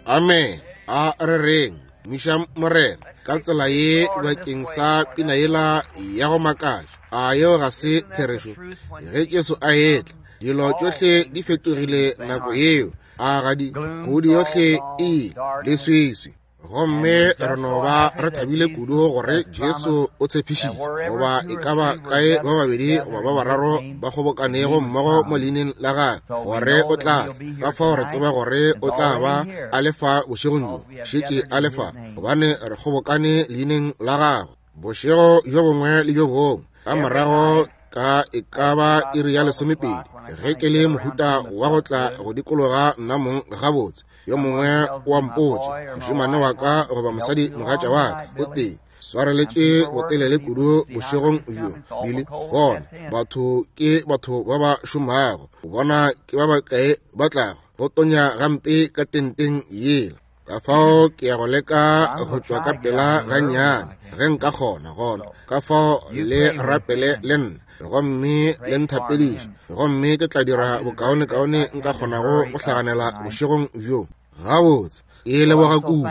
Amen. A re reng, Tumišang Morena ka tsela ye bakeng sa pina yela ya go makatša. A yeo ga se therešo? Ge Jesu a etla, dilo tšohle di fetogile nako yeo. A ga di? Kgodi yohle e ile, leswiswi. Gomme re no ba re thabile kudu gore Jesu o tshepišitše, goba e ka ba kae ba babedi goba ba bararo ba kgobokanego mmogo mo leineng la gagwe, gore o tla tla. Ka fao re tseba gore o tla ba a le fa bošegong bjo, šetše a le fa, gobane re kgobokane leineng la gagwe. Bošego bjo bongwe le bjo bongwe ka morago ka e ka ba iri ya lesomepedi, ge ke le mohuta wa go tla go dikologa nna mong gabotse, yo mongwe wa mpotša, mošemane wa ka goba mosadi mogatša wa ka, o tee swareletše botelele kudu bošegong bjo. Billy, bona batho ke batho ba ba šomago, bona ke ba bakae ba tlago go tonya gampe ka tenteng yela. Ka fao ke ya go leka go tšwa ka pela gannyane ge nka kgona gona. Ka fao le rapele le nna gomme le nthapediše, gomme ke tla dira bokaonekaone nka kgonago go hlaganela bošegong bjo. Gabotse, ke leboga kudu.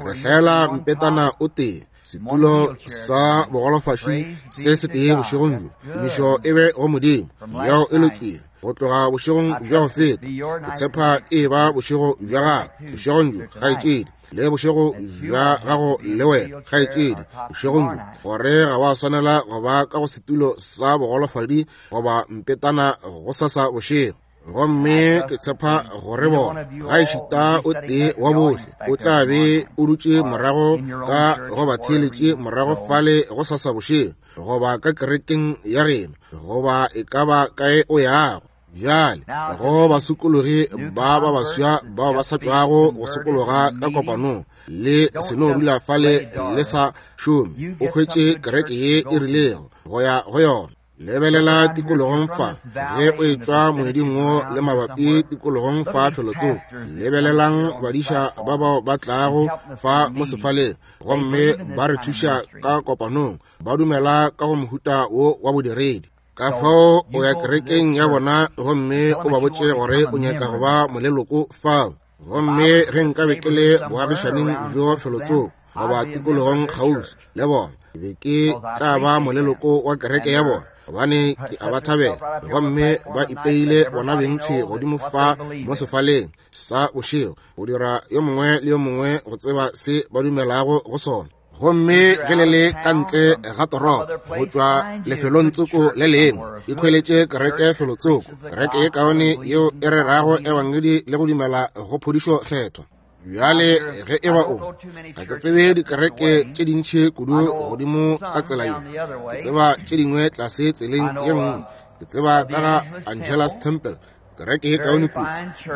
Re hlaela mpetana o tee, setulo sa bogolofaši se setee bošegong bjo. Tumišo e be go Modimo. Yeo e lokile. Go tloga bošegong bja go feta, ke tshepa e ba bošego bja gago bošegong bjo, kgaetšedi, le bošego bja gago le wena, kgaetšedi, bošegong bjo, gore ga wa swanela go ba ka go setulo sa bogolofadi goba mpetana gosasa bošego. Gomme ke tshepa gore bona, ga ešita o tee wa bohle, o tla be o dutše morago ka go ba theeletše morago fale gosasa bošego, goba ka kerekeng ya geno, goba e ka ba kae o yago. Bjale, go basokologi ba ba baswa bao ba sa tšwago go sokologa ka kopanong, le se no dula fale le sa šome, o hwetše kereke ye e rilego go ya go yona. Lebelela tikologong fa, ge o etšwa moeding wo le mabapi tikologong fa felotsoko, lebelelang badiša ba bao ba tlago fa mo sefaleng gomme ba re thuša ka kopanong, ba dumela ka go mohuta wo wa bodiredi. Ka fao o ya kerekeng ya bona gomme o ba botše gore o nyaka go ba moleloko fao. Gomme ge nkabe ke le boagišaning bjo felotsoko goba tikologong kgauswi le bona, ke be ke tla ba moleloko wa kereke ya bona, gobane ke a ba thabela. Gomme ba ipeile bona beng thwi godimo fa mo sefaleng sa bošego go dira yo mongwe le yo mongwe go tseba se ba dumelago go sona. Gomme ge le le ka ntle ga toropo go tšwa lefelong tsoko le lengwe, ikhweletše kereke felotsoko, kereke ye kaone yeo e rerago ebangedi le go dumela go phodišo kgethwa. Bjale ge e ba o, ga ke tsebe dikereke tše dintši kudu godimo ka tsela ye, ke tseba tše dingwe tlase tseleng ye nngwe. Ke tseba ka ga Angelus Temple, kereke ye kaone kudu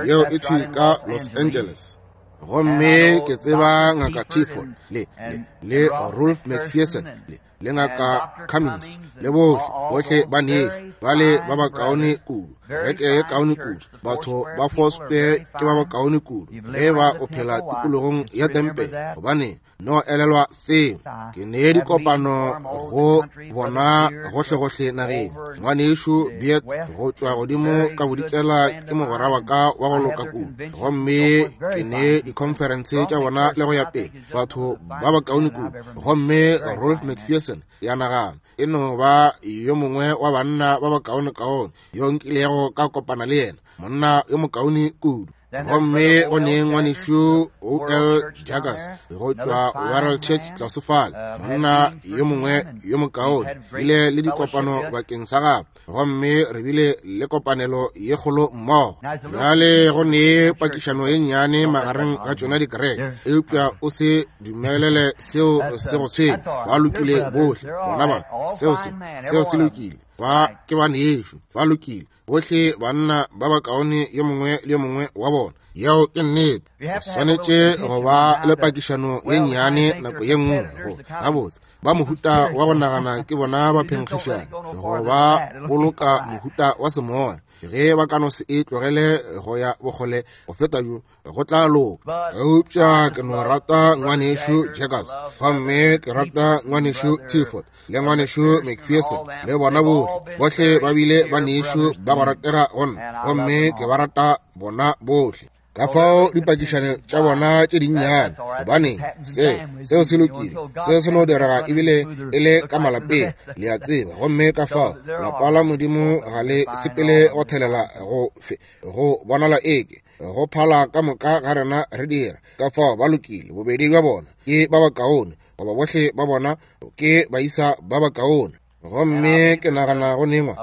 yeo e thwi ka Los Angeles. Gomme ke tseba Ngaka Tiford le, le, le Rolf McPherson le, le Ngaka Cummings le bohle, bohle ba nešu ba le ba bakaone kudu, kereke ye kaone kudu, batho ba Foursquare ke ba bakaone kudu ge ba o phela tikologong ya tempele, gobane no elelwa seo. Ke ne dikopano go bona gohlegohle nageng. Ngwanešu Beard go tšwa godimo ka bodikela ke mogwera wa ka wa go loka kudu, gomme ke ne dikhonferense tša bona le go ya pele, batho ba bakaone kudu. Gomme Rolf McPherson, ya nagana, e no ba yo mongwe wa banna ba bakaonekaone yo nkilego ka kopana le yena, monna yo mokaone kudu. Gomme go ne ngwanešu O.L. Jaggers go tšwa World Church tlase fale, monna yo mongwe yo mokaone, bile le dikopano bakeng sa gagwe, gomme re bile le kopanelo ye kgolo mmogo. Bjale go ne pakišano ye nnyane magareng ga tšona dikereke, eupša o se dumelele seo se go tshwenya. Ba lokile bohle bona ba, seo se, seo se lokile. Ba ke banešu, ba lokile bohle, banna ba bakaone yo mongwe le yo mongwe wa bona. Yeo ke nnete. O swanetše go ba le pakišano ye nnyane nako ye nngwe go gabotse ba mohuta wa go nagana ke bona ba phenkgišana go ba boloka mohuta wa semoya. Ge ba ka no se e tlogele go ya bokgole go feta bjo, go tla loka. Eupša ke no rata ngwanešu Jaggers, gomme ke rata ngwanešu Tiford le ngwanešu McPherson le bona bohle. Bohle ba bile banešu ba go ratega go nna, gomme ke ba rata bona bohle. Ka fao dipakišano tša bona tše dinnyane, gobane se seo se lokile, se se no direga ebile e le ka malapeng, le a tseba. Gomme ka fao lapa la Modimo ga le sepele go thelela go fe, go bonala eke go phala ka moka ga rena re dira. Ka fao ba lokile, bobedi bja bona ke ba bakaone, goba bohle ba bona ke baisa ba bakaone. Gomme ke nagana go nengwa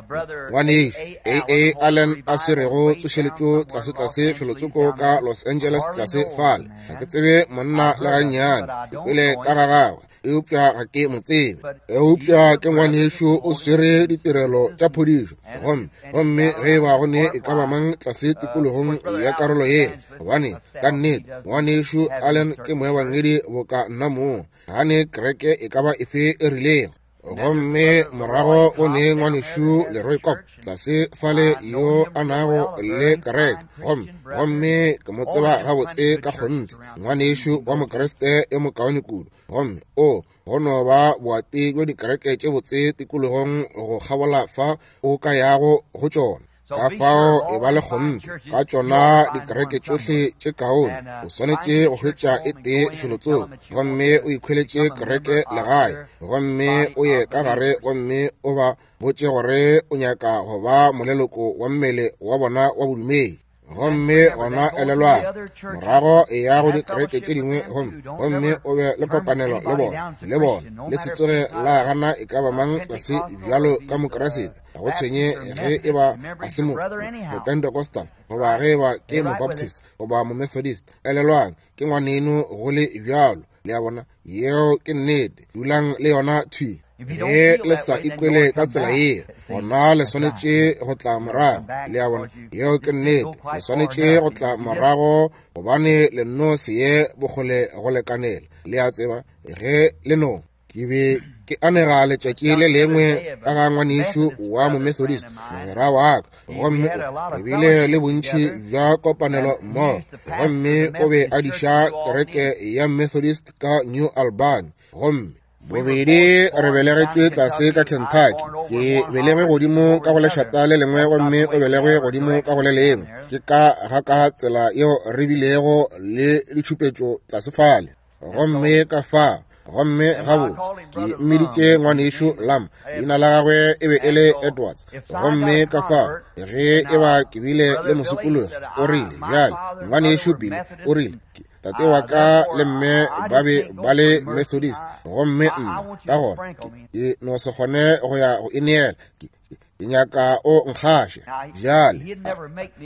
ngwanešu A A Allen a swerego tsošeletšo tlasetlase felotsoko ka Los Angeles tlase fale. Ga ke tsebe monna le gannyane, ke kwele ka ga gagwe, eupša ga ke mo tsebe. Eupša ke ngwanešu o swere ditirelo tša phodišo. Gomme, gomme ge e ba go ne e ka ba mang tlase tikologong ya karolo yela, gobane ka nnete ngwanešu Allen ke moebangedi boka nna mong, ga ne kereke e ka ba efe e rilego. Gomme morago go ne ngwanešu Leroy Kopp tlase fale yo a nago le kereke, gomme, gomme ke mo tseba gabotse ka kgonthe, ngwanešu wa Mokriste yo mokaone kudu. Gomme o, go no ba boati bjo dikereke tše botse tikologong go kgabola fa o ka yago go tšona. Ka fao e ba le kgonthe ka tšona dikereke tšohle tše kaone, o swanetše go hwetša e tee felotsoko, gomme o ikhweletše kereke legae, gomme o ye ka gare gomme o ba botše gore o nyaka go ba moleloko wa mmele wa bona wa bodumedi. Gomme gona elelwang, morago e ya go dikereke tše dingwe, gomme, gomme o be le kopanelo le bona, le bona, le se tsoge la gana e ka ba mang tlase bjalo ka Mokriste, ga go tshwenye ge e ba a se mo, Mopentecostal, goba ge e ba ke Mobaptist, goba Momethodist. Elelwang, ke ngwaneno go le bjalo. Le a bona? Yeo ke nnete. Dulang le yona thwi. Ge le sa ikwele ka tsela ye, gona le swanetše go tla morago. Le a bona? Yeo ke nnete. Le swanetše go tla morago gobane le nno se ye bokgole go lekanela. Le a tseba, ge le no. Ke be ke anega letšatši le lengwe ka ga ngwanešu wa Momethodist, mogwera wa ka, gomme re bile le bontši bja kopanelo mmogo, gomme o be a diša kereke ya Methodist ka New Albany. Gomme bobedi re belegetšwe tlase ka Kentucky. Ke belegwe godimo ka go lešata le lengwe, gomme o belegwe godimo ka go le lengwe. Ke ka ga ka tsela yeo re bilego le ditšhupetšo tlase fale. Gomme ka fa, gomme gabotse ke mmiditše ngwanešu Lam, leina la gagwe e be e le Edwards. Gomme ka fa, ge e ba ke bile le mosokologi, o rile, bjale, ngwanešu Billy, o rile, tate wa ka le mme ba be ba le Methodist, gomme nna ka gona ke no se kgone go ya go ineela, ke nyaka o nkgaše. Bjale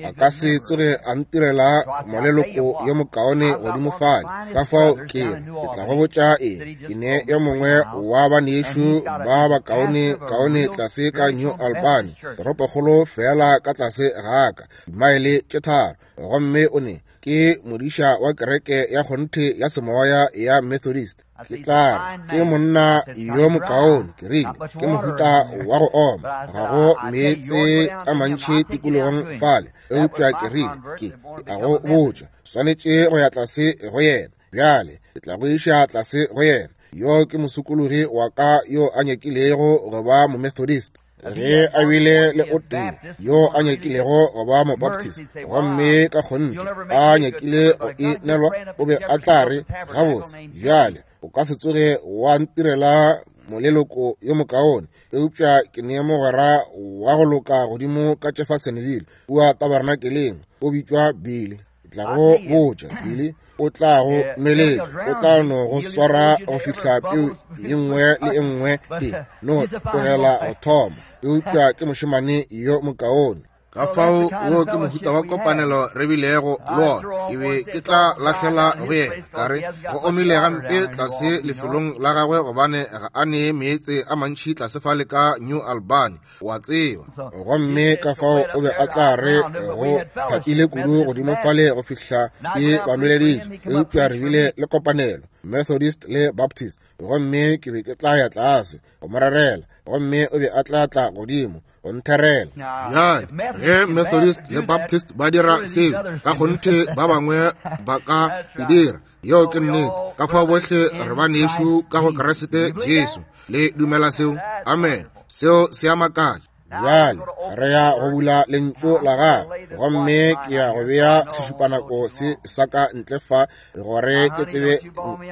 a ka se tsoge a ntirela moleloko yo mokaone godimo fale. Ka fao ke re, ke tla go botša eng, ke ne yo mongwe wa banešu ba bakaone kaone tlase ka New Albany, toropokgolo feela ka tlase ga ka, dimaele tše 3, gomme o ne ke modiša wa kereke ya kgonthe ya semoya ya Methodist. Ke tla re, ke monna yo mokaone, ke rile, ke mohuta wa go oma, ga go meetse a mantši tikologong fale, eupša ke rile, ke a go botša, swanetše go ya tlase go yena. Bjale ke tla go iša tlase go yena. Yo ke mosokologi wa ka yo a nyakilego go ba Momethodist. Ge a bile le o tee yo a nyakilego go ba Mobaptist, gomme ka kgonthe a nyakile go e nelwa, o be a tla re, gabotse, bjale o ka se tsoge wa ntirela moleloko yo mokaone, eupša ke ne mogwera wa go loka godimo ka Jeffersonville kua tabernakeleng, o bitšwa Billy. Ke tla go botša, Billy o tla go nweletša, o tla no go swara go fihla peu ye nngwe le e nngwe e no tlogela go thoma, eupša ke mošemane yo mokaone. Ka fao wo ke mohuta wa kopanelo re bilego le wona. Ke be ke tla lahlela go yena, ka re go omile gampe tlase lefelong la gagwe gobane ga a ne meetse a mantši tlase fale ka New Albany, wa tseba. Gomme ka fao o be a tla re go thapile kudu godimo fale go fihla ke ba nweleditše, eupša re bile le kopanelo, Methodist le Baptist, gomme ke be ke tla ya tlase go mo rerela, gomme o be a tla tla godimo go ntherela. Bjale, ge Methodist le Baptist ba dira seo, ka kgonthe ba bangwe ba ka e dira. Yeo ke nnete. Ka fao bohle re banešu ka go Kriste Jesu. Le dumela seo? Amen. Seo se a makatša. Bjale re ya go bula lentšu la gagwe, gomme ke ya go bea sešupanako se sa ka ntle fa gore ke tsebe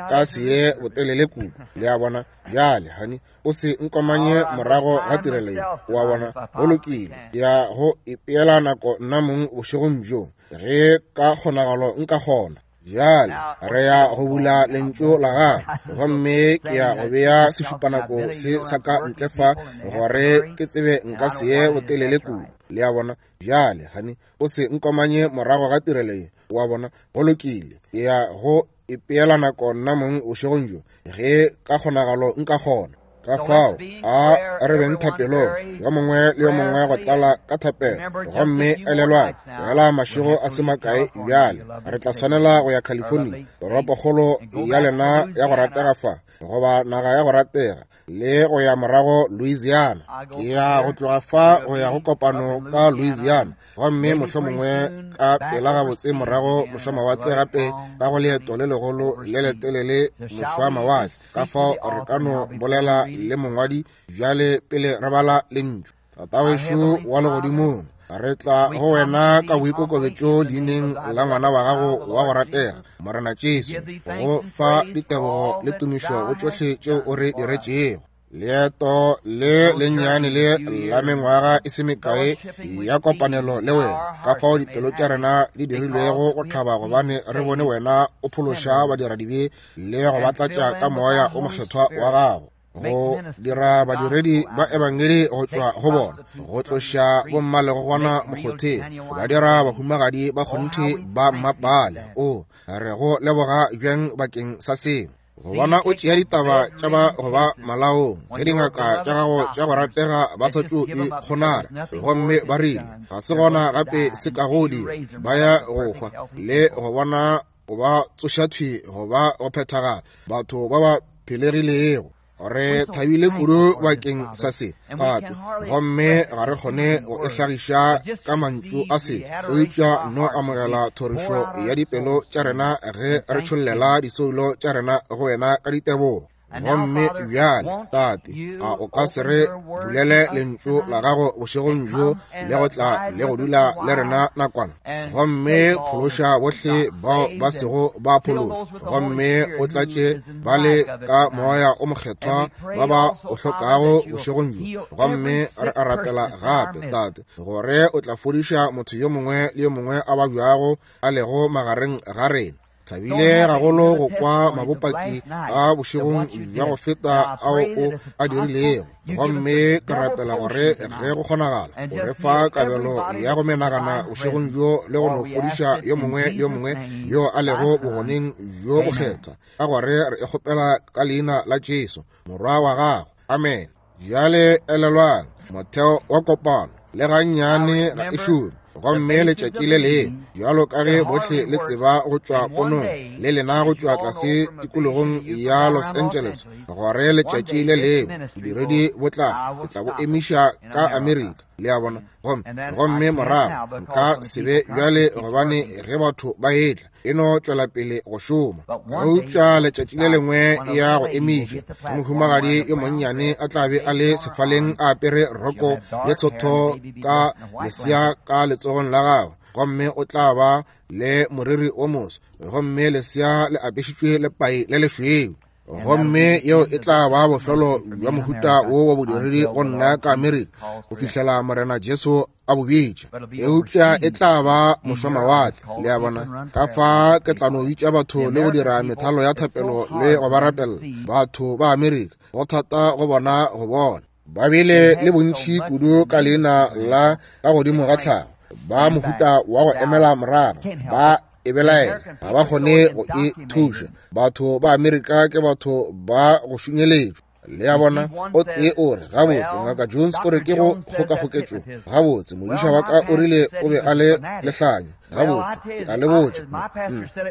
nka se ye botelele kudu. Le a bona? Bjale, honey, o se nkomanye morago ga tirelo ye. O a bona? Go lokile. Ke ya go ipeela nako nna mong bošegong bjo, ge ka kgonagalo nka kgona. Bjale re ya go bula lentšu la gagwe, gomme ke ya go bea sešupanako se sa ka ntle fa gore ke tsebe nka se ye botelele kudu. Le a bona? Bjale, honey, o se nkomanye morago ga tirelo ye. O a bona? Go lokile. Ke ya go ipeela nako nna mong bošegong bjo, ge ka kgonagalo nka kgona. Ka fao a re beng thapelong, yo mongwe le yo mongwe go tlala ka thapelo. Gomme elelwang, fela mašego a se makae bjale re tla swanela go ya California, toropokgolo ya lena ya go ratega fa, goba naga ya go ratega, le go ya morago Louisiana. Ke ya go tloga fa go ya go kopano ka Louisiana, gomme mohlomongwe ka pela gabotse morago mošwamawatle gape ka go leeto le legolo le letelele mošwamawatle. Ka fao re ka no bolela le mongwadi bjale pele re bala lentšu. Tatawešu wa legodimong, re tla go wena ka boikokobetšo leineng la ngwana wa gago wa go ratega, Morena Jesu, go fa ditebogo le tumišo go tšohle tšeo o re diretšego. Leeto le lennyane le la mengwaga e se mekae ya kopanelo le wena, ka fao dipelo tša rena di dirilwego go thaba gobane re bone wena o phološa badiradibe le go ba tlatša ka moya o mokgethwa wa gago, go dira badiredi ba ebangedi go tšwa go bona, go tloša bommalegogwana mokgotheng, ba dira bahumagadi ba kgonthe ba mmapale. O re go leboga bjang bakeng sa seo. Go bona o tšea ditaba tša ba go ba malaong, ge dingaka tša gago tša go ratega ba sa tšo e kgonara, gomme ba rile ga se gona gape se ka go dira, ba ya go hwa, le go bona o ba tsoša thwi go ba go phethagala, batho ba ba phelegilego. Re thabile kudu bakeng sa se, Tate, gomme ga re kgone go e hlagiša ka mantšu a se, eupša no amogela thorišo ya dipelo tša rena ge re tšhollela disoulo tša rena go wena ka ditebogo. Gomme bjale, Tate, a o ka se re bulele lentšu la gago bošegong bjo le go tla le go dula le rena nakwana, gomme phološa bohle bao ba sego ba phološwa, gomme o tlatše ba le ka moya o mokgethwa ba ba o hlokago bošegong bjo. Gomme re a rapela gape, Tate, gore o tla fodiša motho yo mongwe le yo mongwe a babjago a lego magareng ga rena. Thabile gagolo go kwa mabopaki a bošegong bja go feta ao o a dirilego, gomme ke rapela gore ge go kgonagala o re fa kabelo ya go menagana bošegong bjo le go no fodiša yo mongwe le yo mongwe yo a lego bogoneng bjo bokgethwa, ka gore re e kgopela ka leina la Jesu morwa wa gago. Amen. Bjale elelwang, motheo wa kopano le gannyane ga e šome, gomme letšatši le lengwe, bjalo ka ge bohle le tseba go tšwa ponong le lena go tšwa tlase tikologong ya Los Angeles, gore letšatši le lengwe bodiredi bo tla, ke tla bo emiša ka Amerika. Le a bona? Gomme morago nka se be bjale, gobane ge batho ba etla e no tšwela pele go šoma. Eupša letšatši le lengwe e ya go emiša, mohumagadi yo monnyane a tla be a le sefaleng a apere roko ye tshotho ka lesea ka letsogong la gagwe, gomme o tla ba le moriri o moso, gomme lesea le apešitšwe lepai le lešweu. Gomme yeo e tla ba bofelo bja mohuta wo wa bodiredi go nna ka Amerika go fihlela Morena Jesu a bo bitša. Eupša e tla ba mošwamawatle, le a bona. Ka fa ke tla no bitša batho le go dira methalo ya thapelo le go ba rapella. Batho ba Amerika, go thata go bona go bona. Ba bile le bontši kudu ka leina la ka godimo ga tlhago, ba mohuta wa go emela morara, ba e belaela, ga ba kgone go e thuša. Batho ba Amerika ke batho ba go šunyeletšwa. Le a bona? O tee o re, gabotse, Ngaka Jones o re ke go kgokakgoketšo. Gabotse, modiša wa ka o rile o be a le lehlanya. Gabotse, ke a le botša,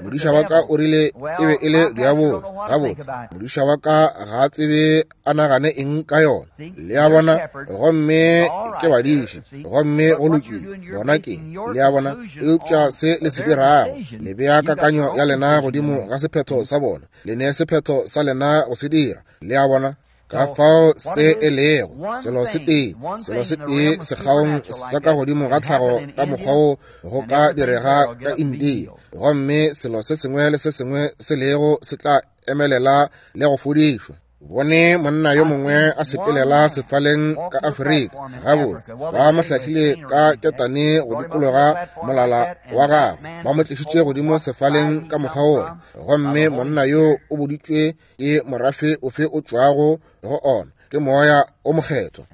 modiša wa ka o rile e be e le diabolo. Gabotse, modiša wa ka ga a tsebe a nagane eng ka yona. Le a bona? Gomme ke badiši, gomme go lokile. Bona ke, le a bona? Eupša se le se dirago, le bea kakanyo ya lena godimo ga sephetho sa bona. Le ne sephetho sa lena go se dira. Le a bona? Ka fao se e lego selo se tee, selo se tee sekgaong sa ka godimo ga tlhago ka mokgwa wo go ka direga ka India, gomme selo se sengwe le se sengwe se lego se tla emelela le go fodišwa. Bone monna yo mongwe a sepelela sefaleng ka Afrika, gabotse ba mo hlahlile ka ketane go dikologa molala wa gagwe, ba mo tlišitše godimo sefaleng ka mokgwa wola, gomme monna yo o boditšwe ke morafe ofe o tšwago go ona, ke Moya o Mokgethwa.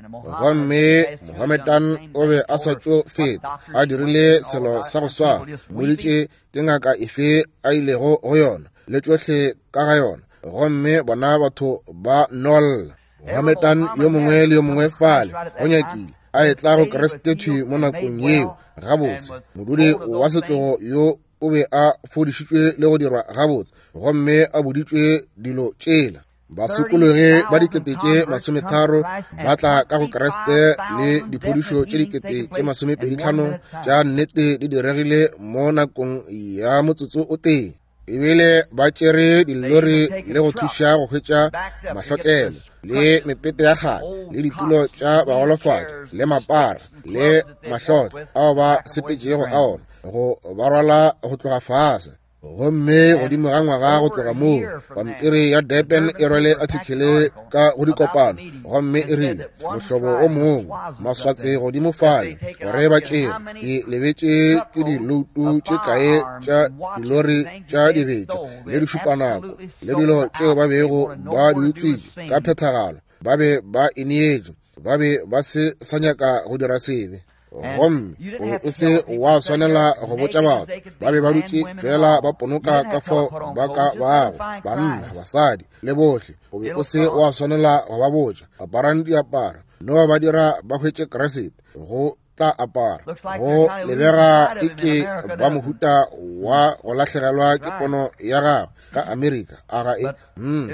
Gomme Mohammedan o be a sa tšo feta a dirile selo sa go swana, mmoditše ke ngaka efe a ilego go yona le tšohle ka ga yona, gomme bona batho ba nolla. Mohammedan yo mongwe le yo mongwe fale go nyakile a etla go Kriste thwi mo nakong yeo. Gabotse, modudi wa setlogo yo o be a fodišitšwe le go dirwa gabotse, gomme a boditšwe dilo tšela. Basokologi ba 30,000 ba tla ka go Kriste, le diphodišo tše 25,000 tša nnete di diregile mo nakong ya motsotso o tee. Ebile ba tšere dilori le go thuša go hwetša mahlotlelo le mepete ya kgale le ditulo tša bagolofadi le mapara le mahlotlo ao ba sepetšego a ona go ba rwala go tloga fase. Gomme godimo ga ngwaga go tloga moo, pampiri ya Durban e rwele athikele ka go dikopano, gomme e rile mohlobo o mongwe maswatse godimo fale gore ba tšere ke lebetše ke diloutu tše kae tša dilori tša dibetša le dišupanako le dilo tšeo ba bego ba di utswitše ka phethagalo, ba be ba ineetše, ba be ba se sa nyaka go dira sebe. Gomme o be o se wa swanela go botša batho, ba be ba dutše fela ba ponoka ka fao ba ka bago, banna, basadi le bohle. O be o se wa swanela go ba botša, aparang diaparo, no ba dira ba hwetše Kriste go tla apara. Go lebega eke ba mohuta wa go lahlegelwa ke pono ya gagwe ka Amerika, a ga e?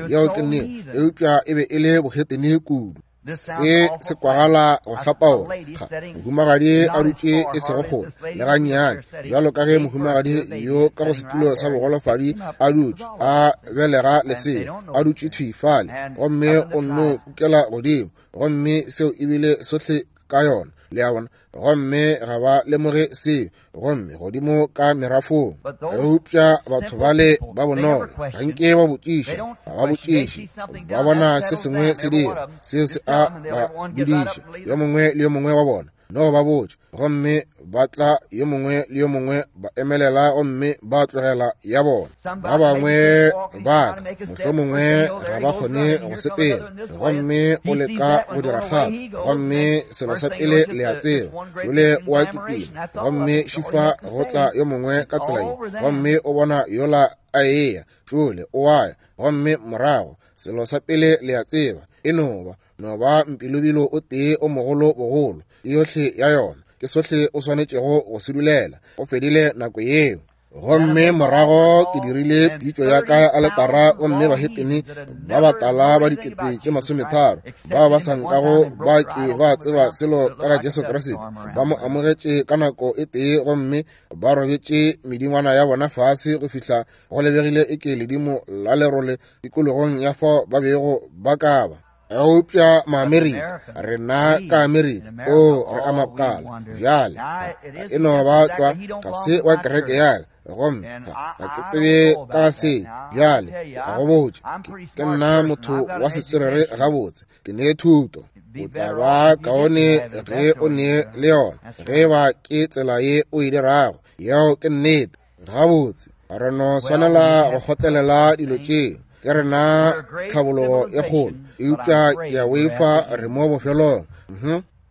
Yeo ke nnete, eupša e be e le bohetene kudu. Se se kwagala go hlapaola. Ga mohumagadi a dutše e sego kgole le gannyane, bjalo ka ge mohumagadi yo ka go setulo sa bogolofadi a dutše a belega lesea, a dutše thwi fale, gomme o nno kukela godimo, gomme seo ebile sohle ka yona, le a bona, gomme ga ba lemoge seo, gomme godimo ka merafong. Eupša batho bale ba bonolo ga nke ba botšiša, ga ba botšiše, ba bona se sengwe se dira, seo se a ba dudiša, yo mongwe le yo mongwe wa bona, no ba botša, gomme ba tla yo mongwe le yo mongwe ba emelela gomme ba tlogela ya bona. Ba bangwe ba ka mohlomongwe ga ba kgone go sepela, gomme o leka go dira kgato, gomme selo sa pele le a tseba, jole o a kitima, gomme šifa go tla yo mongwe ka tsela ye, gomme o bona yola a eya, jole o a ya, gomme morago selo sa pele le a tseba, e no ba no ba mpilobilo o tee o mogolo bogolo, yohle ya yona ke sohle o swanetšego go se dulela. Go fedile nako yeo. Gomme morago ke dirile pitšo ya ka ya aletara, gomme bahetene ba batala ba 30,000 bao ba sa nkago ba ke ba tseba selo ka ga Jesu Kriste ba mo amogetše ka nako e tee, gomme ba robetše medingwana ya bona fase go fihla go lebegile e ke ledimo la lerole tikologong ya fao ba bego ba ka ba. Eupša Maamerika, rena ka Amerika, o re a makala bjale, e no ba tlwa ga se wa kereke ya ka, gomme ga ke tsebe ka se bjale, ka go botša, ke nna motho wa setswerere gabotse, ke ne thuto. O tla ba kaone ge o ne le yona, ge ba ke tsela ye o e dirago, yeo ke nnete. Gabotse, re no swanela go kgotlelela dilo tšeo. Ke rena tlhabologo e kgolo, eupša ke a boifa re mo bofelong.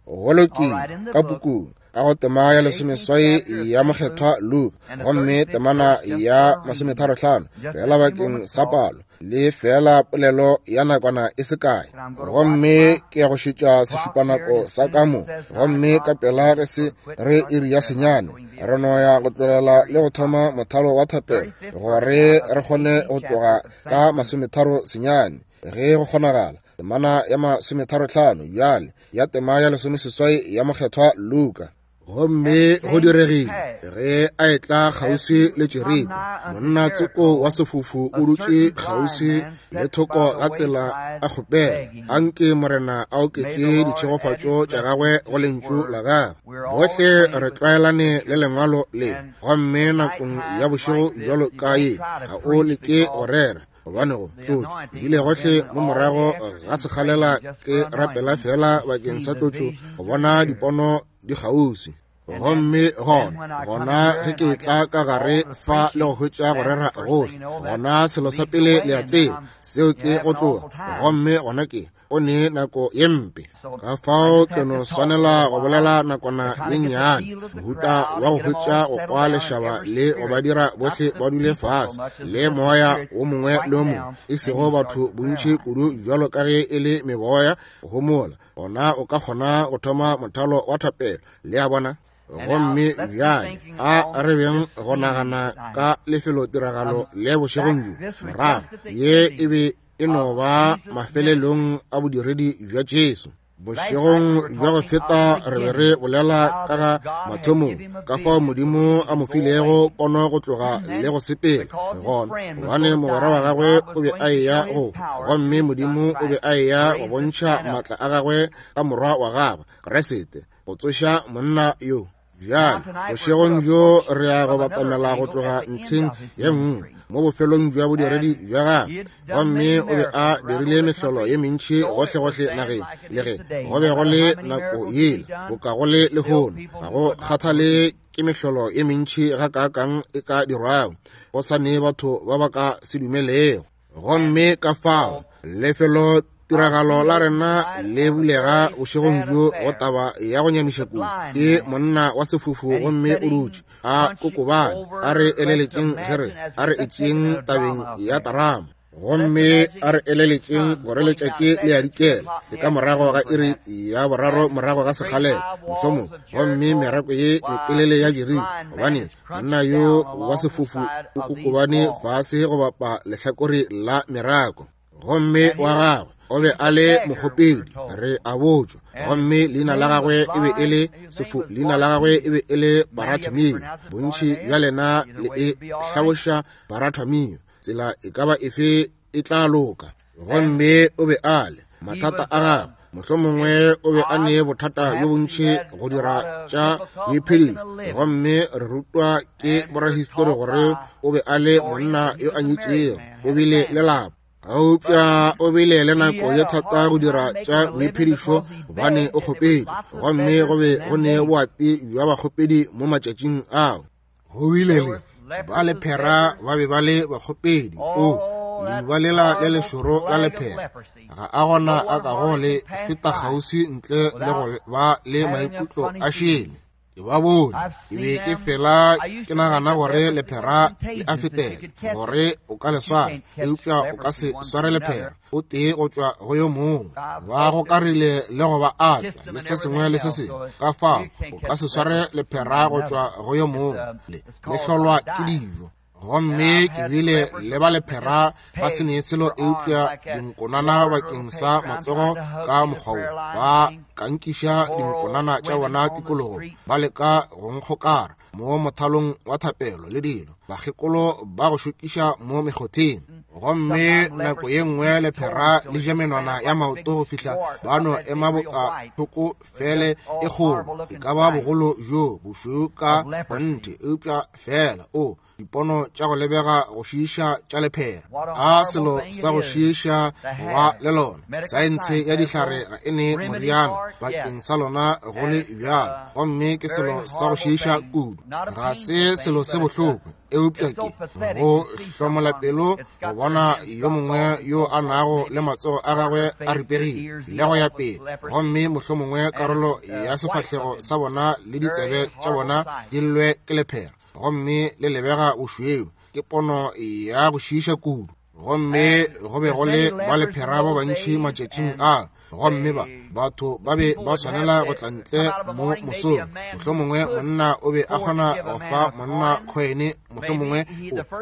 Go lokile, ka pukung, ka go tema ya lesomeswai ya mokgethwa Luka, gomme temana ya 35, fela bakeng sa palo, le fela polelo ya nakwana e se kae. Gomme ke ya go šetša sešupanako sa ka mo, gomme ka pela ge se re iri ya 9, re no ya go tlogela le go thoma mothalo wa thapelo gore re kgone go tloga ka 39 ge go kgonagala. Temana ya 35 bjale ya tema ya 18 ya mokgethwa Luka. Gomme go diregile ge a etla kgauswi le Jeriko, monna tsoko wa sefofu o dutše kgauswi le thoko ga tsela a kgopela, anke Morena a oketše ditšhegofatšo tša gagwe go lentšu la gagwe. Bohle re tlwaelane le lengwalo le, gomme nakong ya bošego bjalo ka ye ga o leke go rera, gobane go tlotšo ebile gohle mo morago ga sekgalela ke rapela fela bakeng sa tlotšo go bona dipono di kgauswi. Gomme gona ge ke tla ka gare fa le go hwetša go rera gohle, gona selo sa pele le a tseba seo ke go tloga, gomme gona ke o ne nako ye mpe. Ka fao ke no swanela go bolela nakwana ye nnyane, mohuta wa go hwetša go kwa lešaba le go ba dira bohle ba dule fase le moya wo mongwe le wo mongwe, e sego batho bontši kudu bjalo ka ge e le meboya go homola, gona o ka kgona go thoma mothalo wa thapelo, le a bona. Gomme bjale a re beng go nagana ka lefelotiragalo le bošegong bjo morago, ye e be e no ba mafelelong a bodiredi bja Jesu. Bošegong bja go feta re be re bolela ka ga mathomong, ka fao Modimo a mo filego pono go tloga le go sepela gona, gobane mogwera wa gagwe o be a eya go, gomme Modimo o be a eya go bontšha maatla a gagwe ka morwa wa gagwe Kriste, go tsoša monna yo. Bjale bošegong bjo re ya go batamela go tloga ntlheng ye nngwe mo bofelong bja bodiredi bja gagwe, gomme o be a dirile mehlolo ye mentši gohlegohle nageng, le ge go be go le nako yela boka go le lehono. Ga go kgathale ke mehlolo ye mentši gakaakang e ka dirwago, go sa ne batho ba ba ka se dumelego. Gomme ka fao lefelo tiragalo la rena le bulega bošegong bjo go taba ya go nyamiša kudu, ke monna wa sefofu gomme o dutše a kokobane. A re eleletšeng ge re a re etšeng tabeng ya tarama, gomme a re eleletšeng gore letšatši le a dikela, ke ka morago ga iri ya boraro morago ga sekgalela mohlomong, gomme merako ye metelele ya Jeriko, gobane monna yo wa sefofu o kokobane fase go bapa lehlakore la merako. Gomme wa gagwe o be a le mokgopedi, re a botšwa, gomme leina la gagwe e be e le sefu, leina la gagwe e be e le Baratimeo. Bontši bja lena le e hlaloša Baratimeo, tsela e ka ba efe e tla loka. Gomme o be a le mathata a gagwe, mohlomongwe o be a ne bothata bjo bontši go dira tša boiphedišo, gomme re rutwa ke borahistori gore o be a le monna yo a nyetšego, o bile le lapa, eupša o bile le nako ye thata go dira tša boiphedišo gobane o kgopedi, gomme go be go ne boati bja bakgopedi mo matšatšing ao. Go bile le ba lephera ba be ba le bakgopedi. O leuba lela le lešoro la lephera, ga a gona a kago le feta kgauswi ntle le go ba le maikutlo a šele. Ke ba bone, ke be ke fela ke nagana gore lephera le a fetela, gore o ka le swara, eupša o ka se sware lephera o tee go tšwa go yo mongwe. Ba gokarile le go ba atla le se sengwe le se sengwe, ka fao o ka se sware lephera go tšwa go yo mongwe, le hlolwa ke dijo. Gomme ke bile le ba lephera ba se ne selo eupša dinkonana bakeng sa matsogo ka mokgwa wo, ba kankiša dinkonana tša bona tikologo, ba leka go nkgokara mo mothalong wa thapelo le dilo, bakgekolo ba go šokiša mo mekgotheng. Gomme nako ye nngwe lephera le ja menwana ya maoto go fihla ba no ema boka thoko fele e kgolo, e ka ba bogolo bjo bošweu ka kgonthe, eupša fela o dipono tša go lebega go šiiša tša lephera. A selo sa go šiiša go ba le lona. Saense ya dihlare ga e ne moriana bakeng sa lona go le bjalo, gomme ke selo sa go šiiša kudu. Ga se selo se bohloko, eupša ke go hlomola pelo go bona yo mongwe yo a nago le matsogo a gagwe a ripegile le go ya pele, gomme mohlomongwe karolo ya sefahlego sa bona le ditsebe tša bona di llwe ke lephera, gomme le lebega bošweu. Ke pono ya go šiiša kudu. Gomme go be go le ba lephera ba bantši matšatšing a, gomme ba batho ba be ba swanela go tla ntle mo mosong. Mohlomongwe monna o be a kgona go fa monna khoene mohlomongwe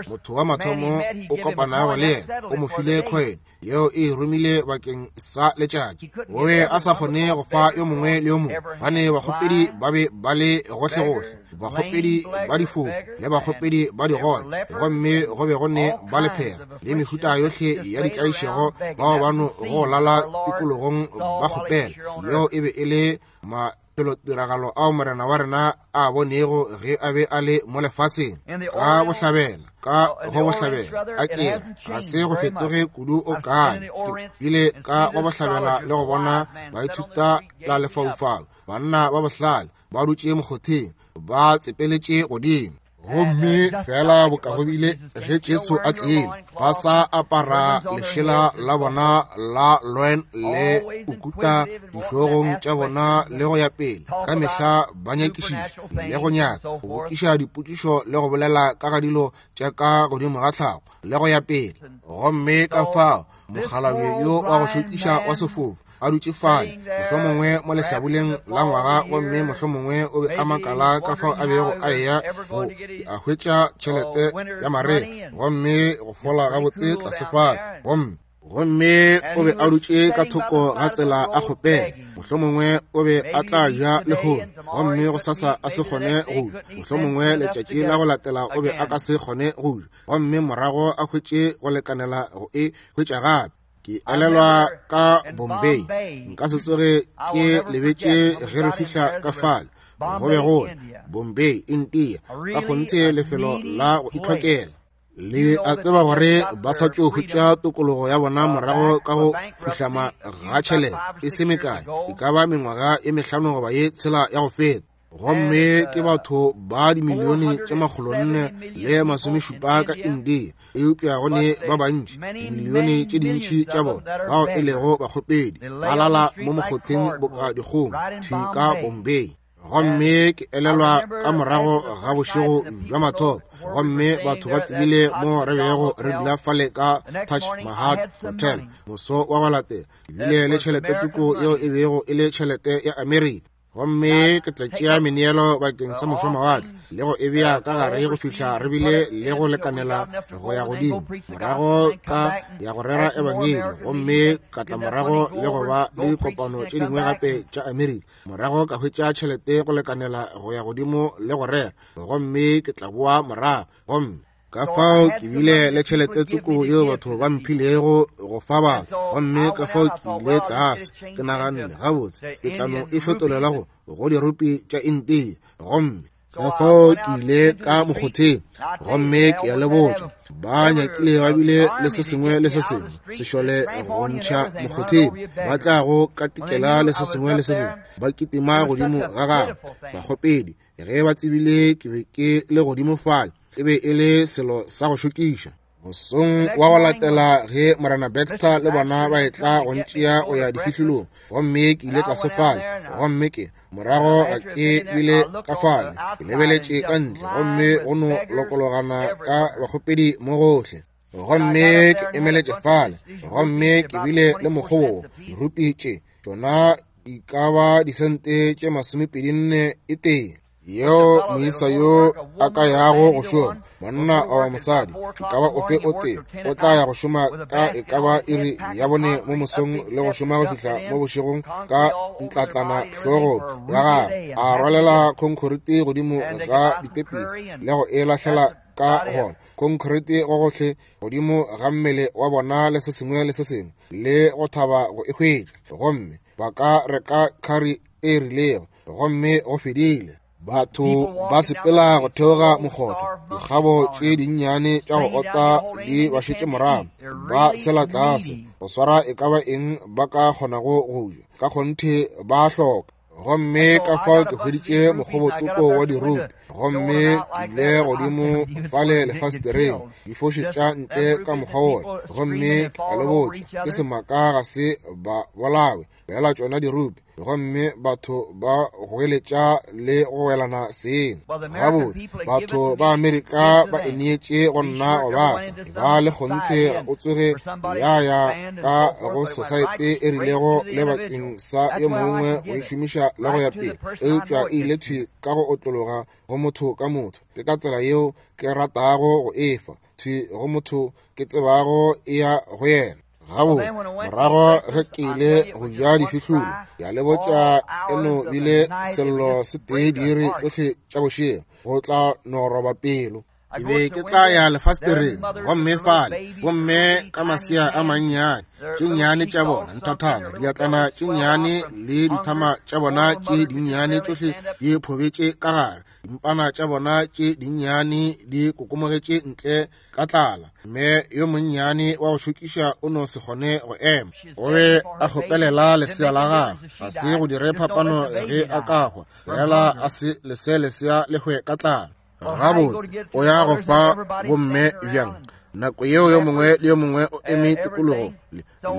motho wa mathomo o kopanago le yena o mo file coin yeo e romile bakeng sa letšatši. O be a sa kgone go fa yo mongwe le yo mongwe, gobane bakgopedi ba be ba le gohlegohle, bakgopedi ba difofu le bakgopedi ba digole, gomme go be go ne ba lephera le mehuta yohle ya ditlaišego bao ba no go lala tikologong ba kgopela. Yeo e be e le mafelotiragalo ao Morena wa rena a bonego ge a be a le mo lefaseng. Ka bohlabela, ka go bohlabela, a ke ga se go fetoge kudu o kae. Ke bile ka go bohlabela le go bona baithuta la lefaufau, banna ba bohlale ba dutše mokgotheng, ba tsepeletše godimo. Gomme fela boka go bile ge Jesu a tlile, ba sa apara lešela la bona la loin le ukuta dihlogong tša bona le go ya pele, ka mehla ba nyakišiša le go nyaka go botšiša dipotšišo le go bolela ka ga dilo tša ka godimo ga tlhago le go ya pele. Gomme ka fao mokgalabje yo wa go šokiša wa sefofu a dutše fale, mohlomongwe mo lehlabuleng la ngwaga, gomme mohlomongwe o be a makala ka fao a bego a eya go a hwetša tšhelete ya mare, gomme go fola gabotse tlase fale. Gomme o be a dutše ka thoko ga tsela a kgopela, mohlomongwe o be a tla ja lehono, gomme go sasa a se kgone go ja, mohlomongwe letšatši la go latela o be a ka se kgone go ja, gomme morago a hwetše go lekanela go e hwetša gape. Ke elelwa ka Bombay, nka se tsoge ke lebetše ge re fihla ka fale. Go be go Bombay, India, ka kgonthe lefelo la go itlhokela. Le a tseba gore ba sa tšo hwetša tokologo ya bona morago ka go phuhlama ga tšhelete e se mekae, e ka ba mengwaga e mehlano goba ye tshela ya go feta. Gomme ke batho ba dimilione tše 470 ka India, eupša go ne ba bantši, dimilione tše dintši tša bona bao e lego bakgopedi, ba lala mo mokgotheng boka dikgomo thwi ka Bombay. Gomme ke elelwa ka morago ga bošego bja mathomo, gomme batho ba tsebile mo re bego re dula fale ka Taj Mahal Hotel. Moso wa go latela ke bile le tšhelete tsoko yeo e bego e le tšhelete ya Amerika, gomme ke tla tšea meneelo bakeng sa mošomawatle le go e bea ka gare go fihla re bile le go lekanela go ya godimo, morago ka ya go rera ebangedi, gomme ka tla morago le go ba le dikopano tše dingwe gape tša Amerika, morago ka hwetša tšhelete go lekanela go ya godimo le go rera, gomme ke tla boa morago. Gomme ka fao ke bile le tšhelete tsoko yeo batho ba mphilego go fa batho, gomme ka fao ke ile tlase, ke naganne, gabotse, ke tla no e fetolela go dirupi tša India. Gomme ka fao ke ile ka mokgotheng, gomme ke a le botša, ba nyakile ba bile le se sengwe le se sengwe sešole go ntšha mokgotheng, ba tla go katikela le se sengwe le se sengwe, ba kitima godimo ga gagwe bakgopedi. Ge ba tsebile ke be ke le godimo fale, e be e le selo sa go šokiša. Mosong wa go latela ge Morena Baxter le bona ba etla go ntšea go ya difihlolong, gomme ke ile tlase fale, gomme ke morago ga ke bile ka fale, ke lebeletše ka ntle, gomme go no lokologana ka bakgopedi mo gohle. Gomme ke emeletše fale, gomme ke bile le mokgobo, dirupi tše tšona di ka ba disente tše 24 e tee, yeo moisa yo a ka yago go šoma, monna goba mosadi, e ka ba ofe o tee, o tla ya go šoma ka e ka ba iri ya 4 mo mosong le go šoma go fihla mo bošegong ka ntlatlana hlogong ya gagwe, a rwalela khonkhoriti godimo ga ditepisi le go e lahlela ka gona khonkhoriti go gohle godimo ga mmele wa bona le se sengwe le se sengwe, le go thaba go e hwetša, gomme ba ka reka khari e rilego, gomme go fedile. Batho ba sepela go theoga mokgotho, dikgabo tše dinnyane tša go ota di ba šetše morago, ba sela tlase go swara e ka ba eng ba ka kgonago go ja, ka kgonthe ba hloka. Gomme ka fao ke hweditše mokgobotsoko wa dirupi, gomme ke ile godimo fale lefastereng, di fošetša ntle ka mokgwa wola, gomme ke a le botša, ke semaka ga se ba bolawe. Feela tšona dirupi, gomme batho ba goeletša le go welana seng. Gabotse, batho ba Amerika ba e neetše go nna go ba fa. Ba le kgonthe ga o tsoge ya ya ka go sosaete e rilego le bakeng sa yo mongwe go e šomiša le go ya pele, eupša e ile thwi ka go otlologa go motho ka motho. Ke ka tsela yeo ke ratago go e fa, thwi go motho ke tsebago e ya go yena. Gabotse, morago ge ke ile go ja difihlolo, ya le botša e no bile sello se tee diiri tšohle tša bošego, go tla no roba pelo. Ke be ke tla ya lefastereng, gomme fale bomme ka masea a mannyane, tše nnyane tša bona nthathana, diatlana tše nnyane le dithama tša bona tše dinnyane tšohle di phobetše ka gare, dimpana tša bona tše dinnyane di kokomogetše ntle ka tlala. Mme yo monnyane wa go šokiša o no se kgone go ema, o be a kgopelela lesea la gagwe. Ga se go dire phapano ge a ka hwa, fela a se lese lesea le hwe ka tlala. Gabotse, o ya go fa bomme bjang? Nako yeo yo mongwe le yo mongwe o eme tikologong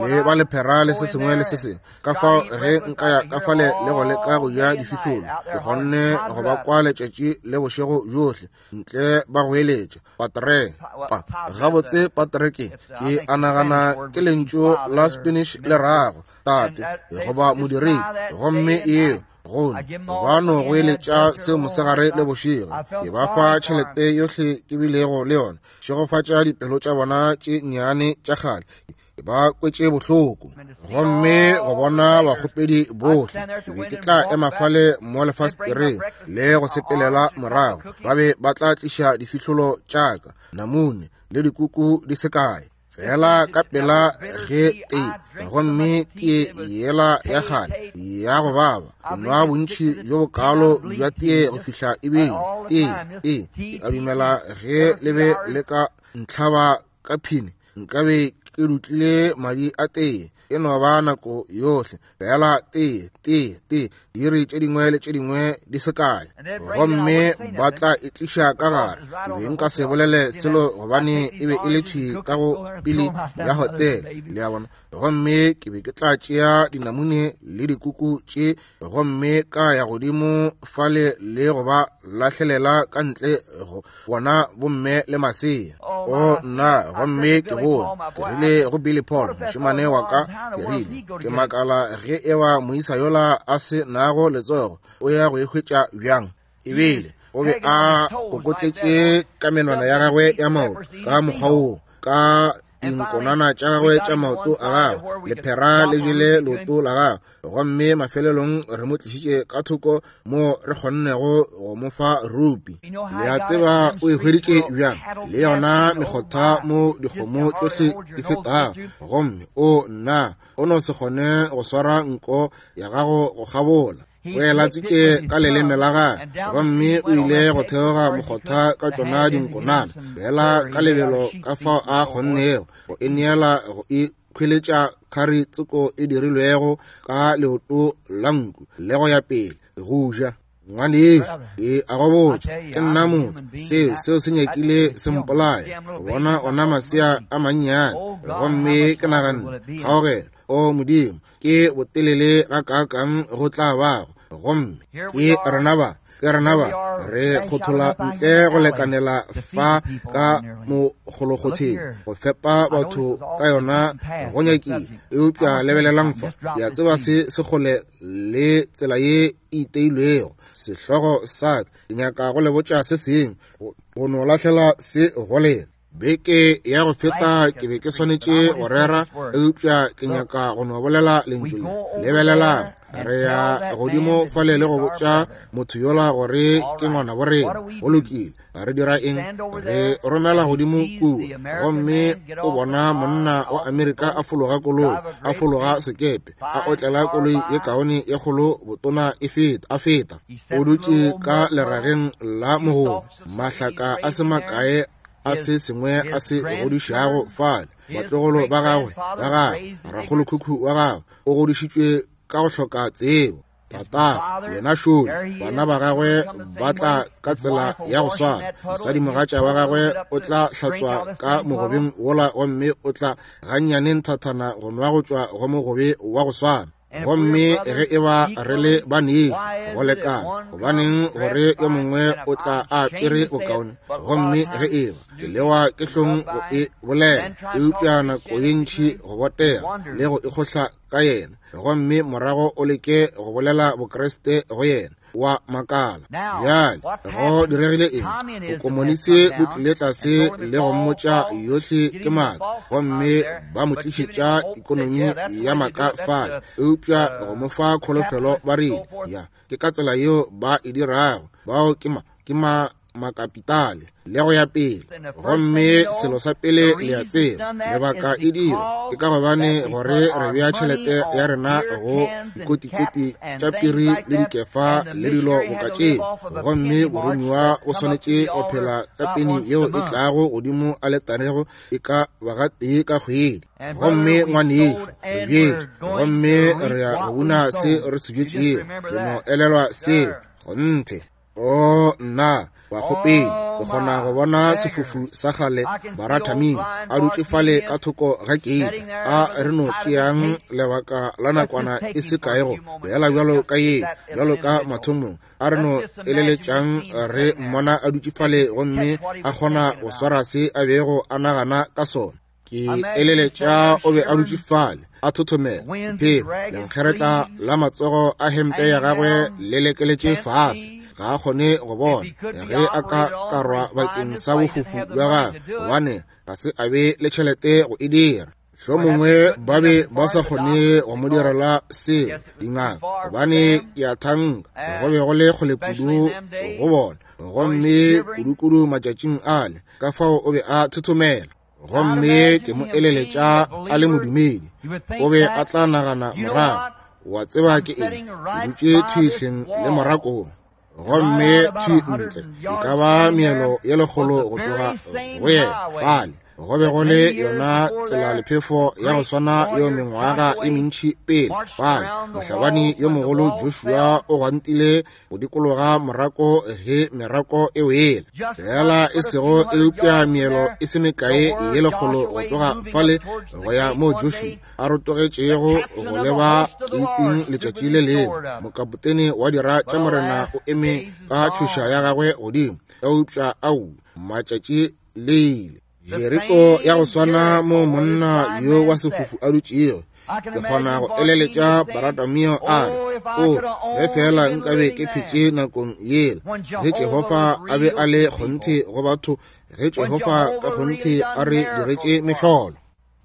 le ba lephera le se sengwe le se sengwe. Ka fao ge nka ya ka fale le go leka go ja difihlolo, ke kgonne go ba kwa letšatši le bošego bjohle ntle ba goeletša patre pa. Gabotse, patre ke, ke a nagana ke lentšu la Spanish le rago tate goba modiredi, gomme yeo gone ba no goeletša seo mosegare le bošego. Ke ba fa tšhelete yohle ke bilego le yona. Šegofatša dipelo tša bona tše nnyane tša kgale, ke ba kwetše bohloko. Gomme go bona bakgopedi bohle, ke be ke tla ema fale mo lefastereng le go sepelela morago, ba be ba tla tliša difihlolo tša ka, namune le dikuku di se kae. Fela ka pela ge tee, gomme tee yela ya kgale ya go baba, ke nwa bontši bjo bokaalo bja tee go fihla e bile tee, tee. Ke a dumela ge le be le ka ntlhaba ka phini, nkabe ke dutlile madi a tee. E no ba nako yohle fela tee, tee, tee, diiri tše dingwe le tše dingwe di se kae, gomme ba tla e tliša ka gare. Ke be nka se bolele selo gobane e be e le thwi ka go pele ya hotele, le a bona. Gomme ke be ke tla tšea dinamune le dikuku tše gomme ka ya godimo fale le go ba lahlelela ka ntle go bona bomme le masea. O nna, gomme ke bone, ke rile go Billy Paul, mošemane wa ka, ke rile, ke makala ge eba moisa yola a se nago letsogo o ya go e hwetša bjang. Ebile o be a kokotletše ka menwana ya gagwe ya maoto ka mokgwa woo, ka dinkonana tša gagwe tša maoto a gagwe, lephera le jele leoto la gagwe. Gomme mafelelong re mo tlišitše ka thoko mo re kgonnego go mo fa rupi. Le a tseba o e hweditše bjang? Le yona mekgotha mo dikgomo tšohle di fetago. Gomme o nna, o no se kgone go swara nko ya gago go kgabola. O e latswitše ka leleme la gagwe, gomme o ile go theoga mokgotha ka tšona dinkonana, fela ka lebelo ka fao a kgonnego go e neela go e khweletša khari tsoko e dirilwego ka leoto la nku le go ya pele go ja. Ngwanešu, ke a go botša, ke nna motho, seo, seo se nyakile se mpolaya, go bona ona masea a mannyane. Gomme ke naganne, kgaogelo, o Modimo, ke botelele gakaakang go tla bago. Gomme ke rena ba, ke rena ba, re kgothola ntle go lekanela fa ka mokgolokgotheng go fepa batho ka yona go nyakile. Eupša lebelelang fa, ke a tseba se se kgole le tsela ye e iteilwego sehlogo sa ka. Ke nyaka go le botša se sengwe, go no lahlela se go lena. Beke ya go feta ke be ke swanetše go rera, eupša ke nyaka go no bolela lentšu le. Lebelelang, re ya godimo fale le go botša motho yola gore ke ngwana bo rena. Go lokile, re dira eng? Re romela godimo kua, gomme o bona monna wa Amerika a fologa koloi, a fologa sekepe, a otlela koloi ye kaone ye kgolo botona e feta, a feta. O dutše ka lerageng la mogobe, mahlaka a se makae a se sengwe a se godišago fale. Batlogolo ba gagwe, ba gagwe, rakgolokhukhu wa gagwe o godišitšwe ka go hloka tsebo. Tata yena šole, bana ba gagwe ba tla ka tsela ya go swana. Mosadimogatša wa gagwe o tla hlatswa ka mogobeng wola, gomme o tla gannyane nthathana go nwa go tšwa go mogobe wa go swana. Gomme ge e ba re le banešu go lekana, gobaneng gore yo mongwe o tla a apere bokaone? Gomme ge e ba ke lewa ke hlong go e bolela, eupša nako ye ntši go botega le go ikgohla ka yena, gomme morago o leke go bolela Bokriste go yena, wa makala. Bjale go diregile eng? Bokomonisi bo tlile tlase le go mmotša yohle ke maaka, gomme ba mo tlišetša ikonomi ya maaka fale, eupša go mo fa kholofelo ba rile, ya, ke ka tsela yeo ba e dirago. Bao ke ma, ke ma makapitale le go ya pele. Gomme selo sa pele le a tseba, lebaka e dira ke ka gobane gore re bea tšhelete ya rena go dikotikoti tša piri le dikefa le dilo boka tšeo, gomme boromiwa o swanetše go phela ka peni yeo e tlago godimo aletarego e ka ba gatee ka kgwedi. Gomme ngwanešu, re bjetše, gomme re ya go buna se re se bjetšego. Le no elelwa seo, kgonthe. O nna, bakgopedi, ke kgona go bona sefofu sa kgale Barathaming a dutše fale ka thoko ga keiti. A re no tšeang lebaka la nakwana e se kae go beela bjalo ka ye, bjalo ka mathomong. A re no eleletšang re mmona a dutše fale gomme a kgona go swara se a bego a nagana ka sona. Ke eleletša o be a dutše fale a thothomela, phefo lenkgeretla la matsogo a hempe ya gagwe le lekeletše fase, ga a kgone go bona ge a ka karwa bakeng sa bofofu bja gagwe, gobane ga se a be le tšhelete go e dira. Hlomongwe ba be ba sa kgone go mo direla seo dingaka, gobane ke a thanka go be go le kgole kudu go bona, gomme kudukudu matšatšing ale, ka fao o be a thothomela. Gomme ke mo eleletša a le modumedi, o be a tla nagana morago, wa tseba ke eng, ke dutše thwihleng le morakong, gomme thwi ntle e ka ba meelo ye lekgolo go tloga go yena pale, go be go le yona tsela lephefo ya go swana yeo mengwaga e mentši pele pale mohlabani yo mogolo Joshua o gwantile go dikologa morako ge merako e wele, fela e sego eupša meelo e se mekae ye lekgolo go tloga fale go ya mo Joshua a rotogetšego go leba keiting letšatši le lengwe. Mokapotene wa dira tša morena o eme ka tšhoša ya gagwe godimo, eupša au, matšatši le ile. Jeriko ya go swana mo monna yo wa sefofu a dutšego. Ke kgona go eleletša Baratamio a re, O, ge feela nkabe ke phetše nakong yela, ge Jehofa a be a le kgonthe go batho, ge Jehofa ka kgonthe a re diretše mehlolo.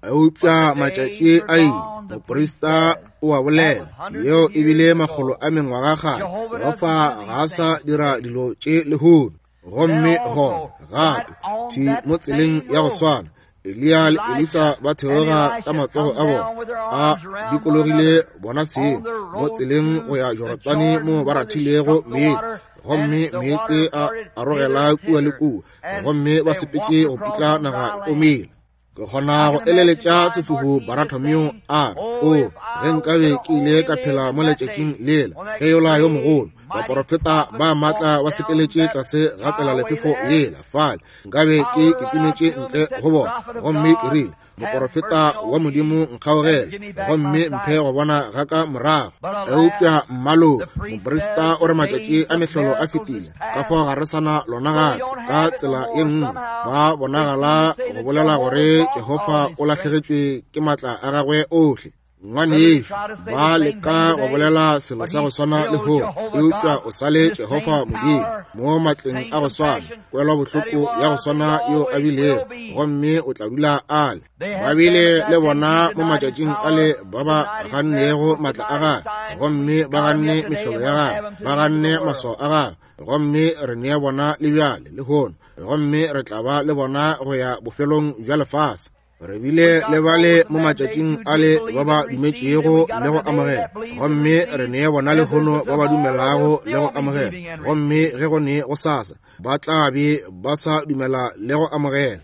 Eupša matšatši a ile, moprista o a bolela, yeo e bile makgolo a mengwaga kgale, Jehofa ga a sa dira dilo tše lehono. Gomme gona gape thwi mo tseleng ya go swana, Eliya le Elisa ba theoga ka matsogo a bona a dikologile bona seng mo tseleng go ya Jorodane mo ba rathilego meetse, gomme meetse a arogela kua le kua, gomme ba sepetše go putla naga e omile. Ke kgona go eleletša sefofu Baratomeo a re, O, ge nkabe ke ile ka phela mo letšatšing lela, ge yola yo mogolo, baporofeta ba maatla ba sepeletše tlase ga tsela lephefo yela fale, nkabe ke kitimetše ntle go bona, gomme ke rile, Moporofeta wa Modimo, nkgaogele, gomme mphe go bona ga ka morago. Eupša mmalo, moprista o re matšatši a mehlolo a fetile, ka fao ga re sana lona gape. Ka tsela ye nngwe ba bonagala go bolela gore Jehofa o lahlegetšwe ke matla a gagwe ohle. Ngwanešu, ba leka go bolela selo sa go swana le ho, eupša o sa le Jehofa Modimo mo matleng a go swana, kwelwa bohloko ya go swana yeo a bilego, gomme o tla dula a le. Ba bile le bona mo matšatšing a le ba ba gannego matla a gagwe, gomme ba ganne mehlolo ya gagwe, ba ganne maswao a gagwe, gomme re nea bona le bjale lehono, gomme re tla ba le bona go ya bofelong bja lefase. Re bile le bale mo matšatšing a le ba ba dumetšego le go amogela, gomme re nea bona lehono ba ba dumelago le go amogela, gomme ge go ne go sasa ba tla be ba sa dumela le go amogela.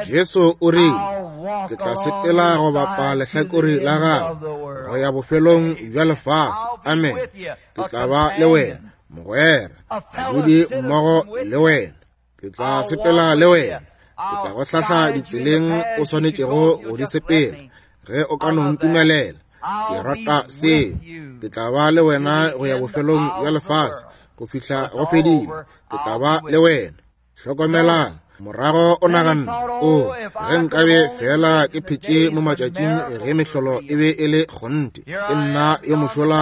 Jesu o rile, Ke tla sepela go bapa lehlakore la gago go ya bofelong bja lefase. Amen. Ke tla ba le wena, mogwera, modudi mmogo le wena. Ke tla sepela le wena. Ke tla go hlahla ditseleng o swanetšego go di sepela, ge o ka no ntumelela. Ke rata seo. Ke tla ba le wena go ya bofelong bja lefase, go fihla go fedile. Ke tla ba le wena. Hlokomelang, morago o naganne, o, ge nkabe feela ke phetše mo matšatšing ge mehlolo e be e le kgonthe. Ke nna yo mošola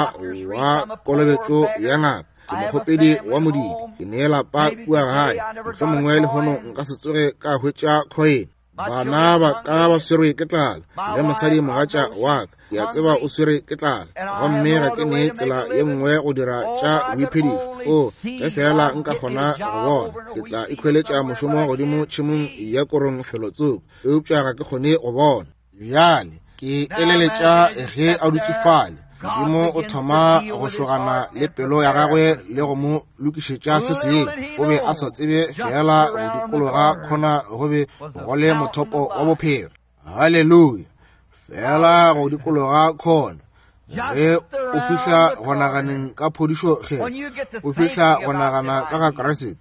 wa kolobetšo ya ngaka. Ke mokgopedi wa modidi. Ke ne lapa kua gae. Mohlomongwe lehono nka se tsoge ka hwetša khoene. Bana ba ka ba swerwe ke tlala, le mosadi mogatša wa ka, ke a tseba o swerwe ke tlala, gomme ga ke ne tsela ye nngwe go dira tša boiphedišo. O, ge feela nka kgona go bona, ke tla ikhweletša mošomo godimo tšhemong ya korong felotsoko, eupša ga ke kgone go bona. Bjale ke eleletša ge a dutše fale, Modimo o thoma go šogana le pelo ya gagwe le go mo lokišetša se sengwe. O be a sa tsebe feela go dikologa khona go be go le mothopo wa bophelo. Haleluya! Feela go dikologa khona. Ge o fihla go naganeng ka phodišo kgetho, o fihla go nagana ka ga Kriste,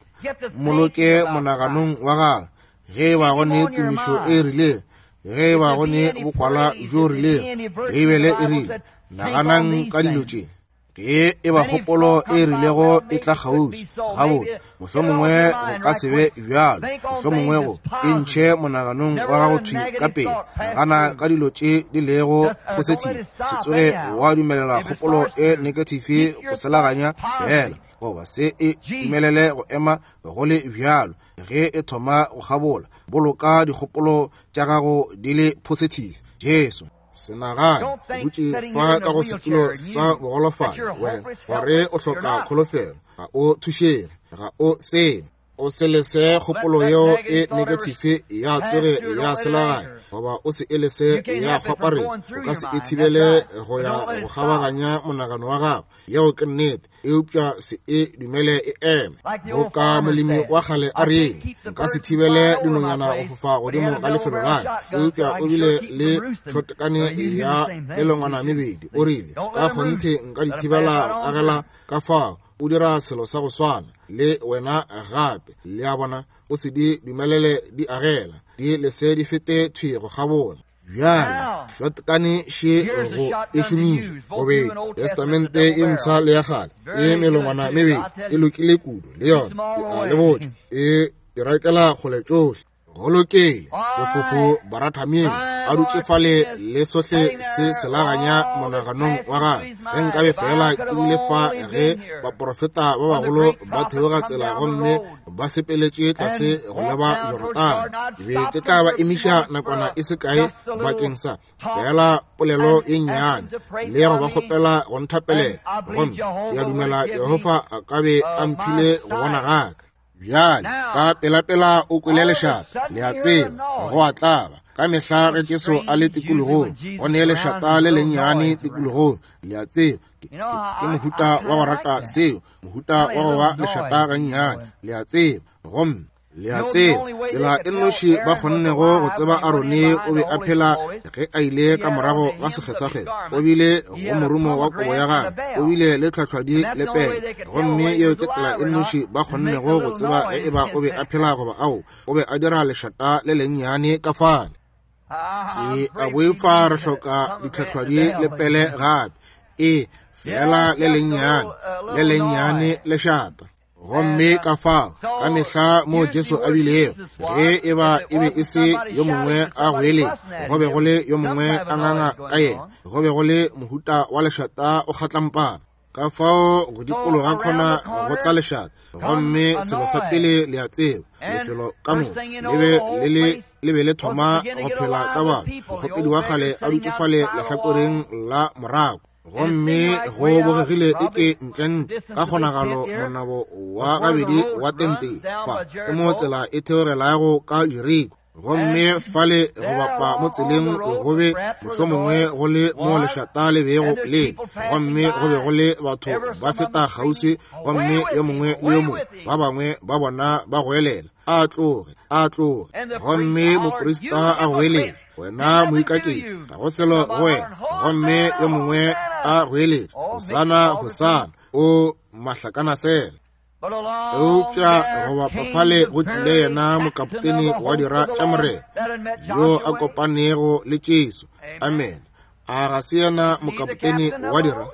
mmoloke monaganong wa gagwe. Ge e ba go ne tumišo e rileng, ge e ba go ne bokwala bjo rileng, Beibele e rile, naganang ka dilo tše. Ge e ba kgopolo e rilego e tla kgauswi, gabotse, mohlomongwe go ka se be bjalo, mohlomongwe go e ntšhe monaganong wa gago thwi ka pele. Nagana ka dilo tše di lego positive, se tsoge wa dumelela kgopolo e negative go selaganya fela, goba se e dumelele go ema go le bjalo. Ge e thoma go kgabola, boloka dikgopolo tša gago di le positive. Jesu, se nagane o dutše fa ka go setulo sa bogolofadi, wena gore o hloka kholofelo, ga o thušege, ga o sengwe. O se lese kgopolo yeo e negative ya tsoge ya selaganya, goba o se e lese ya kgwaparela. O ka se e thibele go ya go kgabaganya monagano wa gago. Yeo ke nnete, eupša se e dumele e eme. Boka molemi wa kgale a rile, nka se thibele dinonyana go fofa godimo ga lefelo la ka, eupša o bile le šotkane ya melongwana mebedi. O rile, ka kgonthe nka di thibela go agela ka fao. O dira selo sa go swana le wena gape. Le a bona, o se di dumelele di agela, di lese di fete thwi go kgabola. Bjale, shotgun še go e šomiša bobedi Testamente e mpsha le ya kgale, e melongwana mebedi e lokile kudu le yona, ke a le botša, e di rakela kgole tšohle. Go lokile, sefofo Barathameng a dutše fale le sohle se selaganya monaganong wa gagwe. Ge nkabe feela ke bile fa ge baprofeta ba bagolo ba theoga tsela gomme ba sepeletše tlase go leba Jorodane, ke be ke tla ba emiša nakwana e se kae bakeng sa feela polelo e nnyane le go ba kgopela go nthapelela, gomme ke a dumela Jehofa a ka be a mphile go bona gaka. Bjale ka pelapela o kwele lešata, le a tseba, go a tlaba. Ka mehla ge Jesu a le tikologong, go ne lešata le lennyane tikologong, le a tseba, ke mohuta wa go rata seo, mohuta wa go ba lešata gannyane, le a tseba. Gomme le a tseba, tsela e nnoši ba kgonnego go tseba Arone o be a phela ge a ile ka morago ga sekgethwakgethwa, o bile go morumo wa kobo ya gagwe, o bile le tlhwatlhwadi le pele. Gomme yeo ke tsela e nnoši ba kgonnego go tseba ge e ba o be a phela goba ao, o be a dira lešata le lennyane ka fale. Ke a boifa re hloka ditlhwatlhwadi le pele gape. E fela le lennyane, le lennyane lešata. Gomme ka fao ka mehla mo Jesu a bilego, ge e ba e be e se yo mongwe a goeletša, go be go le yo mongwe a nganga ka yena, go be go le mohuta wa lešata o kgatlampana. Ka fao go dikologa khona go tla lešata, gomme selo sa pele le a tseba, lefelo ka moka le be le le le be le thoma go phela ka batho. Mokgopedi wa kgale a dutše fale lehlakoreng la morako, gomme go bogegile eke ntlentle ka kgonagalo monabo wa gabedi wa tente fa ke mo tsela e theogelago ka Jeriko, gomme fale go bapa mo tseleng go be mohlomongwe go le mo lešata le bego le, gomme go be go le batho ba feta kgauswi, gomme yo mongwe le yo mongwe ba bangwe ba bona ba goelela, a tloge, a tloge. Gomme moprista a goeletša, wena moikaketši, ga go selo go wena. Gomme yo mongwe a goeletša, Hosana, Hosana, o mahlakanasela. Eupša go bapa fale go tlile yena mokapotene wa dira tša Morena, yo a kopanego le Jesu. Amen. A ga se yena mokapotene wa dira?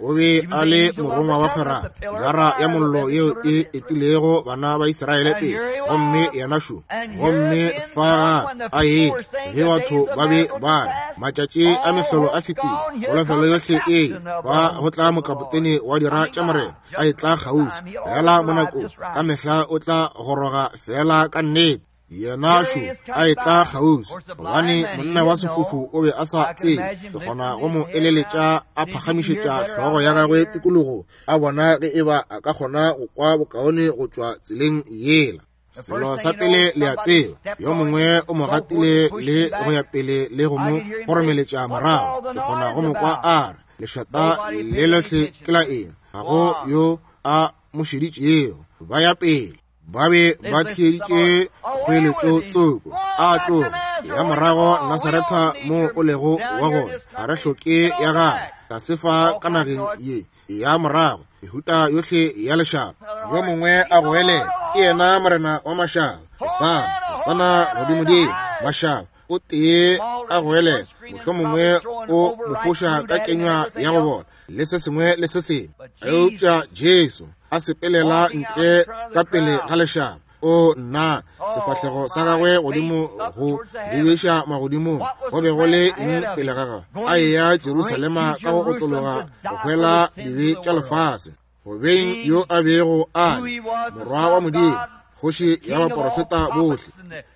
O be a le morongwa wa kgwerano, pilara ya mollo yeo e etilego bana ba Israele pele, gomme yena šo. Gomme fa gape a etla, ge batho ba be ba re, Matšatši a mehlolo a fetile, kholofelo yohle e ile, fa go tla mokapotene wa dira tša Morena a etla kgauswi, feela mo nakong, ka mehla o tla goroga feela ka nnete. Yena šo a etla kgauswi, gobane monna wa sefofu o be a sa tsebe. Ke kgona go mo eleletša a phagamišetša hlogo ya gagwe tikologo, a bona ge e ba a ka kgona go kwa bokaone go tšwa tseleng yela. Selo sa pele le a tseba, yo mongwe o mo gatile le go ya pele le go mo kgoromeletša morago. Ke kgona go mo kwa a re, Lešata le lohle ke la eng? Ga go yo a mo šeditšego. Ba ya pele. Ba be ba theeditše kgoeletšo tsoko, a tloge ya morago Nasaretha mo o lego wa gona, ga re hloke ya gagwe, tlase fa ka nageng ye ya morago, mehuta yohle ya lešaba. Yo mongwe a goelela, ke yena Morena wa mašaba, Hosana, Hosana godimodimo, mašaba. O tee a goelela, mohlomongwe o mo foša ka kenywa ya go bona, le se sengwe le se sengwe. Eupša Jesu a sepelela ntle ka pele ga lešaba. O nna, sefahlego sa gagwe godimo go lebiša magodimong, go be go le eng pele ga gagwe? A eya Jerusalema ka go otlologa go hwela dibe tša lefase, go beng yo a bego a le Morwa wa Modimo, kgoši ya baporofeta bohle,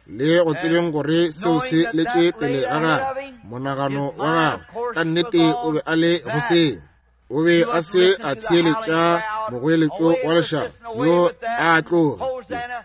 le go tsebeng gore seo se letše pele ga gagwe, monagano wa gagwe ka nnete o be a le go seo. O be a se a theeletša mogoeletšo wa lešaba, yo a tloge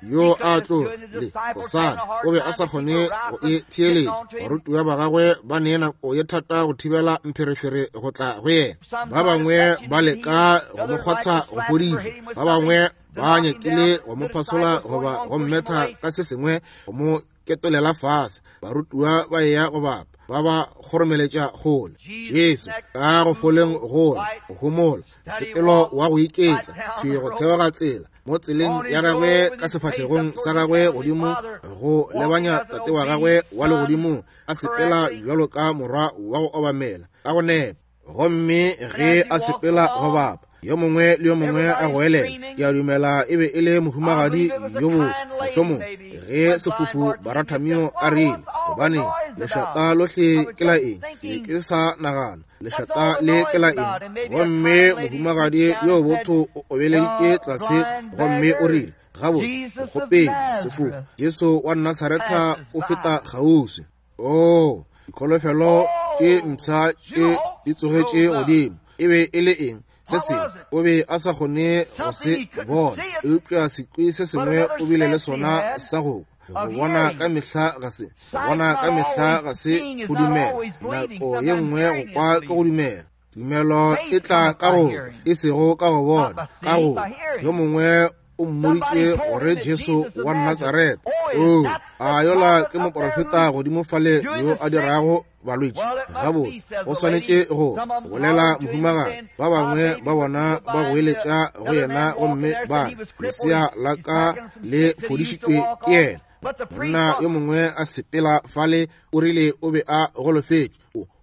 le yo a tloge le Hosana. O be a sa kgone go e theeletša. Barutiwa ba gagwe ba ne nako ye thata go thibela mpherefere go tla go yena. Ba bangwe ba leka go mo kgwatha go fodišwa, ba bangwe ba nyakile go mo phasola goba go mmetha ka se sengwe go mo ketolela fase. Barutiwa ba eya go bapa, ba ba kgoromeletša kgole. Jesu ka go foleng gola, go homola, mosepelo wa go iketla, thwi go theoga tsela mo tseleng ya gagwe ka sefahlegong sa gagwe godimo go lebanya Tate wa gagwe wa legodimong, a sepela bjalo ka morwa wa go obamela ka go nepa. Gomme ge a sepela go bapa, yo mongwe le yo mongwe a goelela. Ke a dumela e be e le mohumagadi yo botho, mohlomongwe, ge sefofu Baratamio a rile, Gobane lešata lohle ke la eng? Ke ke sa nagana lešata le ke la eng. Gomme mohumagadi yo botho o obeleditše tlase gomme o rile, Gabotse, mokgopedi, sefofu, Jesu wa Nasaretha o feta kgauswi. Oo, dikholofelo tše mpsha tše di tsogetše godimo. E be e le eng? Se sengwe. O be a sa kgone go se bona, eupša sekwi se sengwe o bile le sona sa go kwa. Go bona ka mehla ga se, go bona ka mehla ga se go dumela. Nako ye nngwe go kwa ke go dumela. Tumelo e tla ka go kwa, e sego ka go bona, ka go kwa. Yo mongwe o mmoditše gore Jesu wa Nasaretha, oo, a yola ke moprofeta godimo fale yo a dirago balwetši gabotse, go swanetše go bolela mohumagadi. Ba bangwe ba bona ba goeletša go yena gomme ba re, Lesea la ka le fodišitšwe ke yena. Monna yo mongwe a sepela fale, o rile o be a golofetše,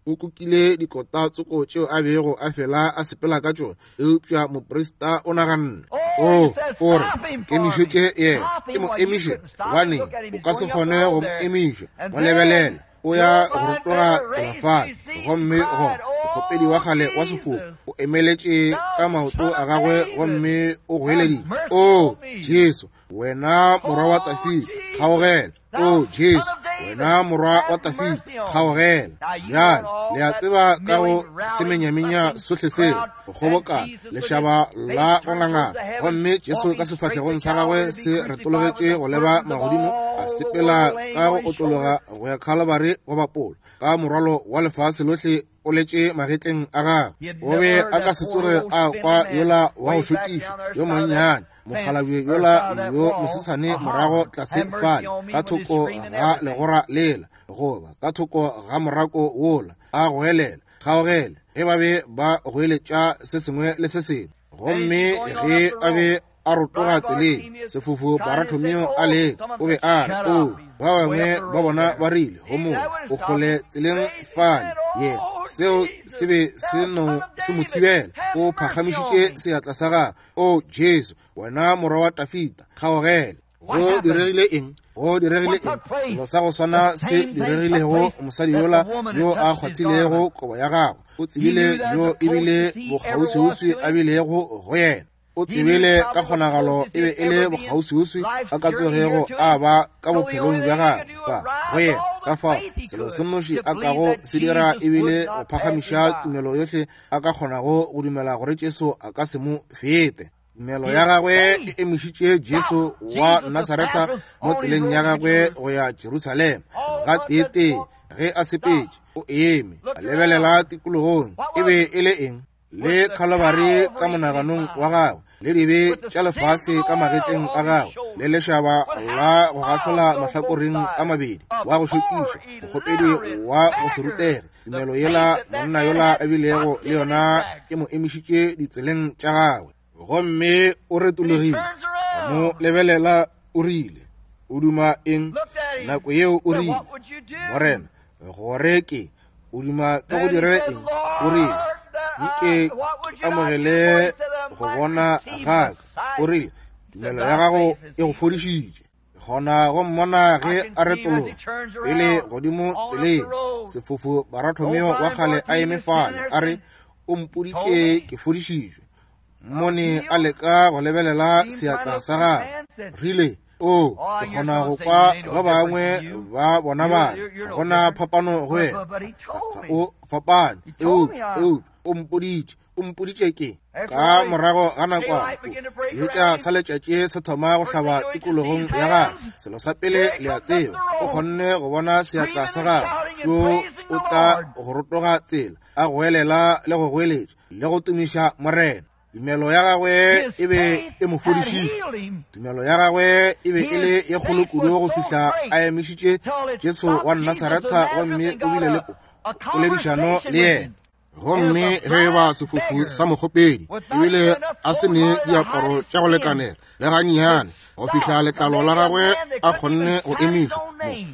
o kukile dikota tsoko tšeo a bego a fela a sepela ka tšona, eupša moprista o naganne, o o re kemišetše yena, ke mo emiše, gobane o ka se kgone go mo emiša. Mo lebelela, o ya go rotoga tsela fale, gomme gona mokgopedi wa kgale wa sefofu o emeletše ka maoto a gagwe gomme o goeleditše, O Jesu, wena morwa wa Dafida, kgaogela. O Jesu, wena morwa wa Dafida, kgaogela. Bjale, le a tseba ka go semenyamenya sohle seo, go kgobokana, lešaba la go ngangana, gomme Jesu ka sefahlegong sa gagwe se retologetše go leba magodimo, a sepela ka go otlologa go ya Khalabari go bapola, ka morwalo wa lefase lohle o letše magetleng a gagwe. O be a ka se tsoge a kwa yola wa go šokišwa yo monnyane, mokgalabje yola yo mosesane morago tlase fale ka thoko ga legora lela, goba ka thoko ga morako wola, a goelela, Kgaogele, ge ba be ba goeletša se sengwe le se sengwe. Gomme ge a be a rotoga tseleng, sefofu Baratomeo a leka, o be a re, O, ba bangwe ba bona ba rile, Homola, o kgole tseleng fale. Yena, seo se be se no se mo thibela. O phagamišitše seatla sa gagwe, O Jesu, wena morwa wa Tafita, kgaogela. Go diregile eng? Go diregile eng? Selo sa go swana se diregilego mosadi yola yo a kgwathilego kobo ya gagwe. O tsebile yo ebile bokgauswiuswi a bilego go yena. O tsebile ka kgonagalo e be e le bokgauswiuswi a ka tsogego a ba ka bophelong bja gagwe ba go yena. Ka fao selo se nnoši a kago se dira ebile go phagamiša tumelo yohle a ka kgonago go dumela gore Jesu a ka se mo fete. Tumelo ya gagwe e emišitše Jesu wa Nasaretha mo tseleng ya gagwe go ya Jerusalema. Gateetee ge a sepetše, o eme a lebelela tikologong. E be e le eng? Le Khalabari ka monaganong wa gagwe, le dibe tša lefase ka magetleng a gagwe, le lešaba la go gahlola mahlakoreng a mabedi, wa go šokiša, mokgopedi wa go se rutege. Tumelo yela monna yola a bilego le yona e mo emišitše ditseleng tša gagwe. Gomme o retologile, a mo lebelela, o rile, O duma eng? Nako yeo o rile, Morena, gore ke, o duma ke go dire eng? O rile, Nke ke amogele go bona ga ka. O rile, Tumelo ya gago e go fodišitše. Gona go mmona ge a retologa pele godimo tseleng, sefofu Baratomeo wa kgale a eme fale, a re, O mpoditše ke fodišitšwe. Mmone a leka go lebelela seatla sa gagwe. Rile, O, ke kgona go kwa ba bangwe ba bona ba re, ga gona phapano go wena. Ga o fapane. Eupša, eupša, o mpoditše. O mpoditše ke. Ka morago ga nakwana, seetša sa letšatši se thoma go hlaba tikologong ya gagwe. Selo sa pele le a tseba, o kgonne go bona seatla sa gagwe. Šo o tla go rotoga tsela, a goelela le go goeletša le go tumiša Morena. Tumelo ya gagwe e be e mo fodišitše. Tumelo ya gagwe e be e le ye kgolo kudu go fihla a emišitše Jesu wa Nasaretha gomme o bile le poledišano le yena. Gomme ge e ba sefofu sa mokgopedi ebile a se ne diaparo tša go lekanela le gannyane go fihla letlalo la gagwe a kgonne go emišwa,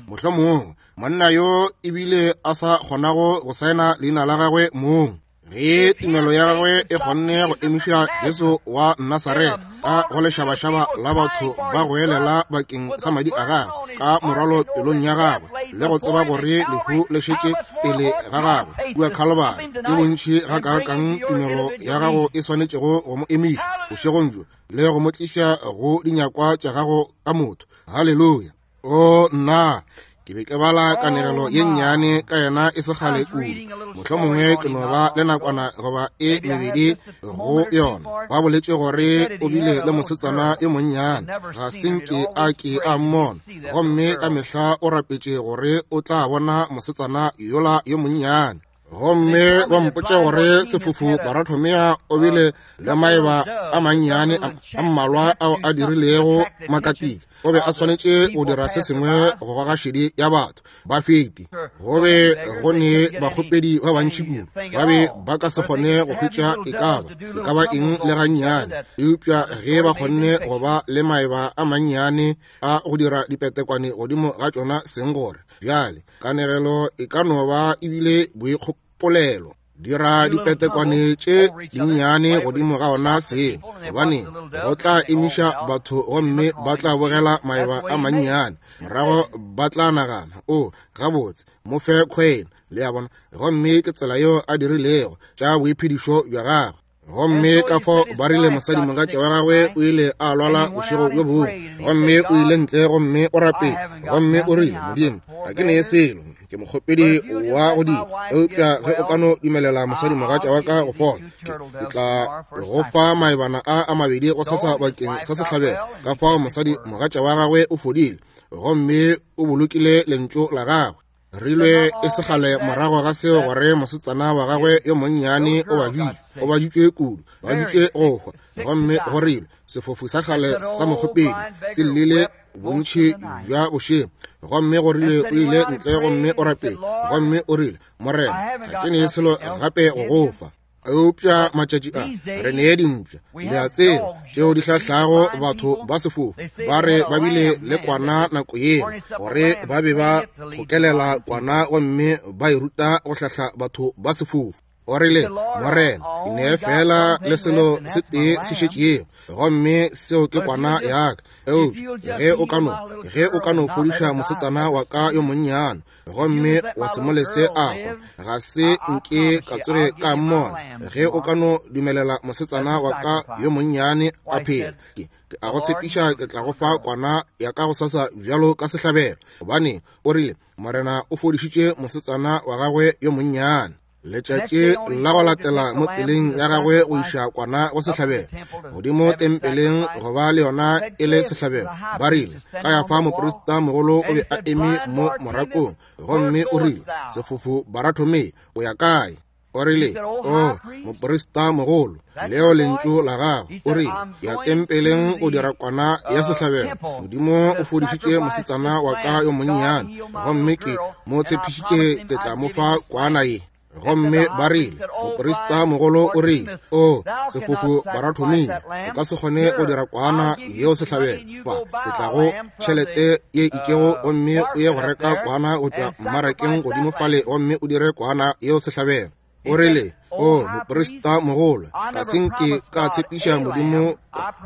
mohlomongwe monna yo ebile a sa kgonago go saena leina la gagwe mong, ge tumelo ya gagwe e kgonne go emiša Jesu wa Nasaretha ka go lešabašaba la batho ba goelela bakeng sa madi a gagwe ka morwalo pelong ya gagwe le go tseba gore lehu le šetše pele ga gagwe kua Khalabari, ke bontši gakaakang tumelo ya gago e swanetšego go mo emiša bošegong bjo le go mo tliša go dinyakwa tša gago ka motho. Haleluya! O nna, ke be ke bala kanegelo ye nnyane ka yena e se kgale kudu. Mohlomongwe ke no ba le nakwana goba e mebedi go yona. Ba boletše gore o bile le mosetsana yo monnyane, ga se nke a ke a mmona, gomme ka mehla o rapetše gore o tla bona mosetsana yola yo monnyane. Gomme ba mpotša gore sefofu Baratomea o bile le maeba a mannyane a mmalwa ao a dirilego makatika. O be a swanetše go dira se sengwe go goga šedi ya batho ba feti. Go be go ne bakgopedi ba bantši kudu, ba be ba ka se kgone go hwetša e ka ba e ka ba eng le gannyane. Eupša ge ba kgonne go ba le maeba a mannyane a go dira dipetekwane godimo ga tšona seng gore bjale kanegelo e ka no ba ebile boikgopolelo. Dira dipetekwane tše dinnyane godimo ga ona seng, gobane go tla emiša batho gomme ba tla bogela maeba a mannyane. Morago ba tla nagana, o, gabotse, mo fe khwene, le a bona. Gomme ke tsela yeo a dirilego tša boiphedišo bja gagwe. Gomme ka fao ba rile mosadimogatša wa gagwe o ile a lwala bošego bjo bongwe, gomme o ile ntle gomme o rapela, gomme o rile, Modimo, ga ke nee selo, ke mokgopedi wa go dira, eupša ge o ka no dumelela mosadimogatša wa ka go fola, ke tla go fa maebana a a mabedi go sasa bakeng sa sehlabelo. Ka fao mosadimogatša wa gagwe o fodile, gomme o bolokile lentšu la gagwe. Rilwe e se kgale morago ga seo gore mosetsana wa gagwe yo monnyane o baditšwe, o baditšwe kudu, baditšwe go hwa. Gomme go rilwe sefofu sa kgale sa mokgopedi se llile bontši bja bošego. Gomme go rile o ile ntle gomme o rapele, gomme o rile, Morena, ga ke ne selo gape go go fa. Eupša matšatši a re nee dimpša, le a tseba, tšeo di hlahlago batho ba sefofu. Ba re ba bile le kwana nako yeo, gore ba be ba thokelela kwana gomme ba e ruta go hlahla batho ba sefofu. O rile, Morena, ke nee fela le selo se tee se šetšego, gomme seo ke kwana ya ka. Eupša ge o ka no, ge o ka no fodiša mosetsana wa ka yo monnyane, gomme wa se mo lese a hwa, ga se nke ka tsoge ka mmona. Ge o ka no dumelela mosetsana wa ka yo monnyane a phela, ke, ke a go tshepiša ke tla go fa kwana ya ka go sasa bjalo ka sehlabelo. Gobane o rile, Morena o fodišitše mosetsana wa gagwe yo monnyane. Letšatši la go latela mo tseleng ya gagwe go iša kwana go sehlabelo godimo tempeleng go ba le yona e le sehlabelo, ba rile, Kayafa moprista mogolo o be a eme mo morakong, gomme o rile, Sefofu Barathomei, o ya kae? O rile, O moprista mogolo, leo lentšu la gago. O rile, Ya tempeleng go dira kwana ya sehlabelo. Modimo o fodišitše mosetsana wa ka yo monnyane, gomme ke mo tshepišitše ke tla mo fa kwana ye. Gomme ba rile, moprista mogolo o rile, O sefofu Barathomia, o ka se kgone go dira kwana yeo sehlabelo. Ba, ke tla go tšhelete ye itšego gomme o ye go reka kwana go tšwa mmarakeng godimo fale gomme o dire kwana yeo sehlabelo. O rile, O moprista mogolo, ga se nke ka tshepiša Modimo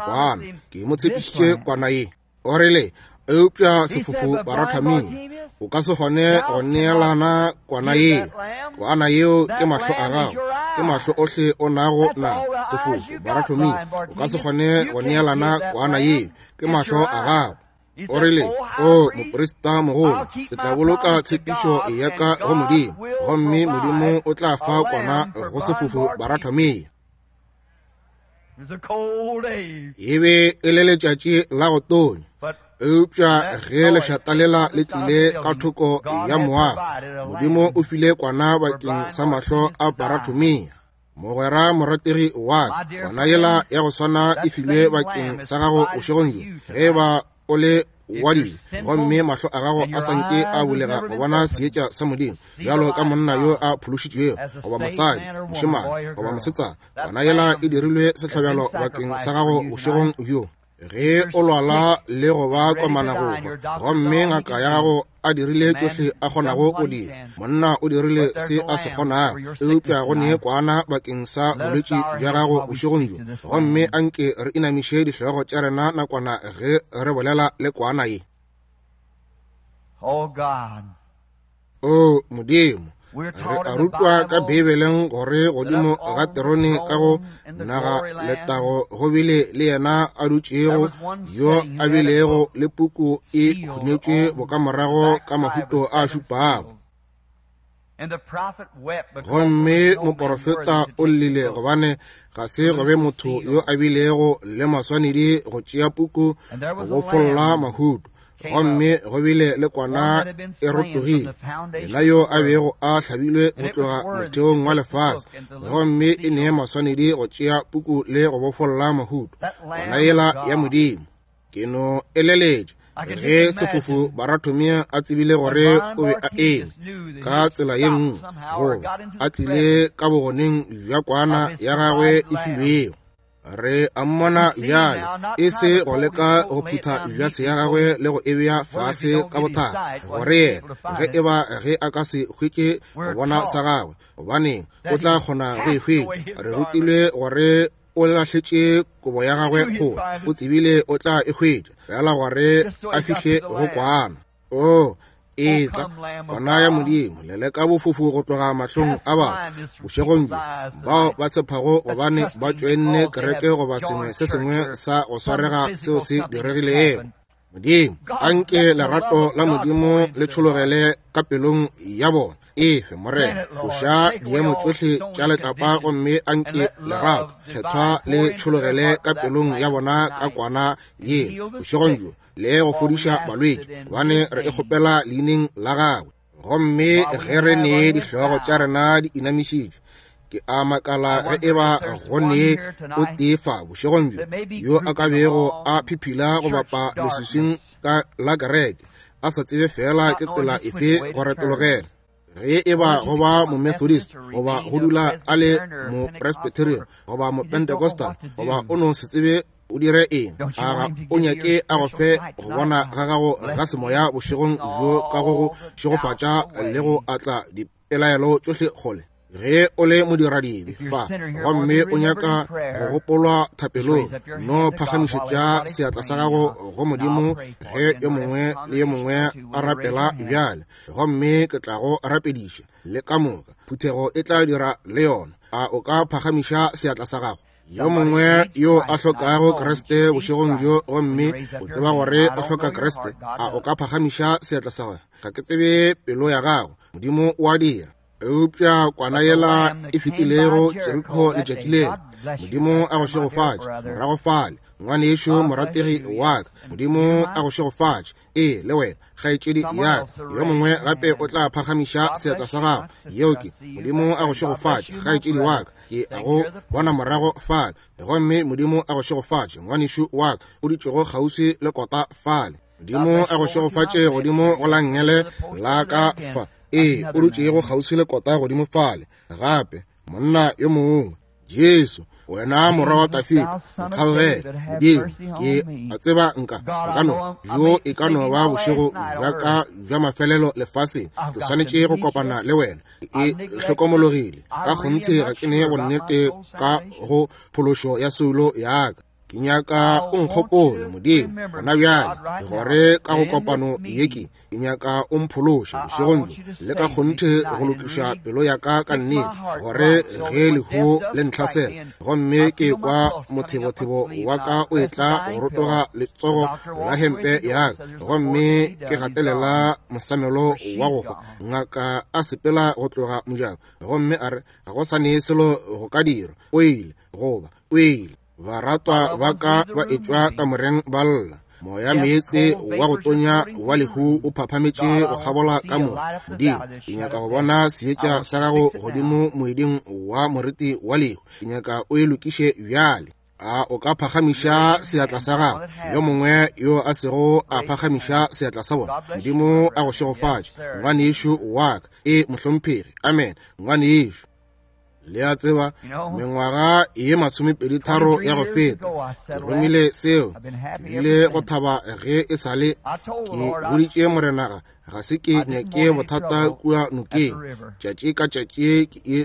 kwana, ke mo tshepišitše kwana ye. O rile, Eupša sefofu Barathamia, o ka se kgone go neelana kwana yeo. Kwana yeo ke mahlo a gago, ke mahlo ohle o nago na. Sefofu Barathamia, o ka se kgone go neelana kwana yeo, ke mahlo a gago. O rile, O moprista mogolo, ke tla boloka tshepišo ya ka go Modimo, gomme Modimo o tla fa kwana go sefofu Barathamia. E be e le letšatši la go tonya, eupša ge lešata lela le tlile ka thoko ya moago, Modimo o file kwana bakeng sa mahlo a Barathomia. Mogwera morategi wa ka, kwana yela ya go swana e filwe bakeng sa gago bošegong bjo. Ge e ba o le wa dibe gomme mahlo a gago a sa nke a bulega go bona seetša sa Modimo, bjalo ka monna yo a phološitšwego goba mosadi, mošemane goba mosetsana, kwana yela e dirilwe sehlabelo bakeng sa gago bošegong bjo. Ge o lwala le go ba komana go hwa, gomme ngaka ya gago a dirile tšohle a kgonago go dira, monna o dirile se a se kgonago, eupša go ne kwana bakeng sa bolwetši bja gago bošegong bjo. Gomme anke re inamiše dihlogo tša rena nakwana ge re bolela le kwana ye. O Modimo, re a rutwa ka Beibeleng gore godimo ga terone ka go naga letago go bile le yena a dutšego yo a bilego le puku e hunetšwe bokamorago ka mahuto a šupago. Gomme moporofeta o llile gobane ga se go be motho yo a bilego le maswanedi go tšea puku go bofolla mahuto. Gomme go bile le kwana e rotogile, yena yo a bego a hlabilwe go tloga motheong wa lefase, gomme e nee maswanedi go tšea puku le go bofolla mahuto, kwana yela ya Modimo. Ke no eleletša ge sefofu Barathomia a tsebile gore o be a eme ka tsela ye nngwe, goba a tlile ka bogoneng bja kwana ya gagwe e filwego. Re a mmona bjale, e se go leka go phutha bjase ya gagwe le go e bea fase ka bothata, gore yena, ge e ba ge a ka se hwetše go bona sa gagwe, gobaneng, o tla kgona go e hwetša. Re rutilwe gore o lahletše kobo ya gagwe kgole, o tsebile o tla e hwetša, fela gore a fihle go kwana. O etla kwana ya Modimo, leleka bofofu go tloga mahlong a batho bošegong bjo, bao ba tshepago gobane ba tšoenne kereke goba sengwe se sengwe sa go swarega seo se diregilego. Modimo, anke lerato la Modimo le tšhologele ka pelong ya bona. Efe, Morena, tloša diemo tšohle tša letlapa gomme anke lerato kgethwa le tšhologele ka pelong ya bona ka kwana ye bošegong bjo, le go fodiša balwetši, gobane re e kgopela leineng la gagwe. Gomme ge re ne dihlogo tša rena di inamišitšwe, ke a makala ge e ba go ne o tee fa bošegong bjo yo a ka bego a phiphila go bapa leswiswing ka la kereke, a sa tsebe fela ke tsela efe go retologela. Ge e ba go ba Momethodist, goba go dula a le Mopresbyterian, goba Mopentecostal, goba o no se tsebe o dire eng, a ga o nyake a go fe go bona ga gago ga semoya bošegong bjo ka go go šegofatša le go atla dipelaelo tšohle kgole? Ge o le modiradibe fa gomme o nyaka go gopolwa thapelong, no phagamišetša seatla sa gago go Modimo ge yo mongwe le yo mongwe a rapela bjale, gomme ke tla go rapediša le ka moka. Phuthego e tla dira le yona. A o ka phagamiša seatla sa gago? Yo mongwe yo a hlokago Kriste bošegong bjo, gomme o tseba gore o hloka Kriste, a o ka phagamiša seatla sa gago? Ga ke tsebe pelo ya gago, Modimo o a dira. Eupša kwana yela e fetilego Jeriko letšatši lela, Modimo a go šegofatše morago fale, ngwanešu morategi wa ka. Modimo a go šegofatše. Ee, le wena, kgaetšedi ya ka. Yo mongwe gape o tla phagamiša seatla sa gago. Yeo ke, Modimo a go šegofatše, kgaetšedi wa ka. Ke a go bona morago fale. Gomme Modimo a go šegofatše, ngwanešu wa ka, o dutšego kgauswi le kota fale. Modimo a go šegofatše godimo go la nngele la ka fa. Ee, o dutšego kgauswi le kota godimo fale. Gape, monna yo mongwe. Jesu, wena morwa wa Dafida, nkgaogele. Modimo, ke a tseba nka no, bjo e ka no ba bošego bja ka bja mafelelo lefaseng. Ke swanetše go kopana le wena. E hlokomologile. Ka kgonthe ga ke ne bonnete ka go phološo ya soulo ya ka. Ke nyaka o nkgopole, Modimo, gona bjale, gore ka go kopano ye ke nyaka o mphološe bošegong bjo, le ka kgonthe go lokiša pelo ya ka ka nnete, gore ge lehu le ntlhasela gomme ke kwa mothebothebo wa ka o etla go rotoga letsogo la hempe ya ka, gomme ke gatelela mosamelo wa go hwa, ngaka a sepela go tloga mojako gomme a re ga go sa ne selo go ka dirwa, o ile goba o ile. Baratwa ba ka ba etšwa kamoreng ba lla. Moya meetse wa go tonya wa lehu o phaphametše go kgabola ka mo. Modimo, ke nyaka go bona seetša sa gago godimo moeding wa moriti wa lehu. Ke nyaka o e lokiše bjale. A o ka phagamiša seatla sa gago? Yo mongwe yo a sego a phagamiša seatla sa bona. Modimo a go šegofatše, ngwanešu wa ka. E, mohlomphegi. Amen, ngwanešu. Le a tseba, mengwaga ye 23 ya go feta, ke romile seo. Ke bile go thaba ge e sa le. Ke boditše Morena ga se ke nyake bothata kua nokeng. Tšatši ka tšatši ke e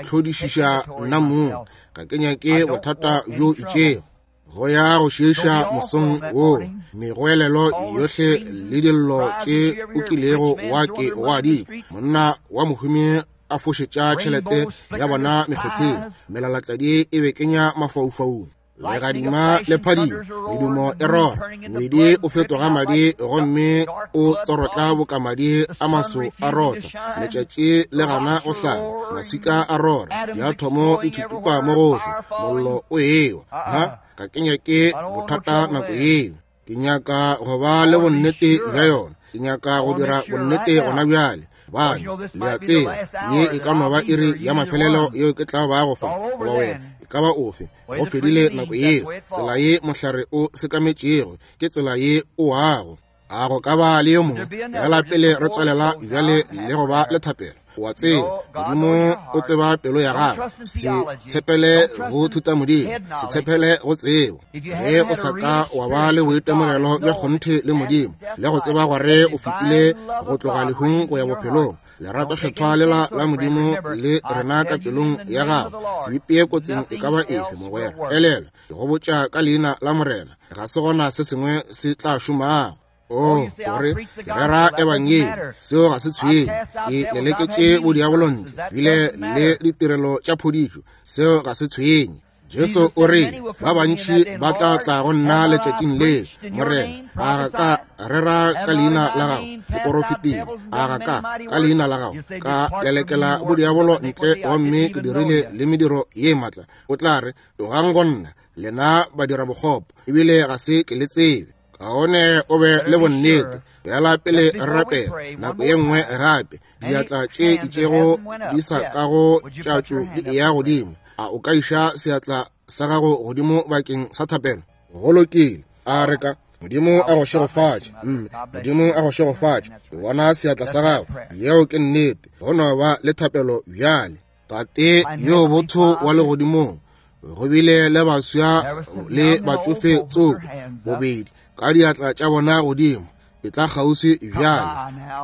hlodišiša nna mong. Ga ke nyake bothata bjo itšego. Go ya go šiiša mosong wo, megoelelo yohle le dillo tše o kilego wa ke wa di kwa. Monna wa mohumi a fošetša tšhelete ya bona mekgotheng, melalatladi e be kenya mafaufaung, legadima le phadimo, medumo e rora, ngwedi o fetoga madi gomme o tsorotla boka madi a maso a rotha, letšatši le gana go hlaba, maswika a rora, diathomo di thuthupa mo gohle, mollo o ewa. Ha, ga ke nyake bothata nako yeo. Ke nyaka go ba le bonnete bja yona. Ke nyaka go dira bonnete gona bjale. Bane, le a tseba, ye e ka no ba iri ya mafelelo yeo ke tla bago fa, goba wena, e ka ba ofe. Go fedile nako yeo. Tsela ye mohlare o sekametšego, ke tsela ye o wago. A go ka ba le yo mongwe? Bjala pele re tswalela bjale le go ba le thapelo. O a tseba, Modimo o tseba pelo ya gago. Se tshepele go thutamodimo, se tshepele go tsebo. Ge o sa ka wa ba le boitemogelo bja kgonthe le Modimo, le go tseba gore o fetile go tloga lehung go ya bophelong, lerato kgethwa lela la Modimo le rena ka pelong ya gago, se ipee kotsing e ka ba efe, mogwera. Elelwa, ke go botša ka leina la Morena, ga se gona se sengwe se tla šomago. O gore ke rera ebangedi, seo ga se tshwenye. Ke leleketše bodiabolo ntle, bile le ditirelo tša phodišo, seo ga se tshwenye. Jesu o rile, ba bantši ba tla tla go nna letšatšing le, Morena, a ga ka rera ka leina la gago, ke porofetile, a ga ka ka leina la gago ka lelekela bodiabolo ntle, gomme ke dirile le mediro ye matla. O tla re, tlogang go nna, lena badirabokgopo, ebile ga se ke le tsebe. Kaone o be le bonnete. Bjala pele re rapela nako ye nngwe gape, diatla tše itšego di sa kago tšatšo di eya godimo. A o ka iša seatla sa gago godimo bakeng sa thapelo? Go lokile. A re ka. Modimo a go šegofatše, mme. Modimo a go šegofatše. Ke bona seatla sa gago. Yeo ke nnete. Go no ba le thapelo bjale. Tate yo botho wa legodimong, go bile le baswa le batšofe tsoko bobedi ka diatla tša bona godimo. E tla kgauswi bjale.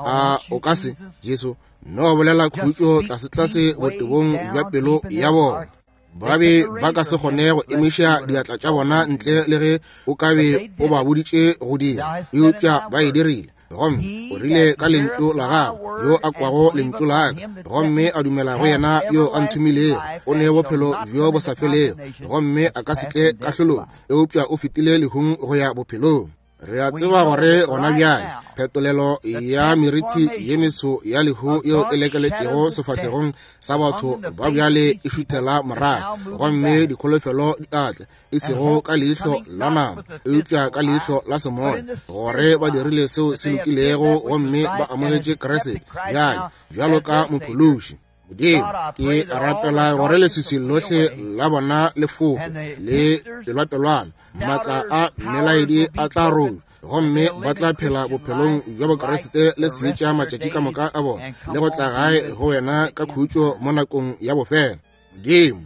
A o ka se, Jesu, no bolela khutšo tlasetlase botebong bja pelo ya bona. Ba be ba ka se kgone go emiša diatla tša bona ntle le ge o ka be o ba boditše go dira, eupša ba e dirile. Gomme o rile ka lentšu la gago, yo a kwago lentšu la ka gomme a dumela go yena yo a nthomilego, o ne bophelo bjo bo sa felego, gomme a ka se tle kahlolong, eupša o fetile lehung go ya bophelong. Re a tseba gore gona bjale phetolelo ya meriti ye meso ya lehu yeo e lekeletšego sefahlegong sa batho ba bjale e šuthela morago, gomme dikholofelo di atla, e sego ka leihlo la nama, eupša ka leihlo la semoya, gore ba dirile seo se lokilego gomme ba amogetše Kriste bjale bjalo ka Mophološi. Modimo, ke rapela gore leswiswi lohle la bona le fofe le pelwapelwana, maatla a melaedi a tla rojwa, gomme ba tla phela bophelong bja Bokriste le seetša matšatši ka moka a bona, le go tla gae go wena ka khutšo mo nakong ya bofelo. Modimo,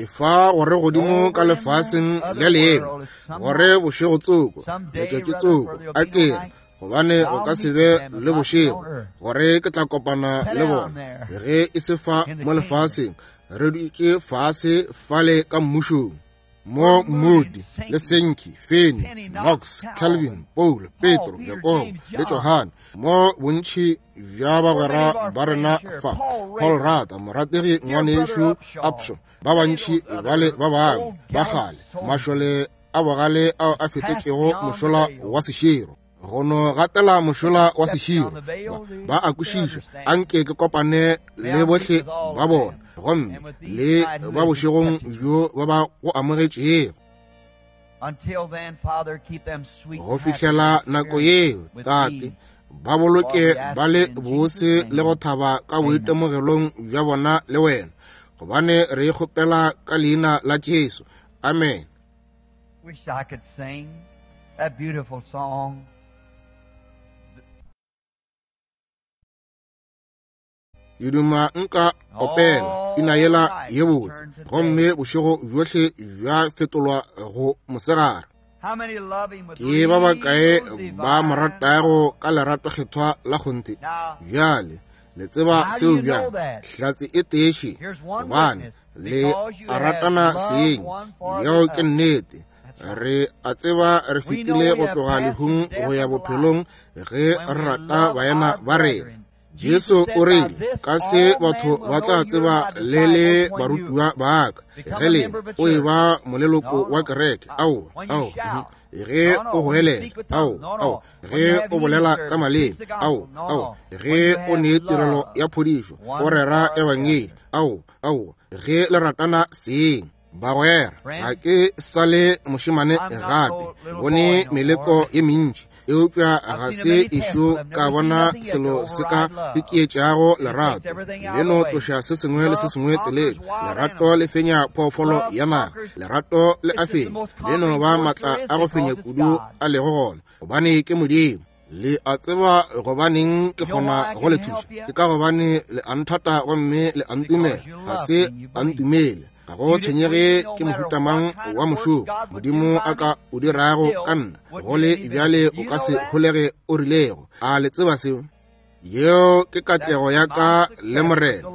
efa gore godimo ka lefaseng le lengwe, gore bošego tsoko, letšatši tsoko, a ke re, gobane go ka se be le bošego, gore ke tla kopana le bona, ge e se fa mo lefaseng, re dutše fase fale ka mmušong. Mo Moody le Sankey, Finney, Knox, Calvin, Paul, Petro, Jakobo le Johane, mo bontši bja bagwera ba rena fa, Paul Rata, morategi ngwanešu Upshaw, ba bantši bale ba bangwe ba kgale, mašole a bogale ao a fetetšego mošola wa seširo, go no gatela mošola wa seširo, ba a kwešiša. Anke ke kopane le bohle ba bona, gomme le ba bošegong bjo ba ba go amogetšego. Go fihlela nako yeo, Tate, ba boloke ba le bose le go thaba ka boitemogelong bja bona le wena, gobane re e kgopela ka leina la Jesu. Amen. Wish I could sing that beautiful song. Ke duma nka opela pina yela ye botse, gomme bošego bjohle bja fetolwa go mosegare. Ke ba bakae ba mo ratago ka lerato kgethwa la kgonthe? Bjale le tseba seo bjang? Hlatse e teše, gobane le a ratana seng. Yeo ke nnete. Re a tseba re fetile go tloga lehung go ya bophelong ge re rata baena ba rena. Jesu o rile, ka se batho ba tla tseba le le barutiwa ba ka, ge le o e ba moleloko wa kereke. Aowa, aowa. Ge o goelela, ao, ao. Ge o bolela ka maleme, ao, ao. Ge o ne tirelo ya phodišo, o rera ebangedi, ao, ao. Ge le ratana seng. Bagwera, ga ke sa le mošemane gape, bone meleko ye mentši, eupša ga se ešo ka bona selo se ka ikietšago lerato. Le no tloša se sengwe le se sengwe tseleng. Lerato le fenya phoofolo ya naga. Lerato le a fenya. Le no ba matla a go fenya kudu a lego gona, gobane ke Modimo. Le a tseba gobaneng ke kgona go le thuša? Ke ka gobane le a nthata gomme le a ntumela. Ga se a ntumele. Ga go tshwenyege ke mohuta mang wa mošomo Modimo a ka o dirago ka nna, go le bjale o ka se holege o rilego. A le tseba seo? Yeo ke katlego ya ka le Morena.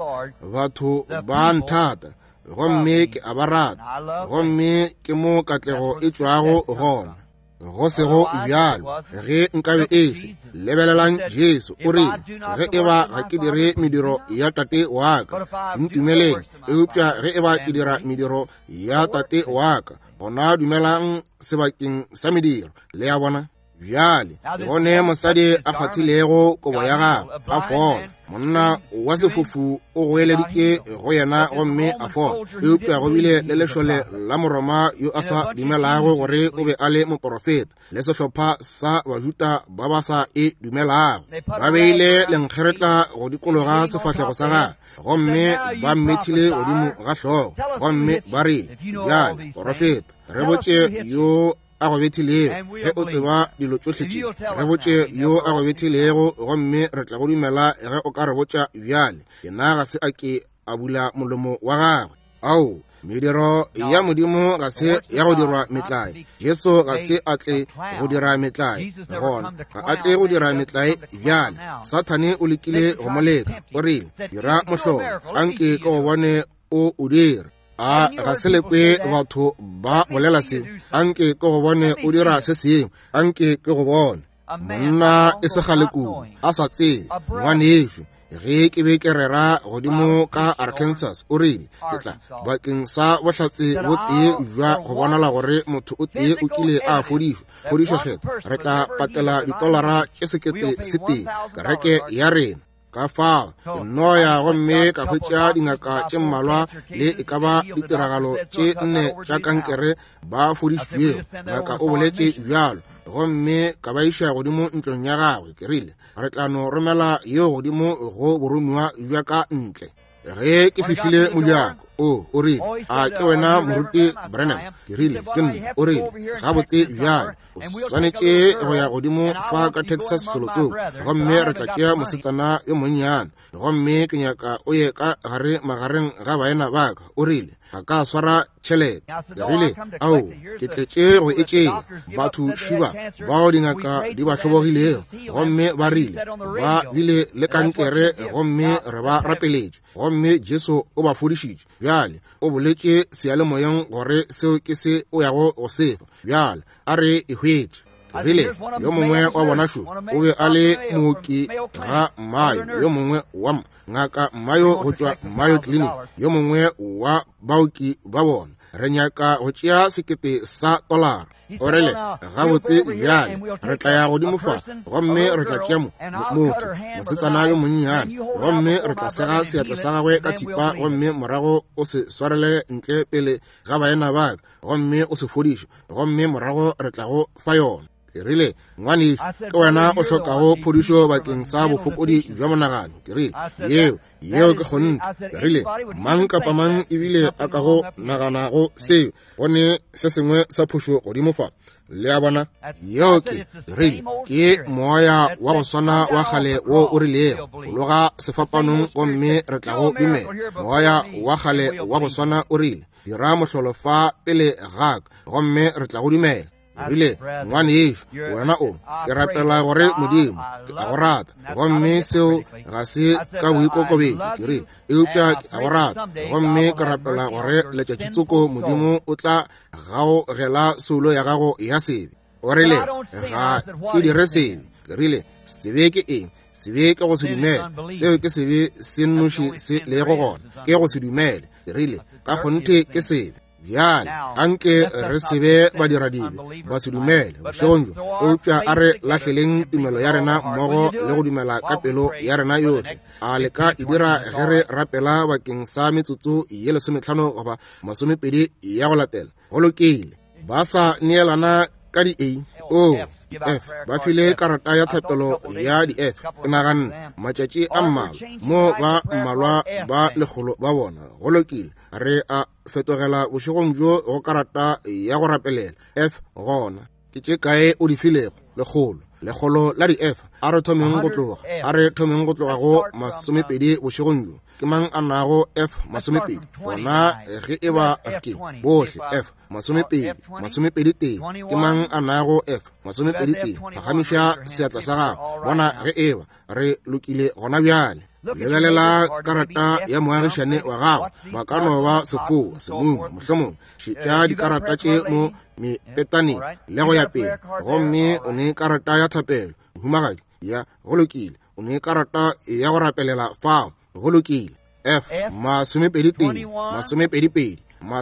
Batho ba nthata gomme ke a ba rata, gomme ke mo katlego e tšwago gona. Go sego bjalo, ge nkabe e se, lebelelang Jesu o rile, ge e ba ga ke dire mediro ya Tate wa ka, se ntumeleng, eupša ge e ba ke dira mediro ya Tate wa ka, gona dumelang sebakeng sa mediro. Le a bona? Bjale, gone mosadi a kgwathilego kobo ya gagwe, a fola. Monna wa sefofu o goeleditše go yena gomme a fola. Eupša go bile le lešole la Moroma yo a sa dumelago gore o be a le moporofeta, le sehlopha sa Bajuda ba ba sa e dumelago. Ba beile lenkgeretla go dikologa sefahlego sa gagwe, gomme ba mmethile godimo ga hlogo, gomme ba rile, Bjale, porofeta, re botše yo. a go bethilego? Ge o tseba dilo tšohle tše, re botše yo a go bethilego, gomme re tla go dumela ge o ka re botša bjale. Yena ga se a ke a bula molomo wa gagwe. Ao, mediro ya Modimo ga se ya go dirwa metlae. Jesu ga se a tle go dira metlae, gona ga a tle go dira metlae bjale. Sathane o lekile go mo leka, o rile, Dira mohlolo, anke ke go bone o o dira. A ga se le kwe batho ba bolela seo? Anke ke go bone o dira se sengwe, anke ke go bone. Monna e se kgale kudu a sa tsebe, ngwanešu, ge ke be ke rera godimo ka Arkansas, o rile, ke tla bakeng sa bohlatse bo tee bja go bonala gore motho o tee o kile a fodišwa, phodišo kgetho, re tla patela ditolara tše 1000 kereke ya rena. Ka fao ke nno ya gomme ka hwetša dingaka tše mmalwa le e ka ba ditiragalo tše nne tša kankere ba fodišitšwego. Ngaka o boletše bjalo, gomme ka ba iša godimo ntlong ya gagwe. Ke rile, re tla no romela yeo godimo go boromiwa bja ka ntle. Ge ke fihlile mojako, o, o rile, a ke wena Moruti Branham? Ke rile, ke nna. O rile, gabotse bjale, o swanetše go ya godimo fa ka Texas felotsoko, gomme re tla tšea mosetsana yo monnyane, gomme ke nyaka o ye ka gare magareng ga baena ba ka. O rile, ga ka swara tšhelete. Ke rile, ao, ke tletše go e tšea. Batho šiba bao dingaka di ba hlobogilego, gomme ba rile ba bile le kankere, gomme re ba rapeletše, gomme Jesu o ba fodišitše. Bjale o boletše seyalemoyeng gore seo ke se o yago go se fa. Bjale a re e hwetše. Ke rile, yo mongwe wa bona šo o be a le mooki ga Mayo, yo mongwe wa ngaka Mayo go tšwa Mayo Clinic, yo mongwe wa baoki ba bona. Re nyaka go tšea $1,000. O rile, gabotse bjale re tla ya godimo fa, gomme re tla tšea motho, mosetsana yo monnyane, gomme re tla sega seatla sa gagwe ka thipa, gomme morago o se swarele ntle pele ga baena ba ka, gomme o se fodiše, gomme morago re tla go fa yona. Ke rile, ngwanešu, ke wena o hlokago phodišo bakeng sa bofokodi bja monagano. Ke rile, yeo, yeo ke kgonthe. Ke rile, mang kapa mang ebile a ka go naganago seo, go ne se sengwe sa phošo godimo fa. Le a bona? Yeo ke, rile, ke moya wa go swana wa kgale wo o rilego, fologa sefapanong gomme re tla go dumela. Moya wa kgale wa go swana o rile, dira mohlolo fa pele ga ka, gomme re tla go dumela. Rile, ngwanešu, wena o, ke rapela gore Modimo, ke a go rata, gomme seo ga se ka boikokobetšo, ke rile, eupša ke a go rata, gomme ke rapela gore letšatši tsoko Modimo o tla gaogela soulo ya gago ya sebe. O rile, ga ke dire sebe. Ke rile, sebe ke eng? Sebe ke go se dumele. Seo ke sebe se nnoši se lego gona, ke go se dumele. Ke rile, ka kgonthe ke sebe. Bjale, anke re se be badiradibe ba se dumele bošegong bjo, eupša a re lahleleng tumelo ya rena mmogo le go dumela ka pelo ya rena yohle. A le ka e dira ge re rapela bakeng sa metsotso ye 15 goba 20 ya go latela? Go lokile. Ba sa neelana ka di A, O, F, ba file karata ya thapelo ya di F. Ke naganne matšatši a mmalwa mo ba mmalwa ba lekgolo ba bona. Go lokile, re a fetogela bošegong bjo go karata ya go rapelela F. Gona ke tše kae o di filego? Lekgolo, lekgolo la di F. A re thomeng go tloga, a re thomeng go tloga go 20 bošegong bjo. Ke mang a nago F 20? Gona ge e ba ke bohle F 20, 21. Ke mang a nago F 21? Phagamiša seatla sa gago, bona ge e ba re lokile gona bjale. Lebelela karata ya moagišane wa gago, ba ka no ba sefoa, semuma, mohlomongwe. Šetša dikarata tše mo mepetaneng le go ya pele, gomme o ne karata ya thapelo, mohumagadi. Ya, go lokile. O ne karata ya go rapelela fao, go lokile. F 21, 22, 23, 24, 25,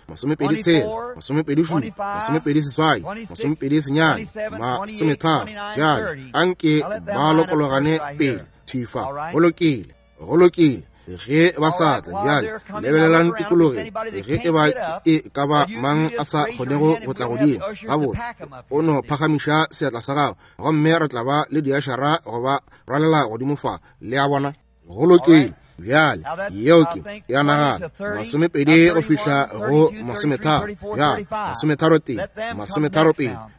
26, 27, 28, 29, 30. Bjale anke ba lokologane pele thwi fa. Go lokile, go lokile. Ge ba sa tla bjale, lebelelang tikologeng. Ge e ba e ka ba mang a sa kgonego go tla godimo, gabotse o no phagamiša seatla sa gago, gomme re tla ba le diašara go ba rwalela godimo fa. Le a bona? Go lokile. Bjale yeo ke ya nagana 20 go fihla go 30. Bjale 31, 32,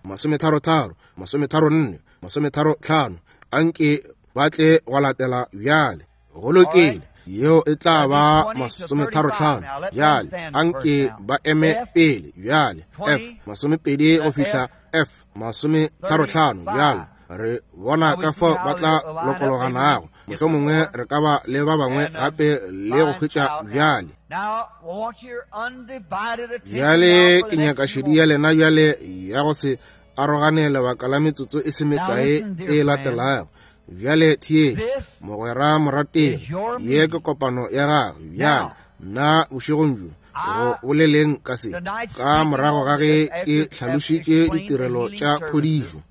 33, 34, 35. Anke ba tle go latela bjale. Go lokile, yeo e tla ba 35. Bjale anke ba eme pele bjale. F 20 go fihla F 35. Bjale re bona ka fao ba tla lokologanago. Mohlomongwe re ka ba le ba bangwe gape le go hwetša bjale. Bjale ke nyaka šedi ya lena bjale ya go se arogane lebaka la metsotso e se mekae e latelago. Bjale theetša, mogwera morategi, ye ke kopano ya gago. Bjale nna bošegong bjo go boleleng ka se, ka morago ga ge ke hlalošitše ditirelo tša phodišo.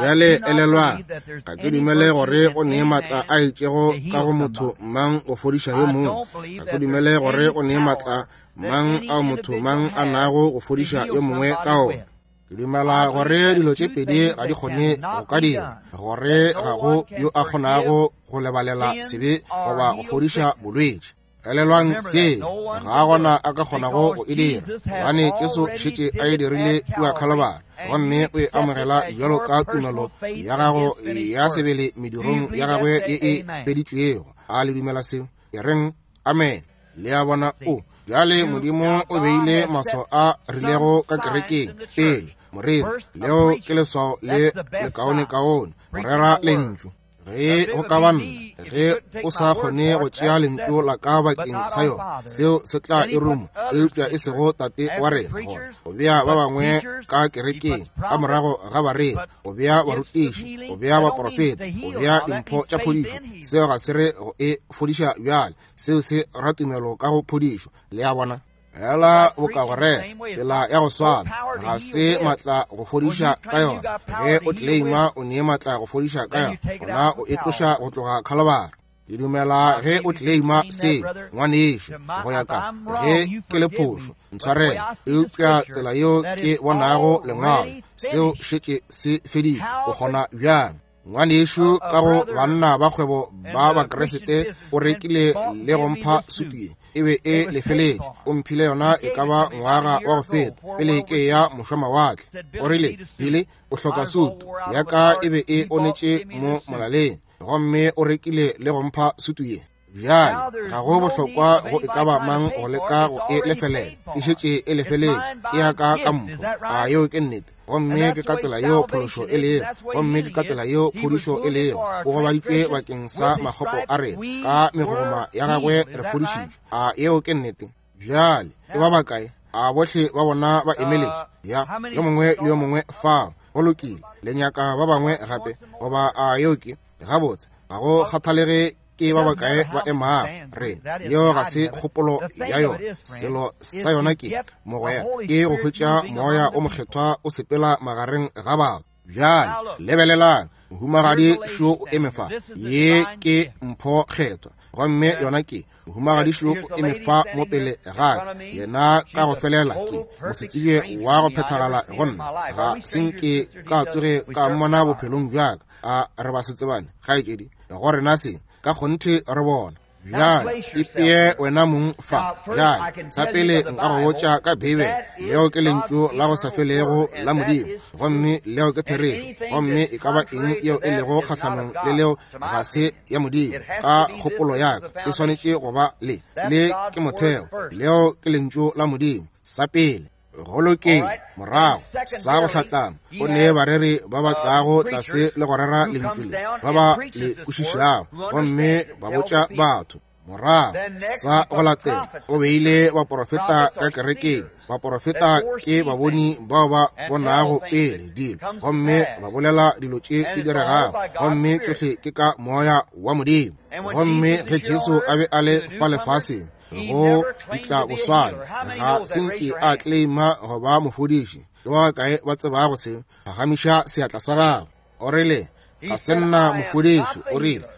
Bjale elelwang, ga ke dumele gore go nee maatla a itšego ka go motho mang go fodiša yo mongwe. Ga ke dumele gore go nee maatla mang ao motho mang a nago go fodiša yo mongwe ka ona. Ke dumela gore dilo tše pedi ga di kgone go ka dira, gore ga go yo a kgonago go lebalela sebe goba go fodiša bolwetši. Elelwang se, ga gona a ka kgonago go e dira, gobane Jesu šetše a e dirile kua Khalibari, gomme o e amogela bjalo ka tumelo ya gago ya sebele medirong ya gagwe ye e feditšwego. A le dumela seo? E reng amen. Le a bona? O bjale Modimo o beile maswao a rilego ka kerekeng pele. Moreri, leo ke leswao le lekaonekaone, go rera lentšu. Ge go ka ba nna, ge o sa kgone go tšea lentšu la ka bakeng sa yona, seo se tla e ruma, eupša e sego Tate wa rena. Gona go bea ba bangwe ka kerekeng ka morago ga bareri, go bea barutiši, go bea baprofeta, go bea dimpho tša phodišo, seo ga se re go e fodiša bjale, seo se ra tumelo ka go phodišo. Le a bona? Ela boka go rera tsela ya go swana, ga se maatla go fodiša ka yona. Ge o claima o nee maatla go fodiša ka yona, gona o e tloša go tloga Khalibari. Ke dumela ge o claima se, ngwanešo, go ya ka ge ke le phošo, ntshwarele, eupša tsela yeo ke bonago lengwalo, seo šetše se feditšwe. O kgona bjang? Ngwanešu ka go banna ba kgwebo ba Bakriste o rekile le go mpha sutu ye, e be e lefeletše. O mphile yona e ka ba ngwaga wa go feta pele ke ya mošwamawatle. O rile, Billy, o hloka sutu ya ka, e be e onetše mo molaleng, gomme o rekile le go mpha sutu ye. Bjale ga go bohlokwa go e ka ba mang go leka go e lefelela, e šetše e lefeletše, ke ya ka ka mpho. A yeo ke nnete? Gomme ke ka tsela yeo phološo e lego, gomme ke ka tsela yeo phodišo e lego. O gobaditšwe bakeng sa makgopo a rena, ka megogoma ya gagwe re fodišitšwe. A yeo ke nnete? Bjale ke ba bakae? A bohle ba bona ba emeletše? Ya, yo mongwe le yo mongwe fao. Go lokile. Le nyaka ba bangwe gape? Goba a yeo ke gabotse? Ga go kgathalege ke ba bakae ba emago rena, yeo ga se kgopolo ya yona. Selo sa yona ke mogwera, ke go hwetša moya o mokgethwa o sepela magareng ga batho. Bjale lebelelang, mohumagadi šo o eme fa. Ye ke mpho kgethwa, gomme yona ke mohumagadi šo o eme fa mo pele ga ka. Yena ka go felela ke mosetsebje wa go phethagala go nna, ga se nke ka tsoge ka mmona bophelong bja ka. A re ba setsebane, kgaetšedi, go rena se ka kgonthe re bona. Bjale ipee wena mong fa. Bjale sa pele nka go botša ka Beibele, leo ke lentšu la go sa felego la Modimo, gomme leo ke therešo, gomme e ka ba eng yeo e lego kgahlanong le leo ga se ya Modimo. Ka kgopolo ya ka e swanetše go ba le le ke motheo, leo ke lentšu la Modimo sa pele. Go lokile. Morago sa go hlatlama go ne bareri ba ba tlago tlase le go rera lentšu le, ba ba le kwešišago, gomme ba botša batho. Morago sa go latela o beile baporofeta ka kerekeng. Baporofeta ke baboni bao ba bonago pele dilo, gomme ba bolela dilo tše di diregago, gomme tšohle ke ka moya wa Modimo. Gomme ge Jesu a be a le fa lefaseng go ditla boswana, ga se nke a claima go ba mofodiši. Ke ba bakae ba tsebago se? Phagamiša seatla sa gago. O rile, ga se nna mofodiši. O rile,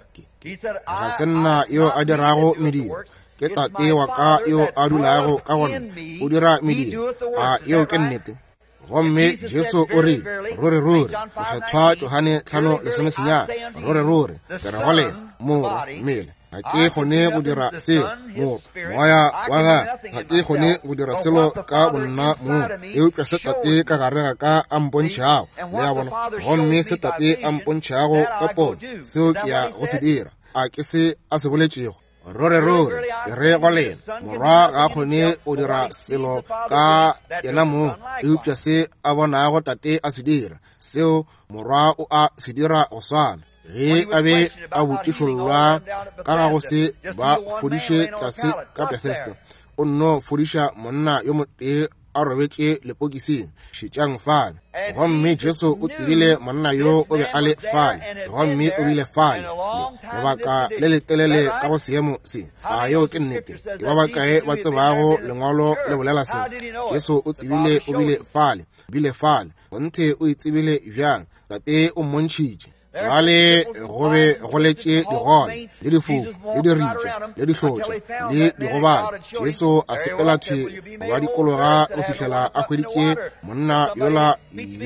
ga se nna yo a dirago mediro, ke Tate wa ka yo a dulago ka go nna, o dira mediro. A yeo ke nnete? Gomme Jesu o rile, ruri ruri, mokgethwa Johane 5:19, ruri ruri ke re go lena, Morwa mmele Ga ke kgone go dira selo, Morwa, Moya wa gagwe. Ga ke kgone go dira selo ka bonna mong, eupša se Tate ka gare ga ka a mpontšhago, le a bona, gomme se Tate a mpontšhago ka pono, seo ke ya go se dira. A ke se a se boletšego? Ruri, ke re go lena, Morwa ga a kgone go dira selo ka yena mong, eupša se a bonago Tate a se dira, seo Morwa o a se dira go swana. Ge a be a botšišollwa ka ga go se ba fodiše tlase ka Bethesda, o nno fodiša monna yo motee a robetše lepokising. Šetšang fale. Gomme Jesu o tsebile monna yo o be a le fale, gomme o bile fale lebaka le letelele ka go seemo se. A yeo ke nnete? Ke ba bakae ba tsebago Lengwalo le bolela se? Jesu o tsebile o bile fale, bile fale. Kgonthe o e tsebile bjang? Tate o mmontšhitše. Fale go be go letše digole le difofu le diritša le dihlotša le digobadi. Jesu a sepela thwi go ba dikologa go fihlela a hweditše monna yola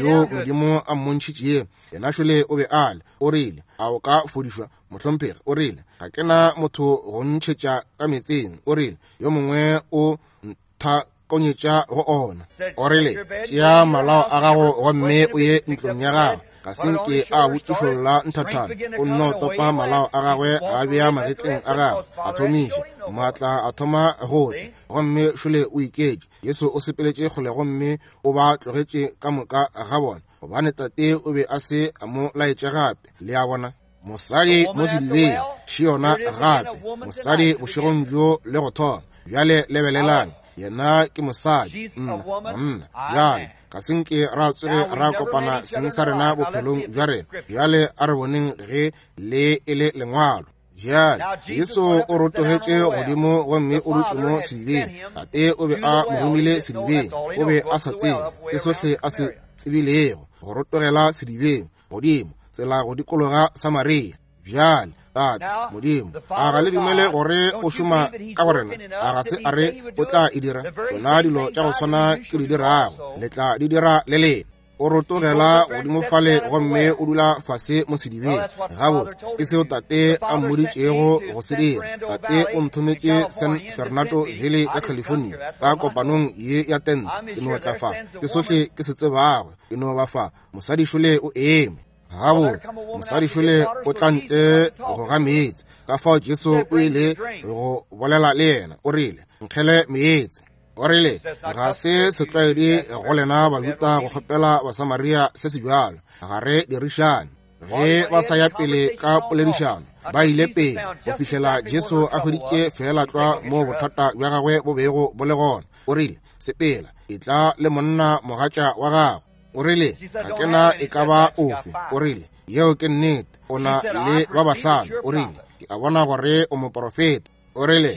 yo Modimo a mmontšhitšego. Yena šole o be a le. O rile, A o ka fodišwa, mohlomphegi? O rile, Ga ke na motho go ntšhetša ka meetseng. O rile, Yo mongwe o ntha konyetša go ona. O rile, Tšea malao a gago gomme o ye ntlong ya gago. Ga se nke a botšišolla nthathana. O nno topa malao a gagwe a bea magetleng a gagwe, a thomiša maatla a thoma go tla, gomme šole o iketše. Jesu o sepeletše kgole gomme o ba tlogetše ka moka ga bona, gobane Tate o be a se a mo laetše gape. Le a bona? Mosadi mo sedibeng, še yona gape, mosadi bošegong bjo le go thoma. Bjale lebelelang, yena ke mosadi, nna monna. Bjale ga se nke ra tsoge ra kopana seng sa rena bophelong bja rena. Bjale a re boneng ge le e le Lengwalo. Bjale Jesu o rotogetše godimo gomme o dutše mo sedibeng. Tate o be a mo romile sedibeng. O be a sa tsebe, ke sohle a se tsebilego, go rotogela sedibeng godimo, tsela go dikologa Samaria. Bjale Tate Modimo, a ga le dumele gore o šoma ka go rena? A ga se a re o tla e dira? Tšona dilo tša go swana ke di dirago, le tla di dira le lena. O rotogela godimo fale gomme o dula fase mo sedibeng. Gabotse, ke seo Tate a mmoditšego go se dira. Tate o nthometše San Fernando Valley ka California, ka kopanong ye ya tente. Ke no tla fa, ke sohle ke se tsebago. Ke no ba fa. Mosadi šole o eme. Gabotse, mosadi šole o tla ntle go ga meetse. Ka fao Jesu o ile go bolela le yena, o rile, Nkgele meetse. O rile, Ga se setlwaedi go lena Bajuda go kgopela Basamaria se se bjalo. Ga re dirišane. Ge ba sa ya pele ka poledišano, ba ile pele go fihlela Jesu a hweditše feela tlwa moo bothata bja gagwe bo bego bo le gona. O rile, Sepela, etla le monna mogatša wa gago. O rile, Ga ke na e ka ba ofe. O rile, Yeo ke nnete, o na le ba bahlano. O rile, Ke a bona gore o moprofeta. O rile,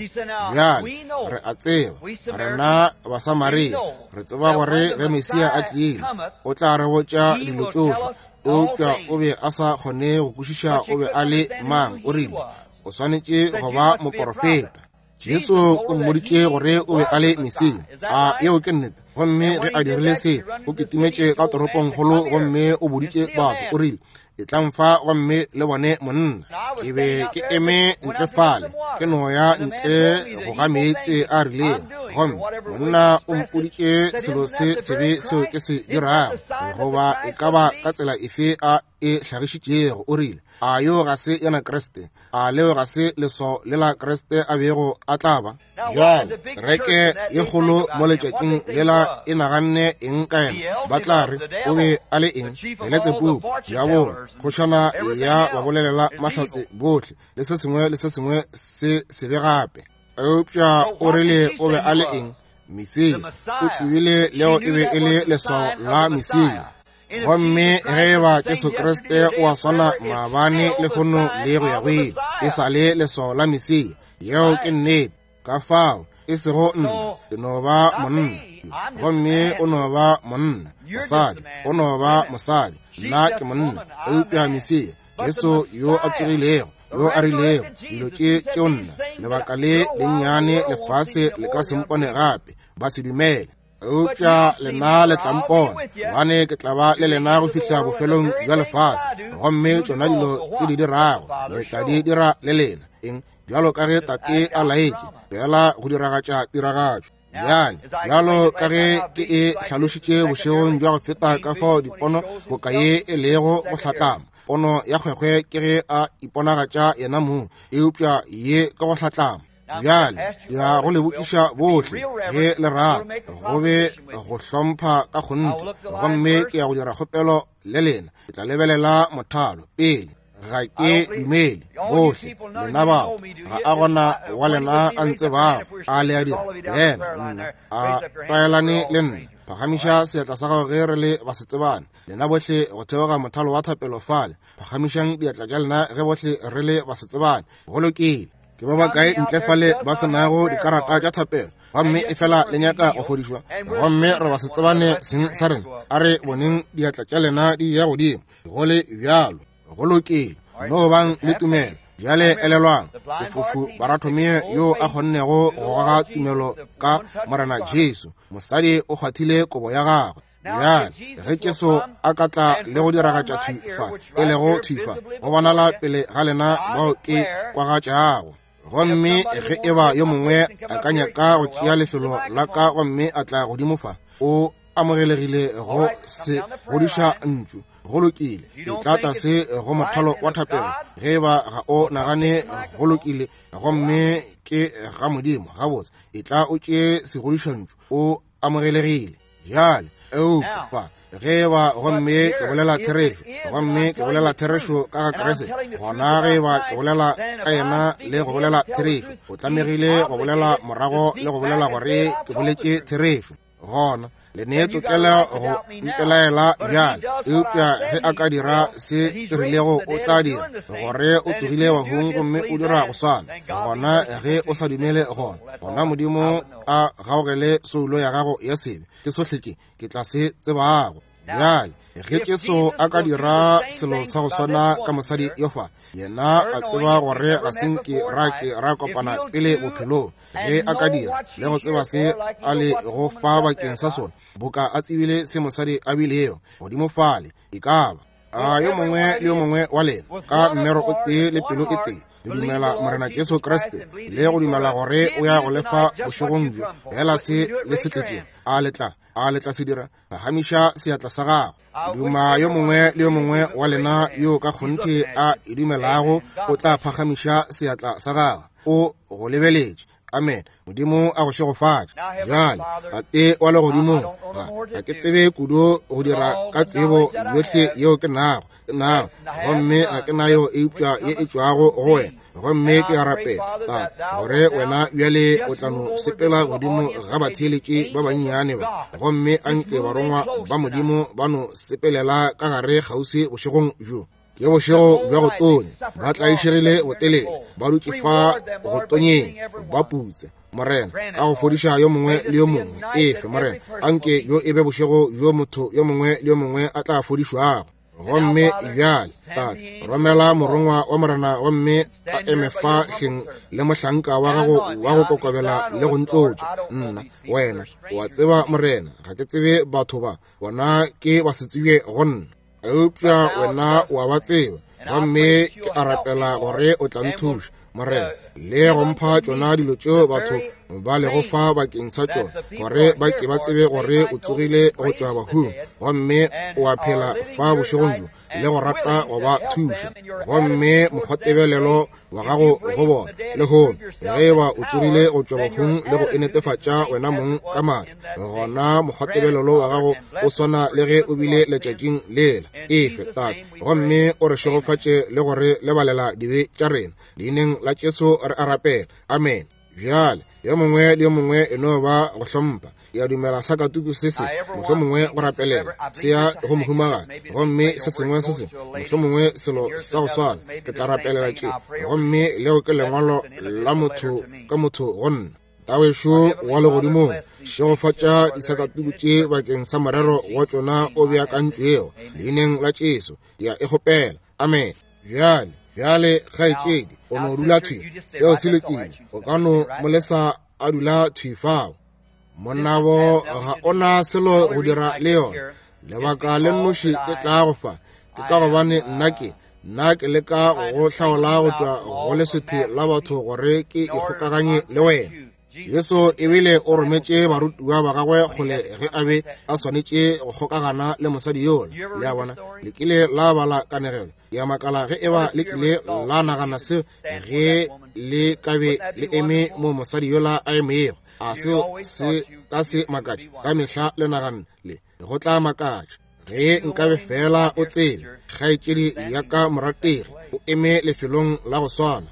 Bjale re a tseba, rena Basamaria, re tseba gore ge Mesia a tlile, o tla re botša dilo tšohle. Eupša o be a sa kgone go kwešiša o be a le mang. O rile, O swanetše go ba moprofeta. Jesu o mmoditše gore o be a le Mesia. A yeo ke nnete? Gomme ge a dirile se, o kitimetše ka toropongkgolo gomme o boditše batho, o rile, Etlang fa gomme le bone monna. Ke be ke eme ntle fale, ke no ya ntle go ga meetse a rilego, gomme monna o mpoditše selo se sebe seo ke se dirago, goba e ka ba ka tsela efe a e hlagišitšego. O rile, A yo ga se yena Kriste? A leo ga se leswao le la Kriste a bego a tla ba? Bjale, kereke ye kgolo mo letšatšing lela e naganne eng ka yena? Ba tla re o be a le eng? Beletsebubu, diabolo, kgošana ya babolelela mahlatse bohle, le se sengwe le se sengwe se sebe gape. Eupša o rile o be a le eng? Mesia. O tsebile leo e be e le leswao la Mesia. Gomme ge e ba Jesu Kriste o a swana maabane, lehono le go ya go ile, e sa le leswao la Mesia. Yeo ke nnete. Ka fao, e sego nna, ke no ba monna, gomme o no ba monna, mosadi o no ba mosadi, nna ke monna, eupša Mesia, Jesu yo a tsogilego, yo a rilego dilo tše tšeo nna, lebaka le lennyane lefase le ka se mpone gape, ba se dumele. Eupša lena le tla mpona, gobane ke tla ba le lena go fihla bofelong bja lefase. Gomme tšona dilo ke di dirago, le tla di dira le lena. Eng? bjalo ka ge Tate a laetše, fela go diragatša tiragatšo. Bjale, bjalo ka ge ke e hlalošitše bošegong bja go feta ka fao dipono boka ye e lego go hlatlama. Pono ya kgwekgwe ke ge a iponagatša yena mong, eupša ye ke go hlatlama. Bjale, ya go le botšiša bohle ge le rata, go be go hlompha ka kgonthe, gomme ke ya go dira kgopelo le lena. Ke tla lebelela mothalo pele. Ga ke dumele bohle lena batho, ga a gona wa lena a ntsebago, a le a dira? Yena nna a tlwaelane le nna. Phagamiša seatla sa gago ge re le basetsebane. Lena bohle go theoga mothalo wa thapelo fale, phagamišang diatla tša lena ge bohle re le basetsebane. Go lokile. Ke ba bakae ntle fale ba se nago dikarata tša thapelo, gomme efela le nyaka go fodišwa, gomme re ba se tsebane seng sa rena? A re boneng diatla tša lena di ya godimo. Go le bjalo. Go lokile. No bang le tumelo. Bjale elelwang, sefofu Baratomeo yo a kgonnego go goga tumelo ka Morena Jesu, mosadi o kgwathile kobo ya gagwe. Bjale ge Jesu a ka tla le go diragatša thwi fa, e lego thwi fa, go bonala pele ga lena bao ke kwagatšago. Gomme ge e ba yo mongwe a ka nyaka go tšea lefelo la ka gomme a tla godimo fa, o amogelegile go se godiša ntšu. Go lokile, e tla tlase go mothalo wa thapelo. Ge e ba ga o nagane go lokile gomme ke ga Modimo, gabotse, e tla o tšee segodišantšu, o amogelegile. Bjale, eupša fa, ge e ba gomme ke bolela therešo, gomme ke bolela therešo ka ga Kriste, gona ge e ba ke bolela ka yena le go bolela therešo, o tlamegile go bolela morago le go bolela gore ke boletše therešo. Gona le ne tokelo go mpelaela bjale, eupša ge a ka dira se ke rilego o tla dira, gore o tsogile bahung gomme o dira go swana, gona ge o sa dumele gona, gona Modimo a gaogele soulo ya gago ya sebe. Ke sohle ke ke tla se tsebago. Bjale ge Jesu a ka dira selo sa go swana ka mosadi yo fa, yena a tseba gore ga se nke ra ke ra kopana pele bophelong, ge a ka dira le go tseba se a le go fa bakeng sa sona, boka a tsebile se mosadi a bilego godimo fale, e ka ba a yo mongwe le yo mongwe wa lena ka mmero o tee le pelo e tee le dumela Morena Jesu Kriste le go dumela gore o ya go lefa bošegong bjo fela se le se tletšego, a le tla, a le tla se dira? Phagamiša seatla sa gago. Duma yo mongwe le yo mongwe wa lena yo ka kgonthe a e dumelago o tla phagamiša seatla sa gagwe. O go lebeletše. Amen. Modimo a go šegofatše. Bjale, Tate wa legodimong, ga ke tsebe kudu go dira ka tsebo yohle yeo ke nago, nago, gomme ga ke nayo eupša ye e tšwago go wena. Gomme ke a rapela, Tate, gore wena bjale o tla no sepela godimo ga batheeletši ba bannyane ba, gomme a nke barongwa ba Modimo ba no sepelela ka gare kgauswi bošegong bjo. Ke bošego bja go tonya, ba tlaišegile botelele, ba dutše fa go tonyeng, ba putse. Morena, ka go fodiša yo mongwe le yo mongwe, efe, Morena, anke bjo e be bošego bjo motho yo mongwe le yo mongwe a tla fodišwago. Gomme bjale, Tate, romela morongwa wa Morena gomme a eme fa hleng le mohlanka wa gago wa go kokobela le go ntlotša. Nna, wena, o a tseba, Morena, ga ke tsebe batho ba, bona ke ba se tsebje go nna. Eupša wena o a ba tseba, gomme ke a rapela gore o tla nthuša, Morena, le go mpha tšona dilo tšeo batho ba lego fa bakeng sa tšona, gore ba ke ba tsebe gore o tsogile go tšwa bahung, gomme o a phela fa bošegong bjo, le go rata go ba thuša. Gomme mokgwatebelelo wa gago go bona lehono, ge e ba o tsogile go tšwa bahung le go e netefatša wena mong ka maatla, gona mokgwatebelelo wa gago o swana le ge o bile letšatšing lela. Efe, Tate, gomme o re šegofatše le go re lebalela dibe tša rena. Leineng la Jesu re a rapela. Amen. Bjale, yo mongwe le yo mongwe e no ba go hlompha. Ke a dumela sakatuku se se, mohlomongwe go rapelela, se ya go mohumagadi, gomme se sengwe se sengwe, mohlomongwe selo sa go swana. Ke tla rapelela tše, gomme leo ke lengwalo la motho ka motho go nna. Tawešo wa legodimong, šegofatša disakatuku tše bakeng sa morero wa tšona o beakantšwego. Leineng la Jesu, ke a e kgopela. Amen. Bjale, bjale, kgaetšedi, o no dula thwi. Seo se lokile. O ka no mo lesa a dula thwi fao. Monabo ga o na selo go dira le yona. Lebaka le nnoši ke tla go fa ke ka gobane nna ke, Nna ke leka go hlaola go tšwa go leswethe la batho gore ke ikgokaganye le wena. Jesu ebile o rometše barutiwa ba gagwe kgole ge a be a swanetše go kgokagana le mosadi yola. Le a bona, le kile la bala kanegelo ya makala ge eba le kile la nagana seo ge le ka be le eme mo mosadi yola a emego. A seo se ka se makatše? Ka mehla le naganne le go tla makatša. Ge nkabe fela o tsebe, kgaetšedi ya ka morategi, o eme lefelong la go swana.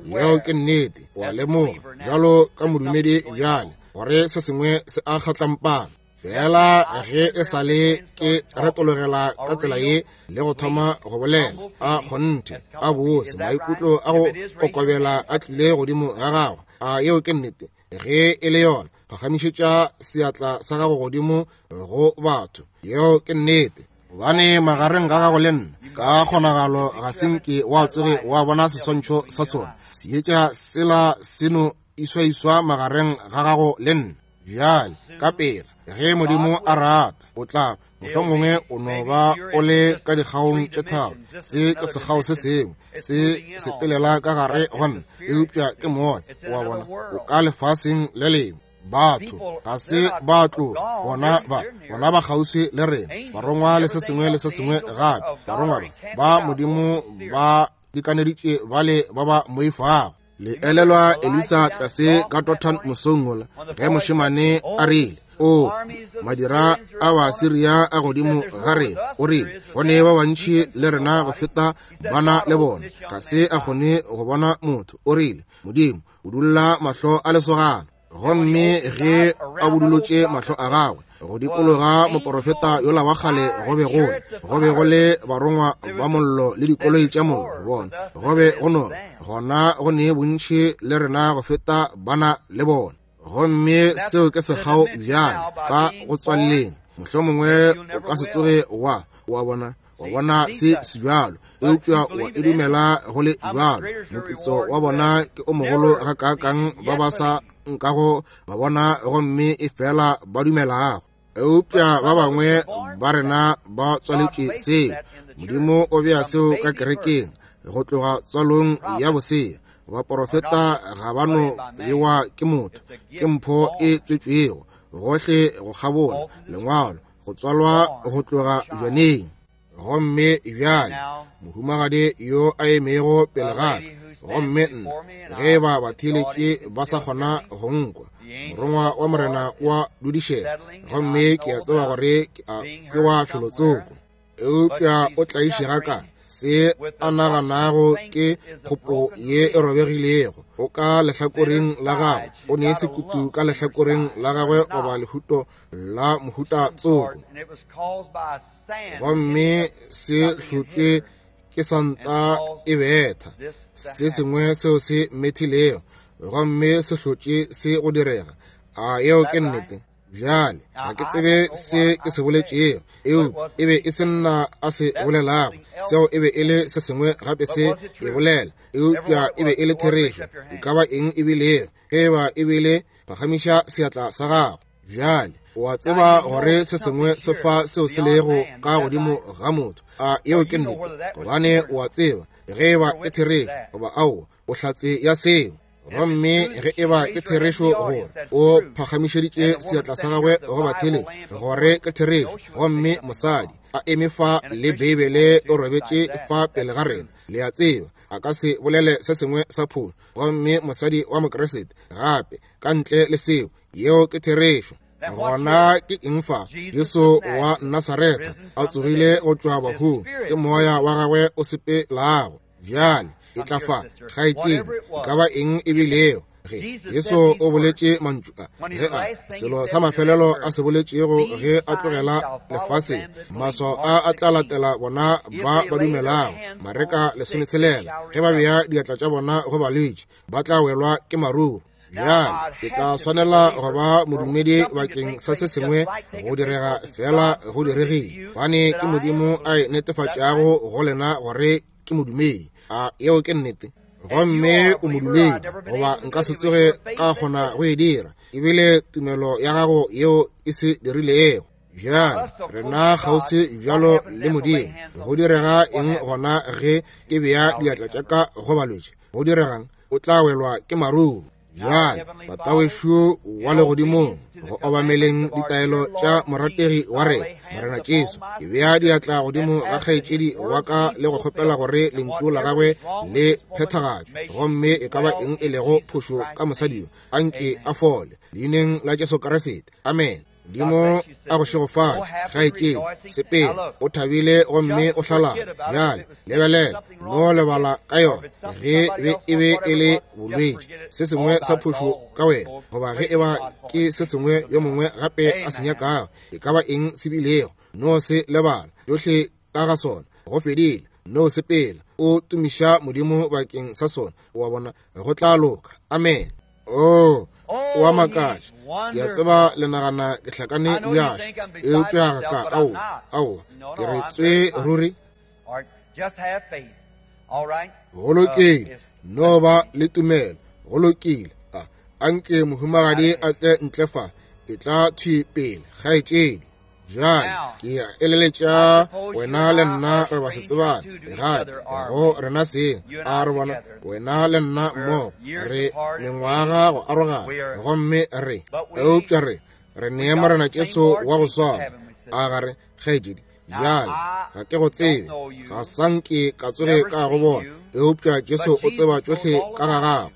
Yeo ke nnete. Wa lemoga bjalo ka modumedi bjale gore se sengwe se a kgatlampana. Fela ge e sa le ke retologela ka tsela ye le go thoma go bolela, a kgonthe a bose maikutlo a go kokobela a tlile godimo ga gagwe. A yeo ke nnete? Ge e le yona, phagamišetša seatla sa gago godimo go batho. Yeo ke nnete. Gobane magareng ga gago le nna, ka kgonagalo ga se nke wa tsoge wa bona seswantšho sa sona. Seetša sela seno iswaiswa magareng ga gago le nna. Bjale, ka pela, ge Modimo a rata, o tla mohlomongwe o no ba o le ka dikgaong tše tharo. Se ke sekgao se sengwe se sepelela ka gare go nna, eupša ke moya, wa bona, o ka lefaseng le lengwe. Batho ga se ba tloga, bona ba kgauswi le rena, barongwa le se sengwe le se sengwe gape. Barongwa ba Modimo ba dikaneditše bale ba ba moifago. Le elelwa Elisa tlase ka Dothan mosong wola, ge mošemane a rile, o madira a Baasiria a godimo ga rena. O rile, go ne ba bantši le rena go feta bana le bona. Ga se a kgone go bona motho. O rile, Modimo o dulla mahlo a lesogana. Gomme ge a budulotše mahlo a gagwe go dikologa moporofeta yola wa kgale, go be go le barongwa ba mollo le dikoloi tša mollo. Bona, go be go no gona go ne bontši le rena go feta bana le bona. Gomme seo ke sekgao bjale ka go tswaleleng. Mohlomongwe o ka se tsoge wa bona wa bona se se bjalo, eupša wa e dumela go le bjalo. Moputso wa bona ke o mogolo gakaakang ba ba sa nkago ba bona gomme e fela ba dumelago. Eupša ba bangwe ba rena ba tswaletše seo. Modimo o bea seo ka kerekeng go tloga tswalong ya bosea. Baporofeta ga ba no bewa ke motho, ke mpho e tswetšwego gohle go kgabola lengwalo, go tswalwa go tloga bjaneng. Gomme bjale mohumagadi yo a emego pele ga ka, gomme nna, ge ba batheeletše ba sa kgona go nkwa, morongwa wa Morena wa dudišega, gomme ke a tseba gore ke wa felotsoko, eupša o tlaišega ka se a naganago ke kgopo ye e robegilego. O ka lehlakoreng la gagwe, o ne sekutu ka lehlakoreng la gagwe goba lehuto la mohuta tsoko, gomme se hlotšwe ke santa e betha se sengwe seo se methilego, gomme se hlotše se go direga. A yeo ke nnete? Bjale ga ke tsebe se ke se boletšego, eupša e be e se nna a se bolelago, seo e be e le se sengwe gape se e bolela, eupša e be e le therešo. E ka ba eng e bilego, ge eba e bile, phagamiša seatla sa gago. Bjale o a tseba gore se sengwe se fa seo se lego ka godimo ga motho. A yeo ke nnete? Gobane o a tseba ge eba ke therešo goba aowa, o hlatse ya seo. Gomme ge eba ke therešo gore o phagamišeditše seatla sa gagwe go batheeleng gore ke therešo, gomme mosadi a eme fa le Beibele o robetše fa pele ga rena, le a tseba a ka se bolele se sengwe sa phošo. Gomme mosadi wa Mokriste gape ka ntle le seo, yeo ke therešo. Gona ke eng fa? Jesu wa Nasaretha a tsogile go tšwa bahung, ke moya wa gagwe o sepelago. Bjale e tla fa, kgaetšedi, e ka ba eng e bilego, ge Jesu o boletše mantšu a, ge a selo sa mafelelo a se boletšego ge a tlogela lefaseng, maswao a a tla latela bona ba ba dumelago. Mareka 16, ge ba bea diatla tša bona go balwetši, ba tla welwa ke maruru. Bjale ke tla swanela go ba modumedi bakeng sa se sengwe go direga, fela go diregile, gobane ke Modimo a e netefatšago go lena gore ke modumedi. A yeo ke nnete? Gomme o modumedi, goba nka se tsoge ka kgona go e dira. Ebile tumelo ya gago yeo e se dirilego. Bjale rena kgauswi bjalo le Modimo. Go direga eng gona ge ke bea diatla tša ka go balwetši? Go diregang? O tla welwa ke maruru. Bjale Tatawešu wa legodimong, go obameleng ditaelo tša morategi wa rena Morena Jesu, ke bea diatla godimo ga kgaetšedi wa ka le go kgopela gore lentšu la gagwe le phethagatšwe, gomme e ka ba eng e lego phošo ka mosadi yo, anke a fole leineng la Jesu Kriste. Amen. Modimo a go šegofatše, kgaetšedi. Sepela o thabile gomme o hlalala. Bjale lebelela, no lebala ka yona. Ge be e be e le bolwetši, se sengwe sa phošo ka wena, goba ge e ba ke se sengwe yo mongwe gape a se nyakago, e ka ba eng se bilego, no se lebala tšohle ka ga sona. Go fedile. No sepela o tumiša Modimo bakeng sa sona. Wa bona, go tla loka. Amen. Oh, o a makatša. Ke a tseba le nagana ke hlakane bjašo, eupša ga ka. Aowa, aowa, ke re tswe ruri. Go lokile, no ba le tumelo. Go lokile. A anke mohumagadi a tle ntle fa. E tla thwi pele, kgaetšedi. Bjale ke a eleletša wena le nna re ba se tsebane gape go rena seng. A re bona wena le nna mmogo re mengwaga go arogana, gomme re eupša re re nee Morena Jesu wa go swana. A ga re, kgaetšedi? Bjale ga ke go tsebe, ga sa nke ka tsoge ka go bona, eupša Jesu o tseba tšohle ka ga gago.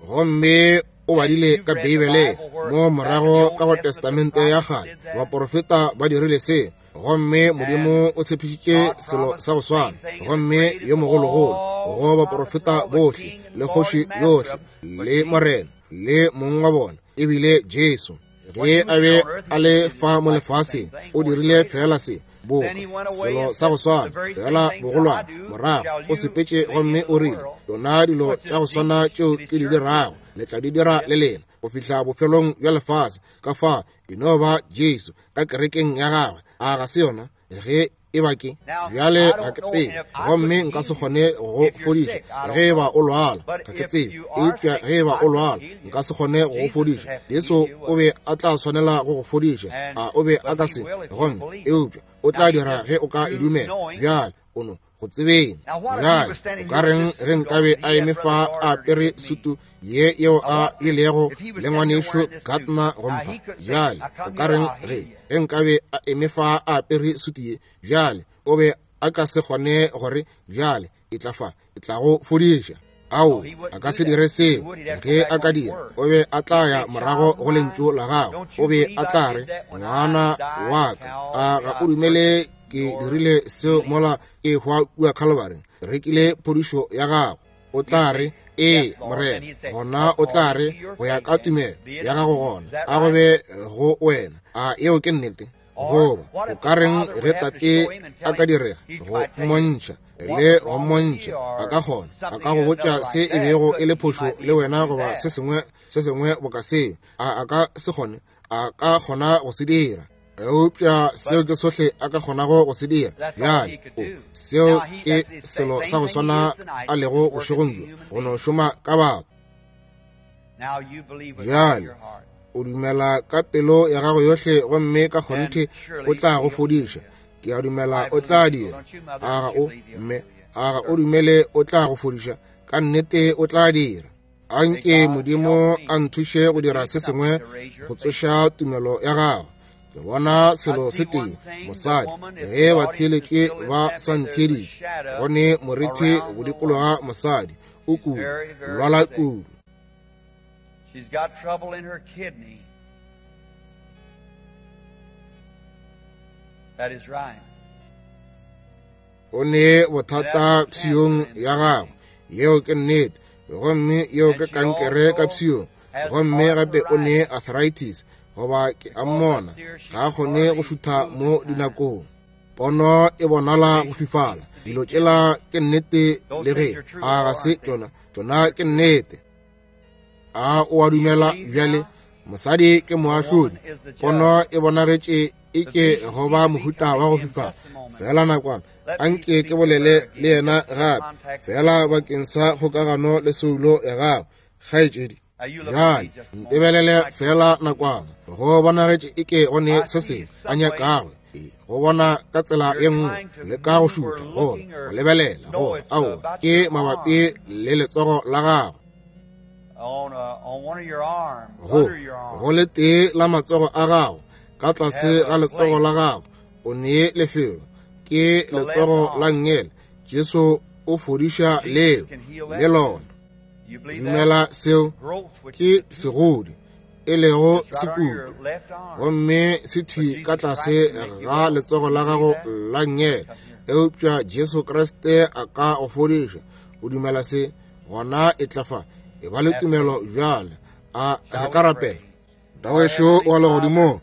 Gomme o badile ka Beibeleng mo morago ka go Testamente ya Kgale, baporofeta ba dirile se, gomme Modimo o tshepišitše selo sa go swana, gomme yo mogologolo go baporofeta bohle le kgoši yohle le Morena le mong wa bona e bile Jesu. Ge a be a le fa mo lefaseng, o dirile fela se boka selo sa go swana, fela bogolwane. Morago o sepetše gomme o rile, Lona dilo tša go swana tšeo ke di dirago, le tla di dira le lena go fihla bofelong bja lefase. Ka fa e no ba Jesu ka kerekeng ya gagwe, a ga se yona? Ge e ba ke bjale ga ke tsebe, gomme nka se kgone go fodiša ge e ba o lwala, ga ke tsebe, eupša ge e ba o lwala nka se kgone go go fodiša. Jesu o be a tla swanela go go fodiša, a o be a ka se? Gomme eupša o tla dira ge o ka e dumela. Bjale o no go tsebeng. Bjale o ka reng ge nkabe a eme fa a apere sutu ye yeo a ilego le ngwanešu Gardner go mpha? Bjale o ka reng ge ge nkabe a eme fa a apere sutu ye? Bjale o be a ka se kgone gore bjale e tla fa, e tla go fodiša. Ao, a ka se dire seo. Ge a ka dira, o be a tla ya morago go lentšu la gago. O be a tla re, ngwana wa ka, a ga o dumele ke dirile seo mola ke hwa kua Calvary? Rekile phodišo ya gago. O tla re, ee, Morena. Gona o tla re, go ya ka tumelo ya gago, gona a go be go wena. A yeo ke nnete? Goba o ka reng ge tate a ka direga go mmontšha le go mmontšha, a ka kgona, a ka go botša se e bego e le phošo le wena goba se sengwe se sengwe boka seo? A a ka se kgone? A ka kgona go se dira. Eupša seo ke sohle a ka kgonago go se dira. Bjale seo ke selo sa go swana a lego bošegong bjo, go no šoma ka batho. Bjale o dumela ka pelo ya gago yohle, gomme ka kgonthe o tla go fodiša. Ke a dumela o tla dira. A ga o, mme? A ga o dumele o tla go fodiša? Ka nnete o tla dira. Anke Modimo a nthuše go dira se sengwe go tsoša tumelo ya gago. Ke bona selo se tee, mosadi, ge batheeletši ba sa ntheeditše, go ne morithi go dikologa mosadi, o kudu, lwala kudu. She's got trouble in her kidney. That is right. O ne bothata pshiong ya gagwe, yeo ke nnete, gomme yeo ke kankere ka pshiong, gomme gape o ne arthritis, goba ke a mmona ga a kgone go šutha mo dinakong. Pono e bonala go fifala. Dilo tšela ke nnete le ge a ga se tšona, tšona ke nnete. A o a dumela bjale? Mosadi ke moahlodi. Pono e bonagetše e ke go ba mohuta wa go fifala. Fela nakwana, anke ke bolele le yena gape, fela bakeng sa kgokagano le soulo ya gago, kgaetšedi. Bjale ntebelele feela nakwana. Go bonagetše eke go ne se sengwe a nyakago go bona ka tsela ye nngwe, le ka go šutha, go go lebelela, go aowa, ke mabapi le letsogo la gago. Go go le tee la matsogo a gago, ka tlase ga letsogo la gago, o ne lefelo, ke letsogo la nngele. Jesu o fodiša leo le lona. Dumela seo, ke segodi, e lego sekutu, gomme se thwi ka tlase ga letsogo la gago la nngele. Eupša Jesu Kriste a ka go fodiša. O dumela se, gona e tla fa. E ba le tumelo bjale. A re ka rapela? Tawešo wa legodimong,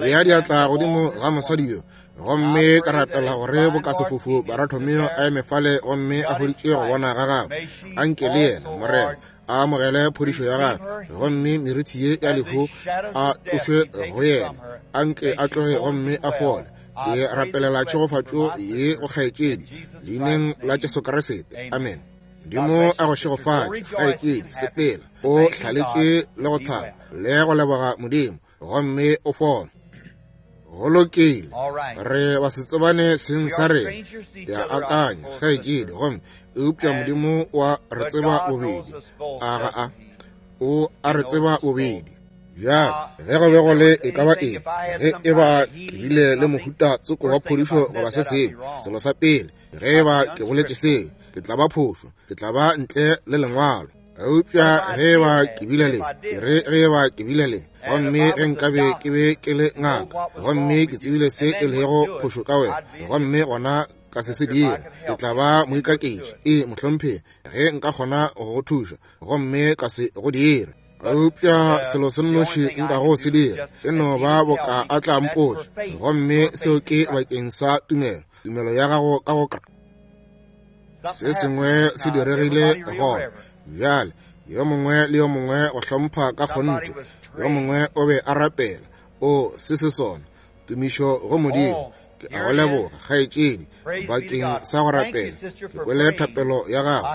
bea diatla godimo ga mosadi yo, gomme ka rapela gore bokasefofu Baratomeo a eme fale gomme a hweditše go bona ga gagwe. Anke le yena, Morena, a amogele phodišo ya gagwe, gomme merithi ye ya lehu a tlošwe go yena. Anke a tloge gomme a fole. Ke rapelela tšhegofatšo ye go kgaetšedi, leineng la Jesu Kriste. Amen. Modimo a go šegofatše, kgaetšedi. Sepela o hlaletše le go thaba le go leboga Modimo, gomme o fole. Go lokile, re ba se tsebane seng sa rena, ke a akanya, kgaetšedi, gomme eupša Modimo wa re tseba bobedi. A ga a? O a re tseba bobedi. Bjale, ge go be go le e ka ba eng, ge e ba ke bile le mohuta tsoko wa phodišo goba se sengwe, selo sa pele, ge e ba ke boletše seo, ke tla ba phošo, ke tla ba ntle le lengwalo. Eupša ge e ba ke bile le, ke re ge e ba ke bile le, gomme ge nkabe ke be ke le ngaka, gomme ke tsebile se e lego phošo ka wena, gomme gona ka se se dira, ke tla ba moikaketši. Ee, mohlomphegi, ge nka kgona go go thuša, gomme ka se go dire. Eupša selo se nnoši nkago se dira e no ba boka a tla mpotša, gomme seo ke bakeng sa tumelo, tumelo ya gago ka go se sengwe se diregile gona bjale. Yo mongwe le yo mongwe go hlompha ka kgonthe, yo mongwe o be a rapela. O se se sona, tumišo go Modimo. Ke a go leboga, kgaetšedi, bakeng sa go rapela. Ke kwele thapelo ya gago.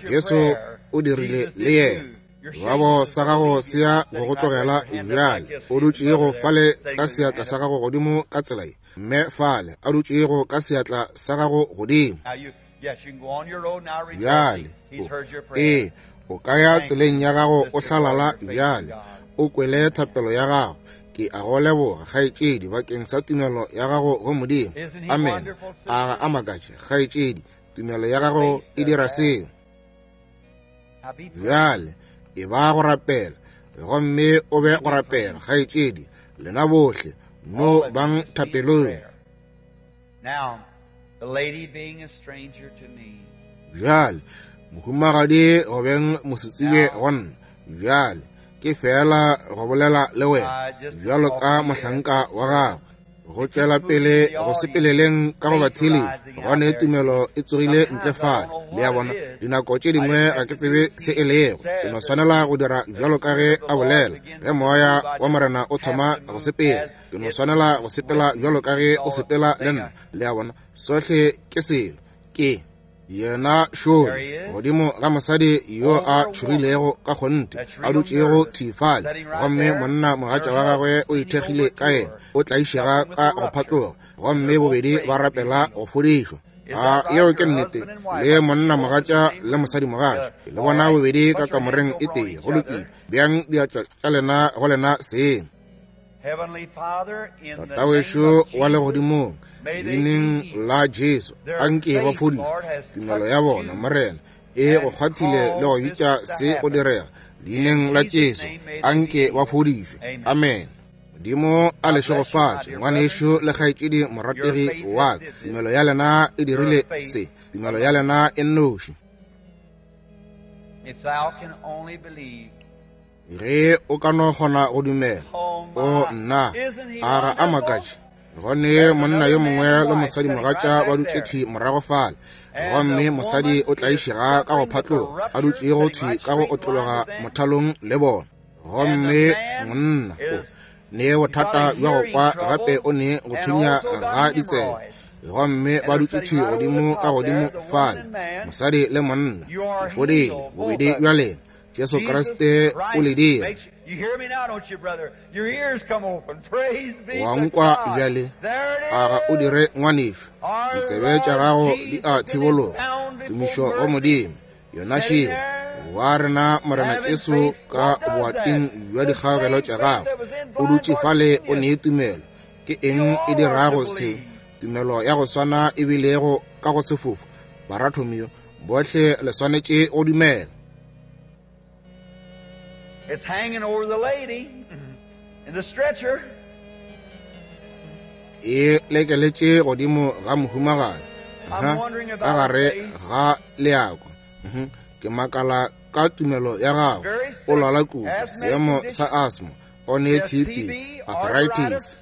Jesu o dirile le yena. Babo sa gago se ya go go tlogela bjale. O dutšego fale ka seatla sa gago godimo ka tsela ye, mme fale a dutšego ka seatla sa gago godimo. Bjale, ee, o ka ya tseleng ya gago o hlalala bjale. O kwele thapelo ya gago. Ke a go leboga, kgaetšedi, bakeng sa tumelo ya gago go Modimo. Amen. A ga a makatše, kgaetšedi? Tumelo ya gago e dira seo. Bjale e ba go rapela, gomme o be go rapela, kgaetšedi, lena bohle no bang thapelong. Bjale mohumagadi go beng mosetsebje go nna, bjale ke feela go bolela le wena bjalo ka mohlanka wa gagwe. Go tšwela pele go sepeleleng ka go ba theeletša, gobane tumelo e tsogile ntle fale. Le a bona, dinako tše dingwe ga ke tsebe se e lego. Ke no swanela go dira bjalo ka ge a bolela. Ge moya wa Morena o thoma go sepela, ke no swanela go sepela bjalo ka ge o sepela le nna. Le a bona, sohle ke selo ke yena šole godimo ga mosadi yo a tšhogilego ka kgonthe, a dutšego thwi fale, gomme monna mogatša wa gagwe o ithekgile ka yena, o tlaišega ka go phatloga, gomme bobedi ba rapela go fodišwa. A yeo ke nnete? Le monna mogatša le mosadi mogatša, le bona bobedi ka kamoreng e tee. Go lokile, bjang diatla tša lena go lena seng. Tatawešo wa legodimong, leineng la Jesu, anke ba fodišwe. Tumelo ya bona, Morena, e go kgwathile le go bitša se go direga. Leineng la Jesu, anke ba fodišwe. Amen. Modimo a le šegofatše, ngwanešo le kgaetšedi morategi wa ka. Tumelo ya lena e dirile se. Tumelo ya lena e nnoši. Ge o ka no kgona go dumela. O nna, a ga a makatše? Gone monna yo mongwe le mosadi mogatša ba dutše thwi morago fale, gomme mosadi o tlaišega ka go phatloga, a dutšego thwi ka go otlologa mothalong le bona. Gomme monna o ne bothata bja go kwa, gape o ne go thunya ga ditsebe, gomme ba dutše thwi godimo ka godimo fale, mosadi le monna. Le fodile bobedi bja lena. Jesu Kriste o le dira. Wa nkwa bjale, a ga o dire ngwanešu? Ditsebe tša gago di a thibologa. Tumišo go Modimo. Yona šeo wa rena Morena Jesu ka boating bja dikgaogelo tša gagwe o dutše fale o nee tumelo. Ke eng e dirago seo? Tumelo ya go swana e bilego ka go sefofu Barathomio, bohle le swanetše go dumela. It's hanging over the lady in the stretcher. E lekeletše godimo ga mohumagadi ka gare ga leako. Ke makala ka tumelo ya gago. O lwala kudu, seemo sa asthma, o ne TB, arthritis.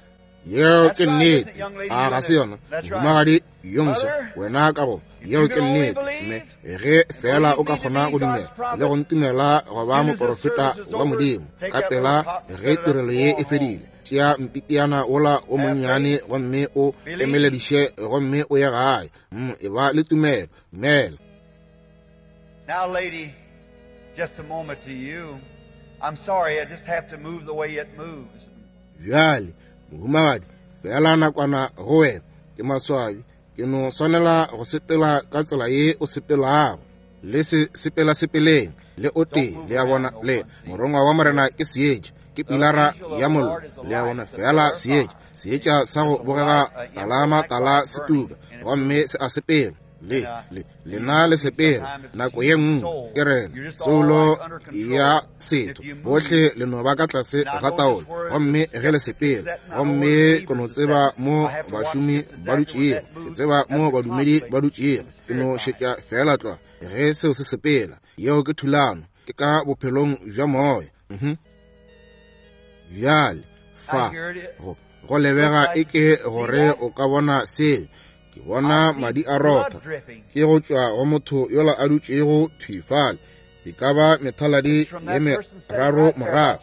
Yeo ke nnete, a ga se yona? Mohumagadi yo moswa, wena ka go, yeo ke nnete. Mme ge fela o ka kgona go dumela le go ntumela go ba moporofeta wa Modimo, ka pela ge tirelo ye e fedile, tšea mpitiana wola o monnyane gomme o emelediše gomme o ye gae. E ba le tumelo, dumela. Now, lady, just a moment to you. I'm sorry, I just have to move the way it moves. Bjale, mohumagadi, fela nakwana go wena. Ke maswabi, ke no swanela go sepela ka tsela ye o sepelago. Le se sepela sepeleng le o tee, le a bona, le morongwa wa Morena ke seetša, ke pilara ya mollo, le a bona, fela seetša, seetša sa go bogega talama tala se tuka, gomme se a sepela. Le, le, lena le sepela nako ye nngwe, ke rena soulo ya setho, bohle le no ba ka tlase ga taolo, gomme ge le sepela, gomme ke no tseba mo bašomi ba dutšego, ke tseba mo badumedi ba dutšego, ke no šetša fela tlwa ge seo se sepela. Yeo ke thulano, ke ka bophelong bja moya. Bjale fa go lebega eke gore o ka bona seo. Ke bona madi a rotha, ke go tšwa go motho yola a dutšego thwi fale, e ka ba methaladi ye meraro morago,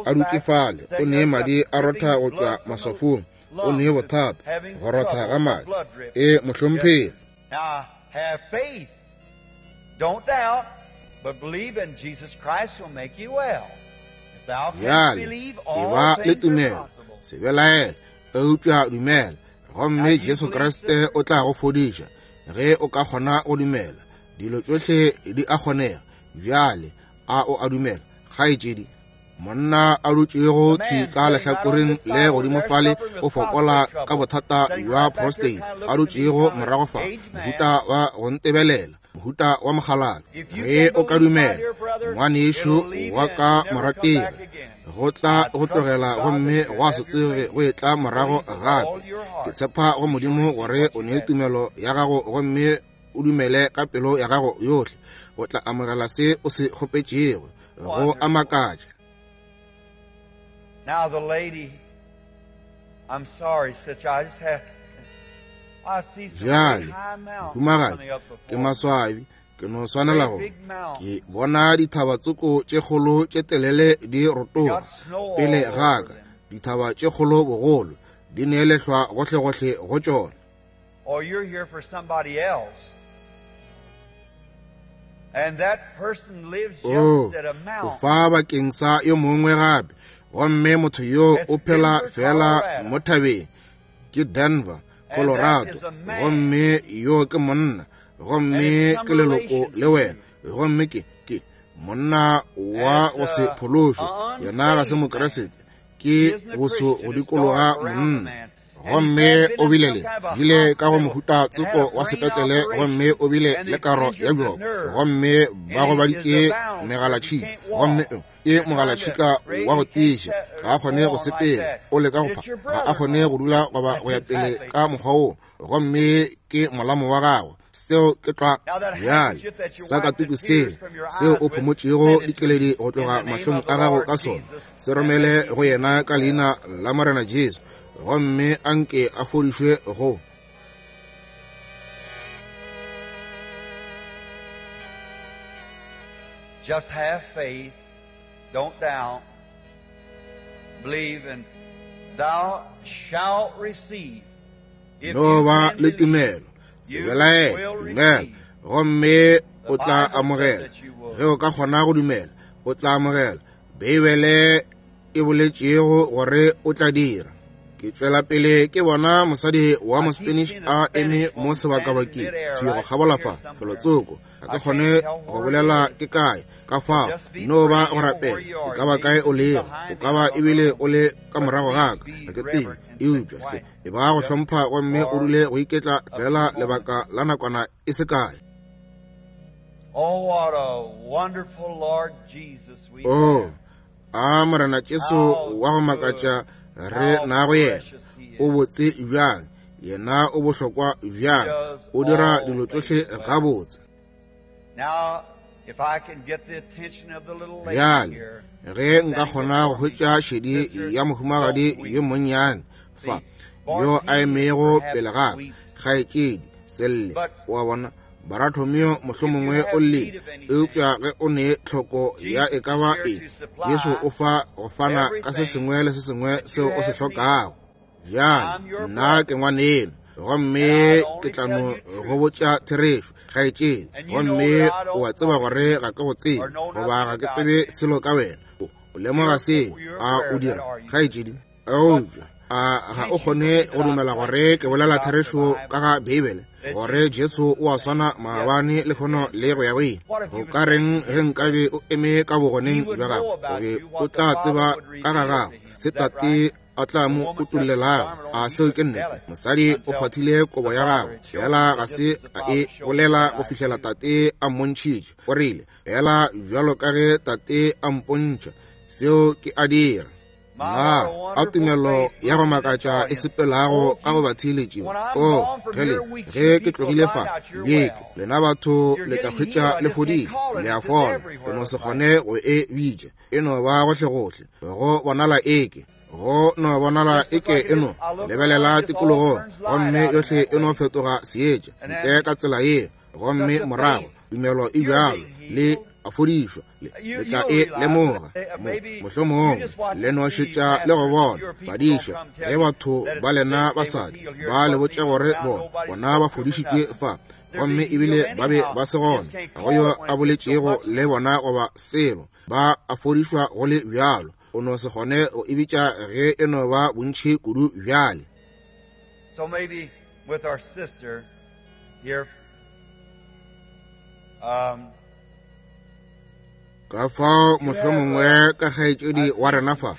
a dutše fale, o ne madi a rotha go tšwa maswafong, o ne bothata go rotha ga madi. E mohlomphegi. Now have faith. Don't doubt, but believe in Jesus Christ will make you well. If thou canst believe, all e ba le things are tumelo, possible. Se belaele, eupša dumela, gomme Jesu Kriste o tla go fodiša. Ge o ka kgona go dumela, dilo tšohle di a kgonega. Bjale a o a dumela, kgaetšedi? Monna a dutšego thwi ka lehlakoreng le godimo fale o fokola ka bothata bja prostate, a dutšego morago fa, mohuta wa go ntebelela, mohuta wa mokgalabje. Ge o ka dumela, ngwanešu wa ka morategi, go tla go tlogela gomme gwa se tsoge go etla morago gape. Ke tshepa go Modimo gore o ne tumelo ya gago gomme o dumele ka pelo ya gago yohle, o tla amogela se o se kgopetšego. Go a makatša. Now the lady, I'm sorry, sister, I just have, I see some Bjale, high mountains mohumagadi, coming up ke before me. maswabi, ke no swanela go ke bona dithaba tsoko tše kgolo tše telele di rotoga pele ga ka, dithaba tše kgolo bogolo di neelehlwa gohlegohle go tšona. Or you're here for somebody else. And that person lives Oh, just at a o mountain. fa bakeng sa yo mongwe gape, gomme motho yo o phela fela mo thabeng, ke Denver, Colorado, gomme yo ke monna, gomme ke leloko le wena, gomme ke monna wa go se phološwe, yena ga se Mokeresete, ke boso go dikologa monna. Gomme o bile le bile ka go mohuta tsoko wa sepetlele, gomme o bile le karo ya bjoko, gomme ba gobaditše megalatšhika, gomme ke mogalatšhika wa go tiiša, ga a kgone go sepela, o leka go pha, ga a kgone go dula goba go ya pele ka mokgwa wo, gomme ke molamo wa gagwe. Seo ke tlwa. Bjale sakatuku seo seo o phomotšego dikeledi go tloga mahlong a gago ka sona, se romele go yena ka leina la Morena Jesu, gomme a nke a fodišwe go. Just have faith, don't doubt, believe, and thou shalt receive. If No you ba can le believe, tumelo, se belaele, dumela, gomme o tla amogela. Ge o ka kgona go dumela, O tla amogela Beibele e boletšego gore o tla dira. Ke tšwela pele ke bona mosadi wa Mospanish a eme mo sebakabakeng, thwi go kgabola fa, felotsoko. Ga ke kgone go bolela ke kae, ka fao no ba go rapela. E ka ba kae o lego, o ka ba ebile o le ka morago ga ka, ga ke tsebe. Eupša hle e ba go hlompha gomme o dule go iketla fela lebaka la nakwana e se kae. Oh, what a wonderful Lord Jesus we Oh, have. a Morena Jesu wa go makatša re nago yena. O botse bjang, yena o bohlokwa bjang, o dira dilo tšohle gabotse. Now, if I can get the attention of the little lady Bjale, here, ge nka kgona go hwetša šedi ya mohumagadi yo monnyane fa, yo a emego pele ga ka, kgaetšedi, selle, wa bona, Barathomeo mohlomongwe o llile, eupša ge o ne tlhoko ya e ka ba eng, Jesu o fa go fana ka se sengwe le se sengwe seo o se hlokago. Bjale, nna ke ngwaneno, gomme ke tla no go botša therešo, kgaetšedi, gomme o a tseba gore ga ke go tsebe, goba ga ke tsebe selo ka wena. O lemoga seo, a o dira, kgaetšedi? Eupša a ga o kgone go dumela gore ke bolela therešo ka ga Beibele, gore Jesu o a swana maabane, lehono le go ya go ile? Go ka reng ge nkabe o eme ka bogoneng bja gago, o be o tla tseba ka ga gago se Tate a tla mo utollelago? A seo ke nnete? Mosadi o kgwathile kobo ya gagwe, fela ga se a e bolela go fihlela Tate a mmontšhitše. O rile, fela bjalo ka ge Tate a mpontšha, seo ke a dira. Na a tumelo ya go makatša e sepelago ka go batheeletši ba. O, gele, ge ke tlogile fa, beke, lena batho le tla hwetša le fodile, le a fola. Ke no se kgone go e bitša. E no ba gohlegohle, go bonala eke, go no bonala eke e no lebelela tikologong, gomme yohle e no fetoga seetša, ntle ka tsela yeo, gomme morago tumelo e bjalo le a fodišwa. Le tla e lemoga mohlomongwe le no šetša le go bona badiša ge batho ba lena basadi ba le botša gore bona ba fodišitšwe fa, gomme ebile ba be ba se gona, ga go yo a boletšego le bona goba selo, ba a fodišwa go le bjalo. O no se kgone go e bitša ge e no ba bontši kudu bjale. So maybe with our sister here, Ka fao mohlomongwe ka kgaetšedi wa rena fa,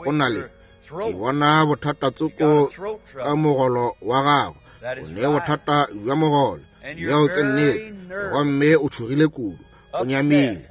o na le, ke bona bothata tsoko ka mogolo wa gago. O ne bothata bja mogolo, yeo ke nnete, gomme o tšhogile kudu, o nyamile.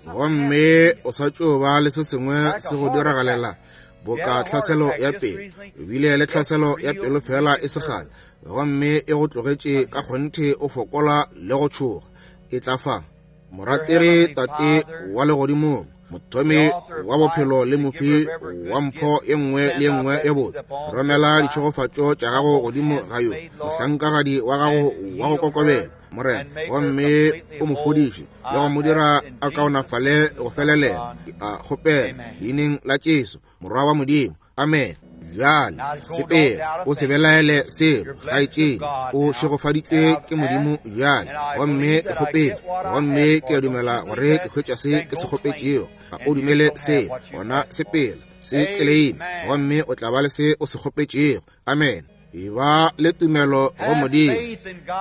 Gomme o sa tšo ba le se sengwe se go diragalela boka tlhaselo ya pelo. O bile le tlhaselo ya pelo fela e se kgale, gomme e go tlogetše ka kgonthe o fokola le go tšhoga. E tla fa, morategi Tate wa legodimong, mothomi wa bophelo le mofi wa mpho ye nngwe le ye nngwe ye botse, romela ditšhegofatšo tša gago godimo ga yo mohlankagadi wa gago wa go kokobela, Morena, gomme o mo fodiše le go mo dira a kaonafale go felelela. Ke a kgopela leineng la Jesu, Morwa wa Modimo. Amen. Bjale sepela, o se belaele selo, kgaetšedi. O šegofaditšwe ke Modimo bjale. Gomme ke kgopetše, gomme ke a dumela gore ke hwetša se ke se kgopetšego. Ga o dumele seo, gona sepela, se tleleime, gomme o tla ba le se o se kgopetšego. Amen. E ba le tumelo go Modimo.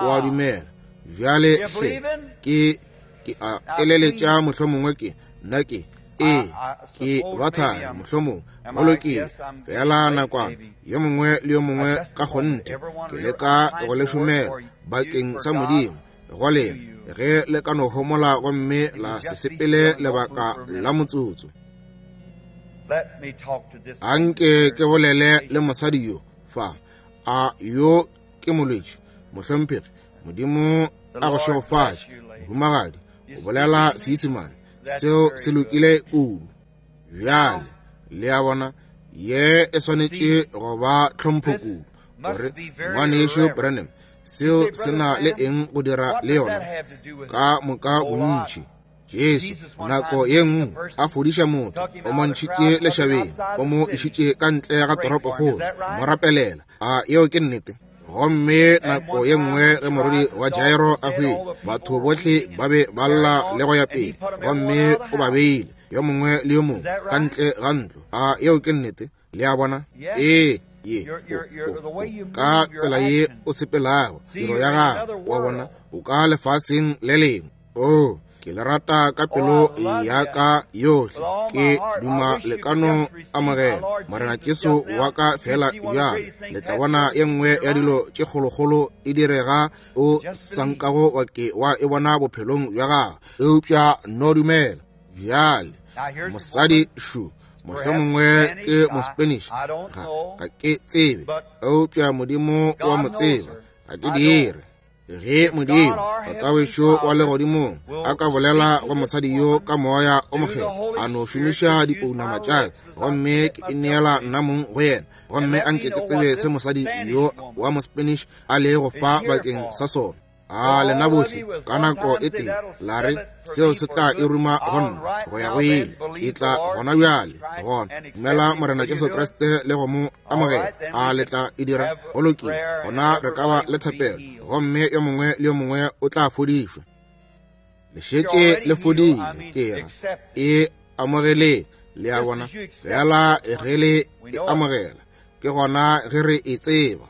O a dumela bjale hle. Ke a eleletša mohlomongwe ke nna ke ee ke ba thari mohlomongwe. Go lokile, fela nakwana yo mongwe le yo mongwe ka kgonthe ke leka go le šomela bakeng sa Modimo go lena, ge le ka no homola gomme la se sepele lebaka la motsotso. Anke ke bolele le mosadi yo fa. A yo ke molwetši, mohlomphegi? Modimo a go šegofatše, mohumagadi. O bolela Seisemane, seo se lokile kudu. Bjale le a bona, ye e swanetše go ba tlhompho kudu, gore ngwanešu Branham, seo se na le eng go dira le yona? Ka moka bontši. Jesu nako ye nngwe a fodiša motho, o mo ntšhitše lešabeng, o mo išitše ka ntle ga toropokgolo, mo rapelela. A yeo ke nnete? Gomme nako ye nngwe ge morwedi wa Jairo a hwile, batho bohle ba be ba lla le go ya pele, gomme o ba beile yo mongwe le yo mongwe ka ntle ga ntlo. A yeo ke nnete? Le a bona? Ee, ye ka tsela ye o sepelago, tiro ya gago, wa bona, o ka lefaseng le lengwe. Oh, ke le rata ka pelo ya ka yohle. Ke duma le ka no amogela Morena Jesu wa ka fela bjale. Le tla bona ye nngwe ya dilo tše kgolokgolo e direga o sa nkago wa ke wa e bona bophelong bja gago, eupša no dumela. Bjale mosadi šu, mohlomongwe ke Mospanish, ga ke tsebe, eupša Modimo wa mo tseba, ga ke dire. Ge Modimo Tatawešo wa legodimong a ka bolela go mosadi yo ka moya o mokgethwa, a no šomiša dipounama tša ka, gomme ke ineela nna mong go yena, gomme a nke ke tsebe se mosadi yo wa Mospanish a lego fa bakeng sa sona. A lena bohle ka nako e tee la re, seo se tla e ruma go nna go ya go ile. Ke tla gona bjale gona dumela Morena Jesu Kriste le go mo amogela. A le tla e dira? Go lokile, gona re ka ba le thapelo, gomme yo mongwe le yo mongwe o tla fodišwa. Le šetše le fodile, ke ra e amogeleng. Le a bona, fela ge le e amogela, ke gona ge re e tseba.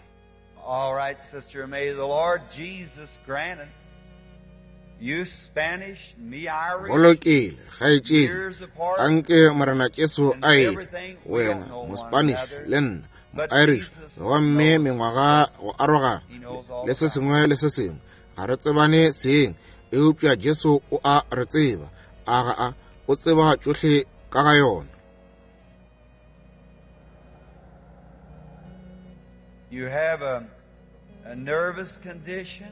All right, sister, may the Lord Jesus grant it. You Spanish, me Irish. Go lokile, kgaetšedi, anke Morena Jesu a e wena Mospanish le nna Moirish, gomme mengwaga go arogana le se sengwe le se sengwe, ga re tsebane seng, eupša Jesu o a re tseba. A ga a? O tseba tšohle ka ga yona. You have a nervous condition,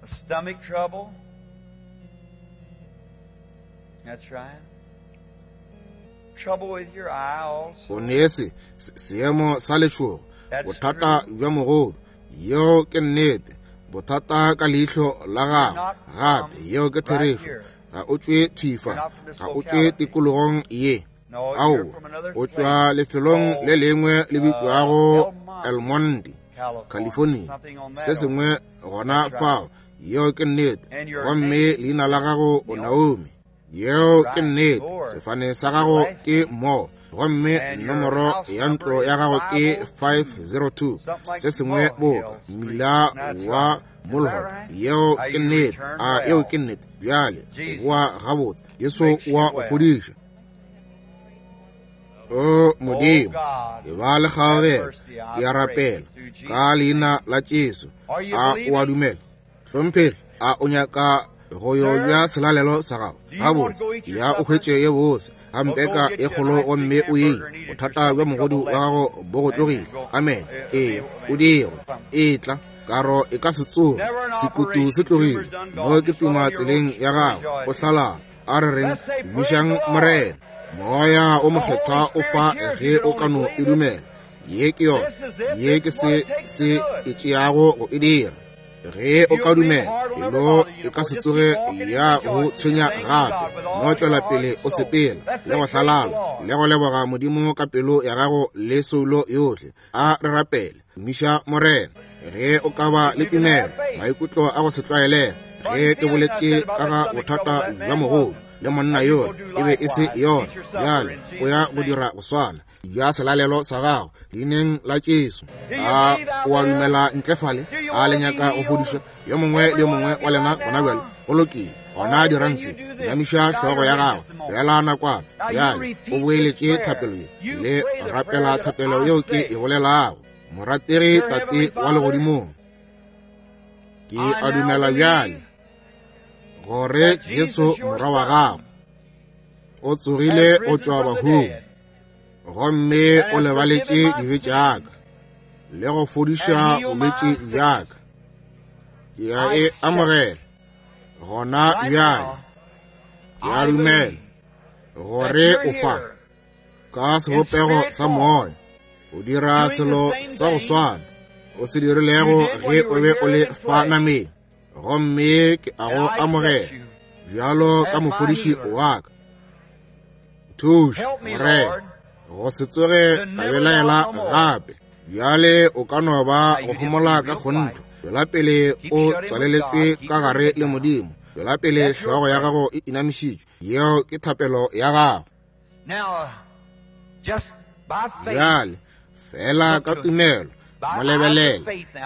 a stomach trouble. That's right. Trouble with your eye also. O ne se seemo sa letšhogo, bothata bja mogodu, yeo ke nnete, bothata ka leihlo la gago gape, yeo ke therešo. Ga o tšwe thwifa, ga o tšwe tikologong ye. Ao, o tšwa lefelong le lengwe le bitšwago El Monte, California, se sengwe gona fao, yeo ke nnete. Gomme leina la gago o Naomi, yeo ke nnete. Sefane sa gago ke Mo, gomme nomoro ya ntlo ya gago ke 502, se sengwe boka mmila wa Mulhall, yeo ke nnete. A yeo ke nnete? Bjale boa gabotse, Jesu wa go fodiša. O Modimo, e ba le kgaogelo, ke a rapela ka leina la Jesu. A o a dumela? Hlomphegi, a o nyaka go yo ja selalelo sa gago? Gabotse, ya o hwetše ye bose gampeka e kgolo gomme o ye. Bothata bja mogodu wa gago bo go tlogile. Amen. Ee, o dirwe. Etla, karo e ka se tsoge, sekutu se tlogile. No ke tuma tseleng ya gago, o hlalala. A re reng, dumišang Morena. Moya o mokgethwa o fa ge o ka no e dumela. Ye ke yona, ye ke se se e tšeago go e dira. Ge o ka dumela, pelo e ka se tsoge ya go tshwenya gape. No tšwela pele o sepela le go hlalala le go leboga Modimo ka pelo ya gago le soulo yohle. A re rapele, dumiša Morena. Ge o ka ba le tumelo, maikutlo a go se tlwaelege, ge ke boletše ka ga bothata bja mogodu le monna yola, e be e se yona. Bjale o ya go dira go swana bja selalelo sa gago leineng la Jesu. A o a dumela ntle fale? A le nyaka go fodišwa? Yo mongwe le yo mongwe wa lena gona bjale. Go lokile, gona dirang se. Inamiša hlogo ya gago fela nakwana. Bjale o boeletše thapelo ye le rapela thapelo yeo ke e bolelago. Morategi Tate wa legodimong, ke a dumela bjale gore Jesu morwa wa gago o tsogile o tšwa bahung, gomme o lebaletše dibe tša ka le go fodiša bolwetši bja ka. Ke a e amogela gona bjale. Ke a dumela gore o fa ka sebopego sa moya, o dira selo sa go swana o se dirilego ge o be o le fa nameng, gomme ke a go amogela bjalo ka mofodiši wa ka. Thuša, Morena, go se tsoge ka belaela gape. Bjale o ka no ba go homola ka kgontho. Tšwela pele o tswaleletšwe ka gare le Modimo. Tšwela pele hlogo ya gago e inamišitšwe. Yeo ke thapelo ya gago. Bjale, fela ka tumelo, mo lebelele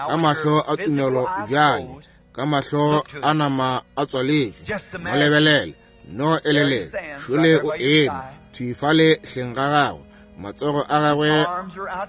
ka mahlo a tumelo bjale, ka mahlo a nama a tswaletšwe, mo lebelele. No elele, šole o eme thwi fale hleng ga gagwe, matsogo a gagwe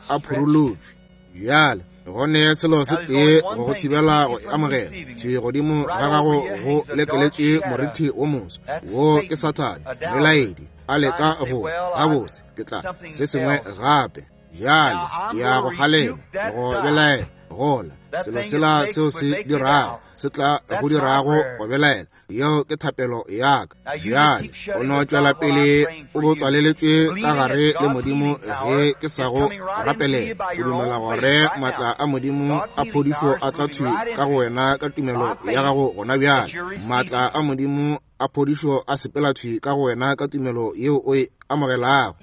a phurulotšwe. Bjale go ne selo se tee go go thibela go e amogela, thwi godimo ga gago go lekeletše morithi wo moso. Wo ke Sathane, melaedi, a leka go, gabotse, ke tla se sengwe gape. Bjale ya go kgalema, go belaela, gola selo sela seo se dirago, se tla go dirago go belaela. Yeo ke thapelo ya ka. Bjale o no tšwela pele o bo tswaleletšwe ka gare le Modimo ge ke sa go rapelela. O dumela gore maatla a Modimo a phodišo a tla thwi ka go wena ka tumelo ya gago gona bjale. Maatla a Modimo a phodišo a sepela thwi ka go wena ka tumelo yeo o e amogelago.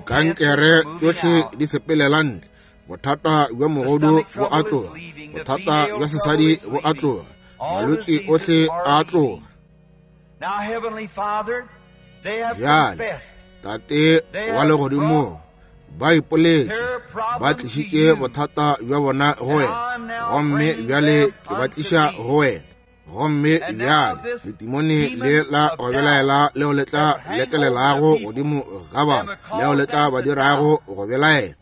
Kankere tšohle di sepelela ntle. Bothata bja mogodu bo a tloga. Bothata bja sesadi bo a tloga. Malwetši ohle a tloga. Bjale, Tate wa legodimong, ba ipoletše, ba tlišitše bothata bja bona go wena, gomme bjale ke ba tliša go wena. Gomme bjale letimone le la go belaela leo le tla lekelelago godimo ga batho, leo le tla ba dirago go belaela.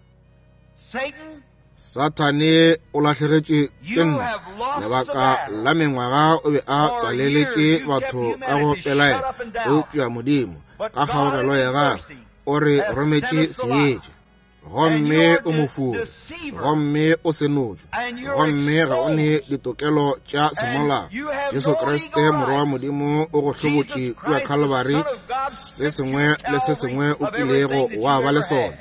Sathane o lahlegetšwe ke nna lebaka la mengwaga o be a tswaleletše batho ka go pelaela, eupša Modimo ka kgaogelo ya gagwe o re rometše seetša. Gomme o mofuri, gomme o senotšwe, gomme ga o ne ditokelo tša semolao. Jesu Kriste Morwa wa Modimo o go hlobotše kua Calvary, se sengwe le se sengwe o kilego wa ba le sona.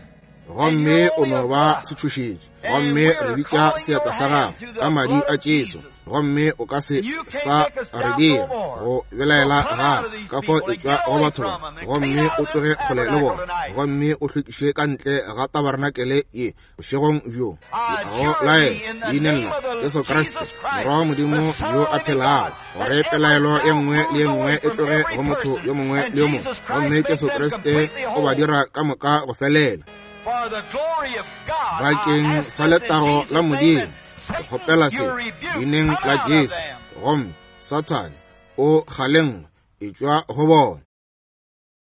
Gomme o no ba setšhošetši, gomme re bitša seatla sa gago ka madi a Jesu, gomme o ka se sa re dira go belaela gape. Ka fao etšwa go batho ba, gomme o tloge kgole le bona, gomme o hlwekiše ka ntle ga tabarenakele ye bošegong bjo. Go laela leineng la Jesu Kriste, Morwa wa Modimo yo a phelago, gore pelaelo e nngwe le e nngwe e tloge go motho yo mongwe le yo mongwe, gomme Jesu Kriste o ba dira ka moka go felela. Bakeng sa letago la Modimo, ke kgopela se leineng la Jesu, gomme Sathane o kgalengwe etšwa go bona.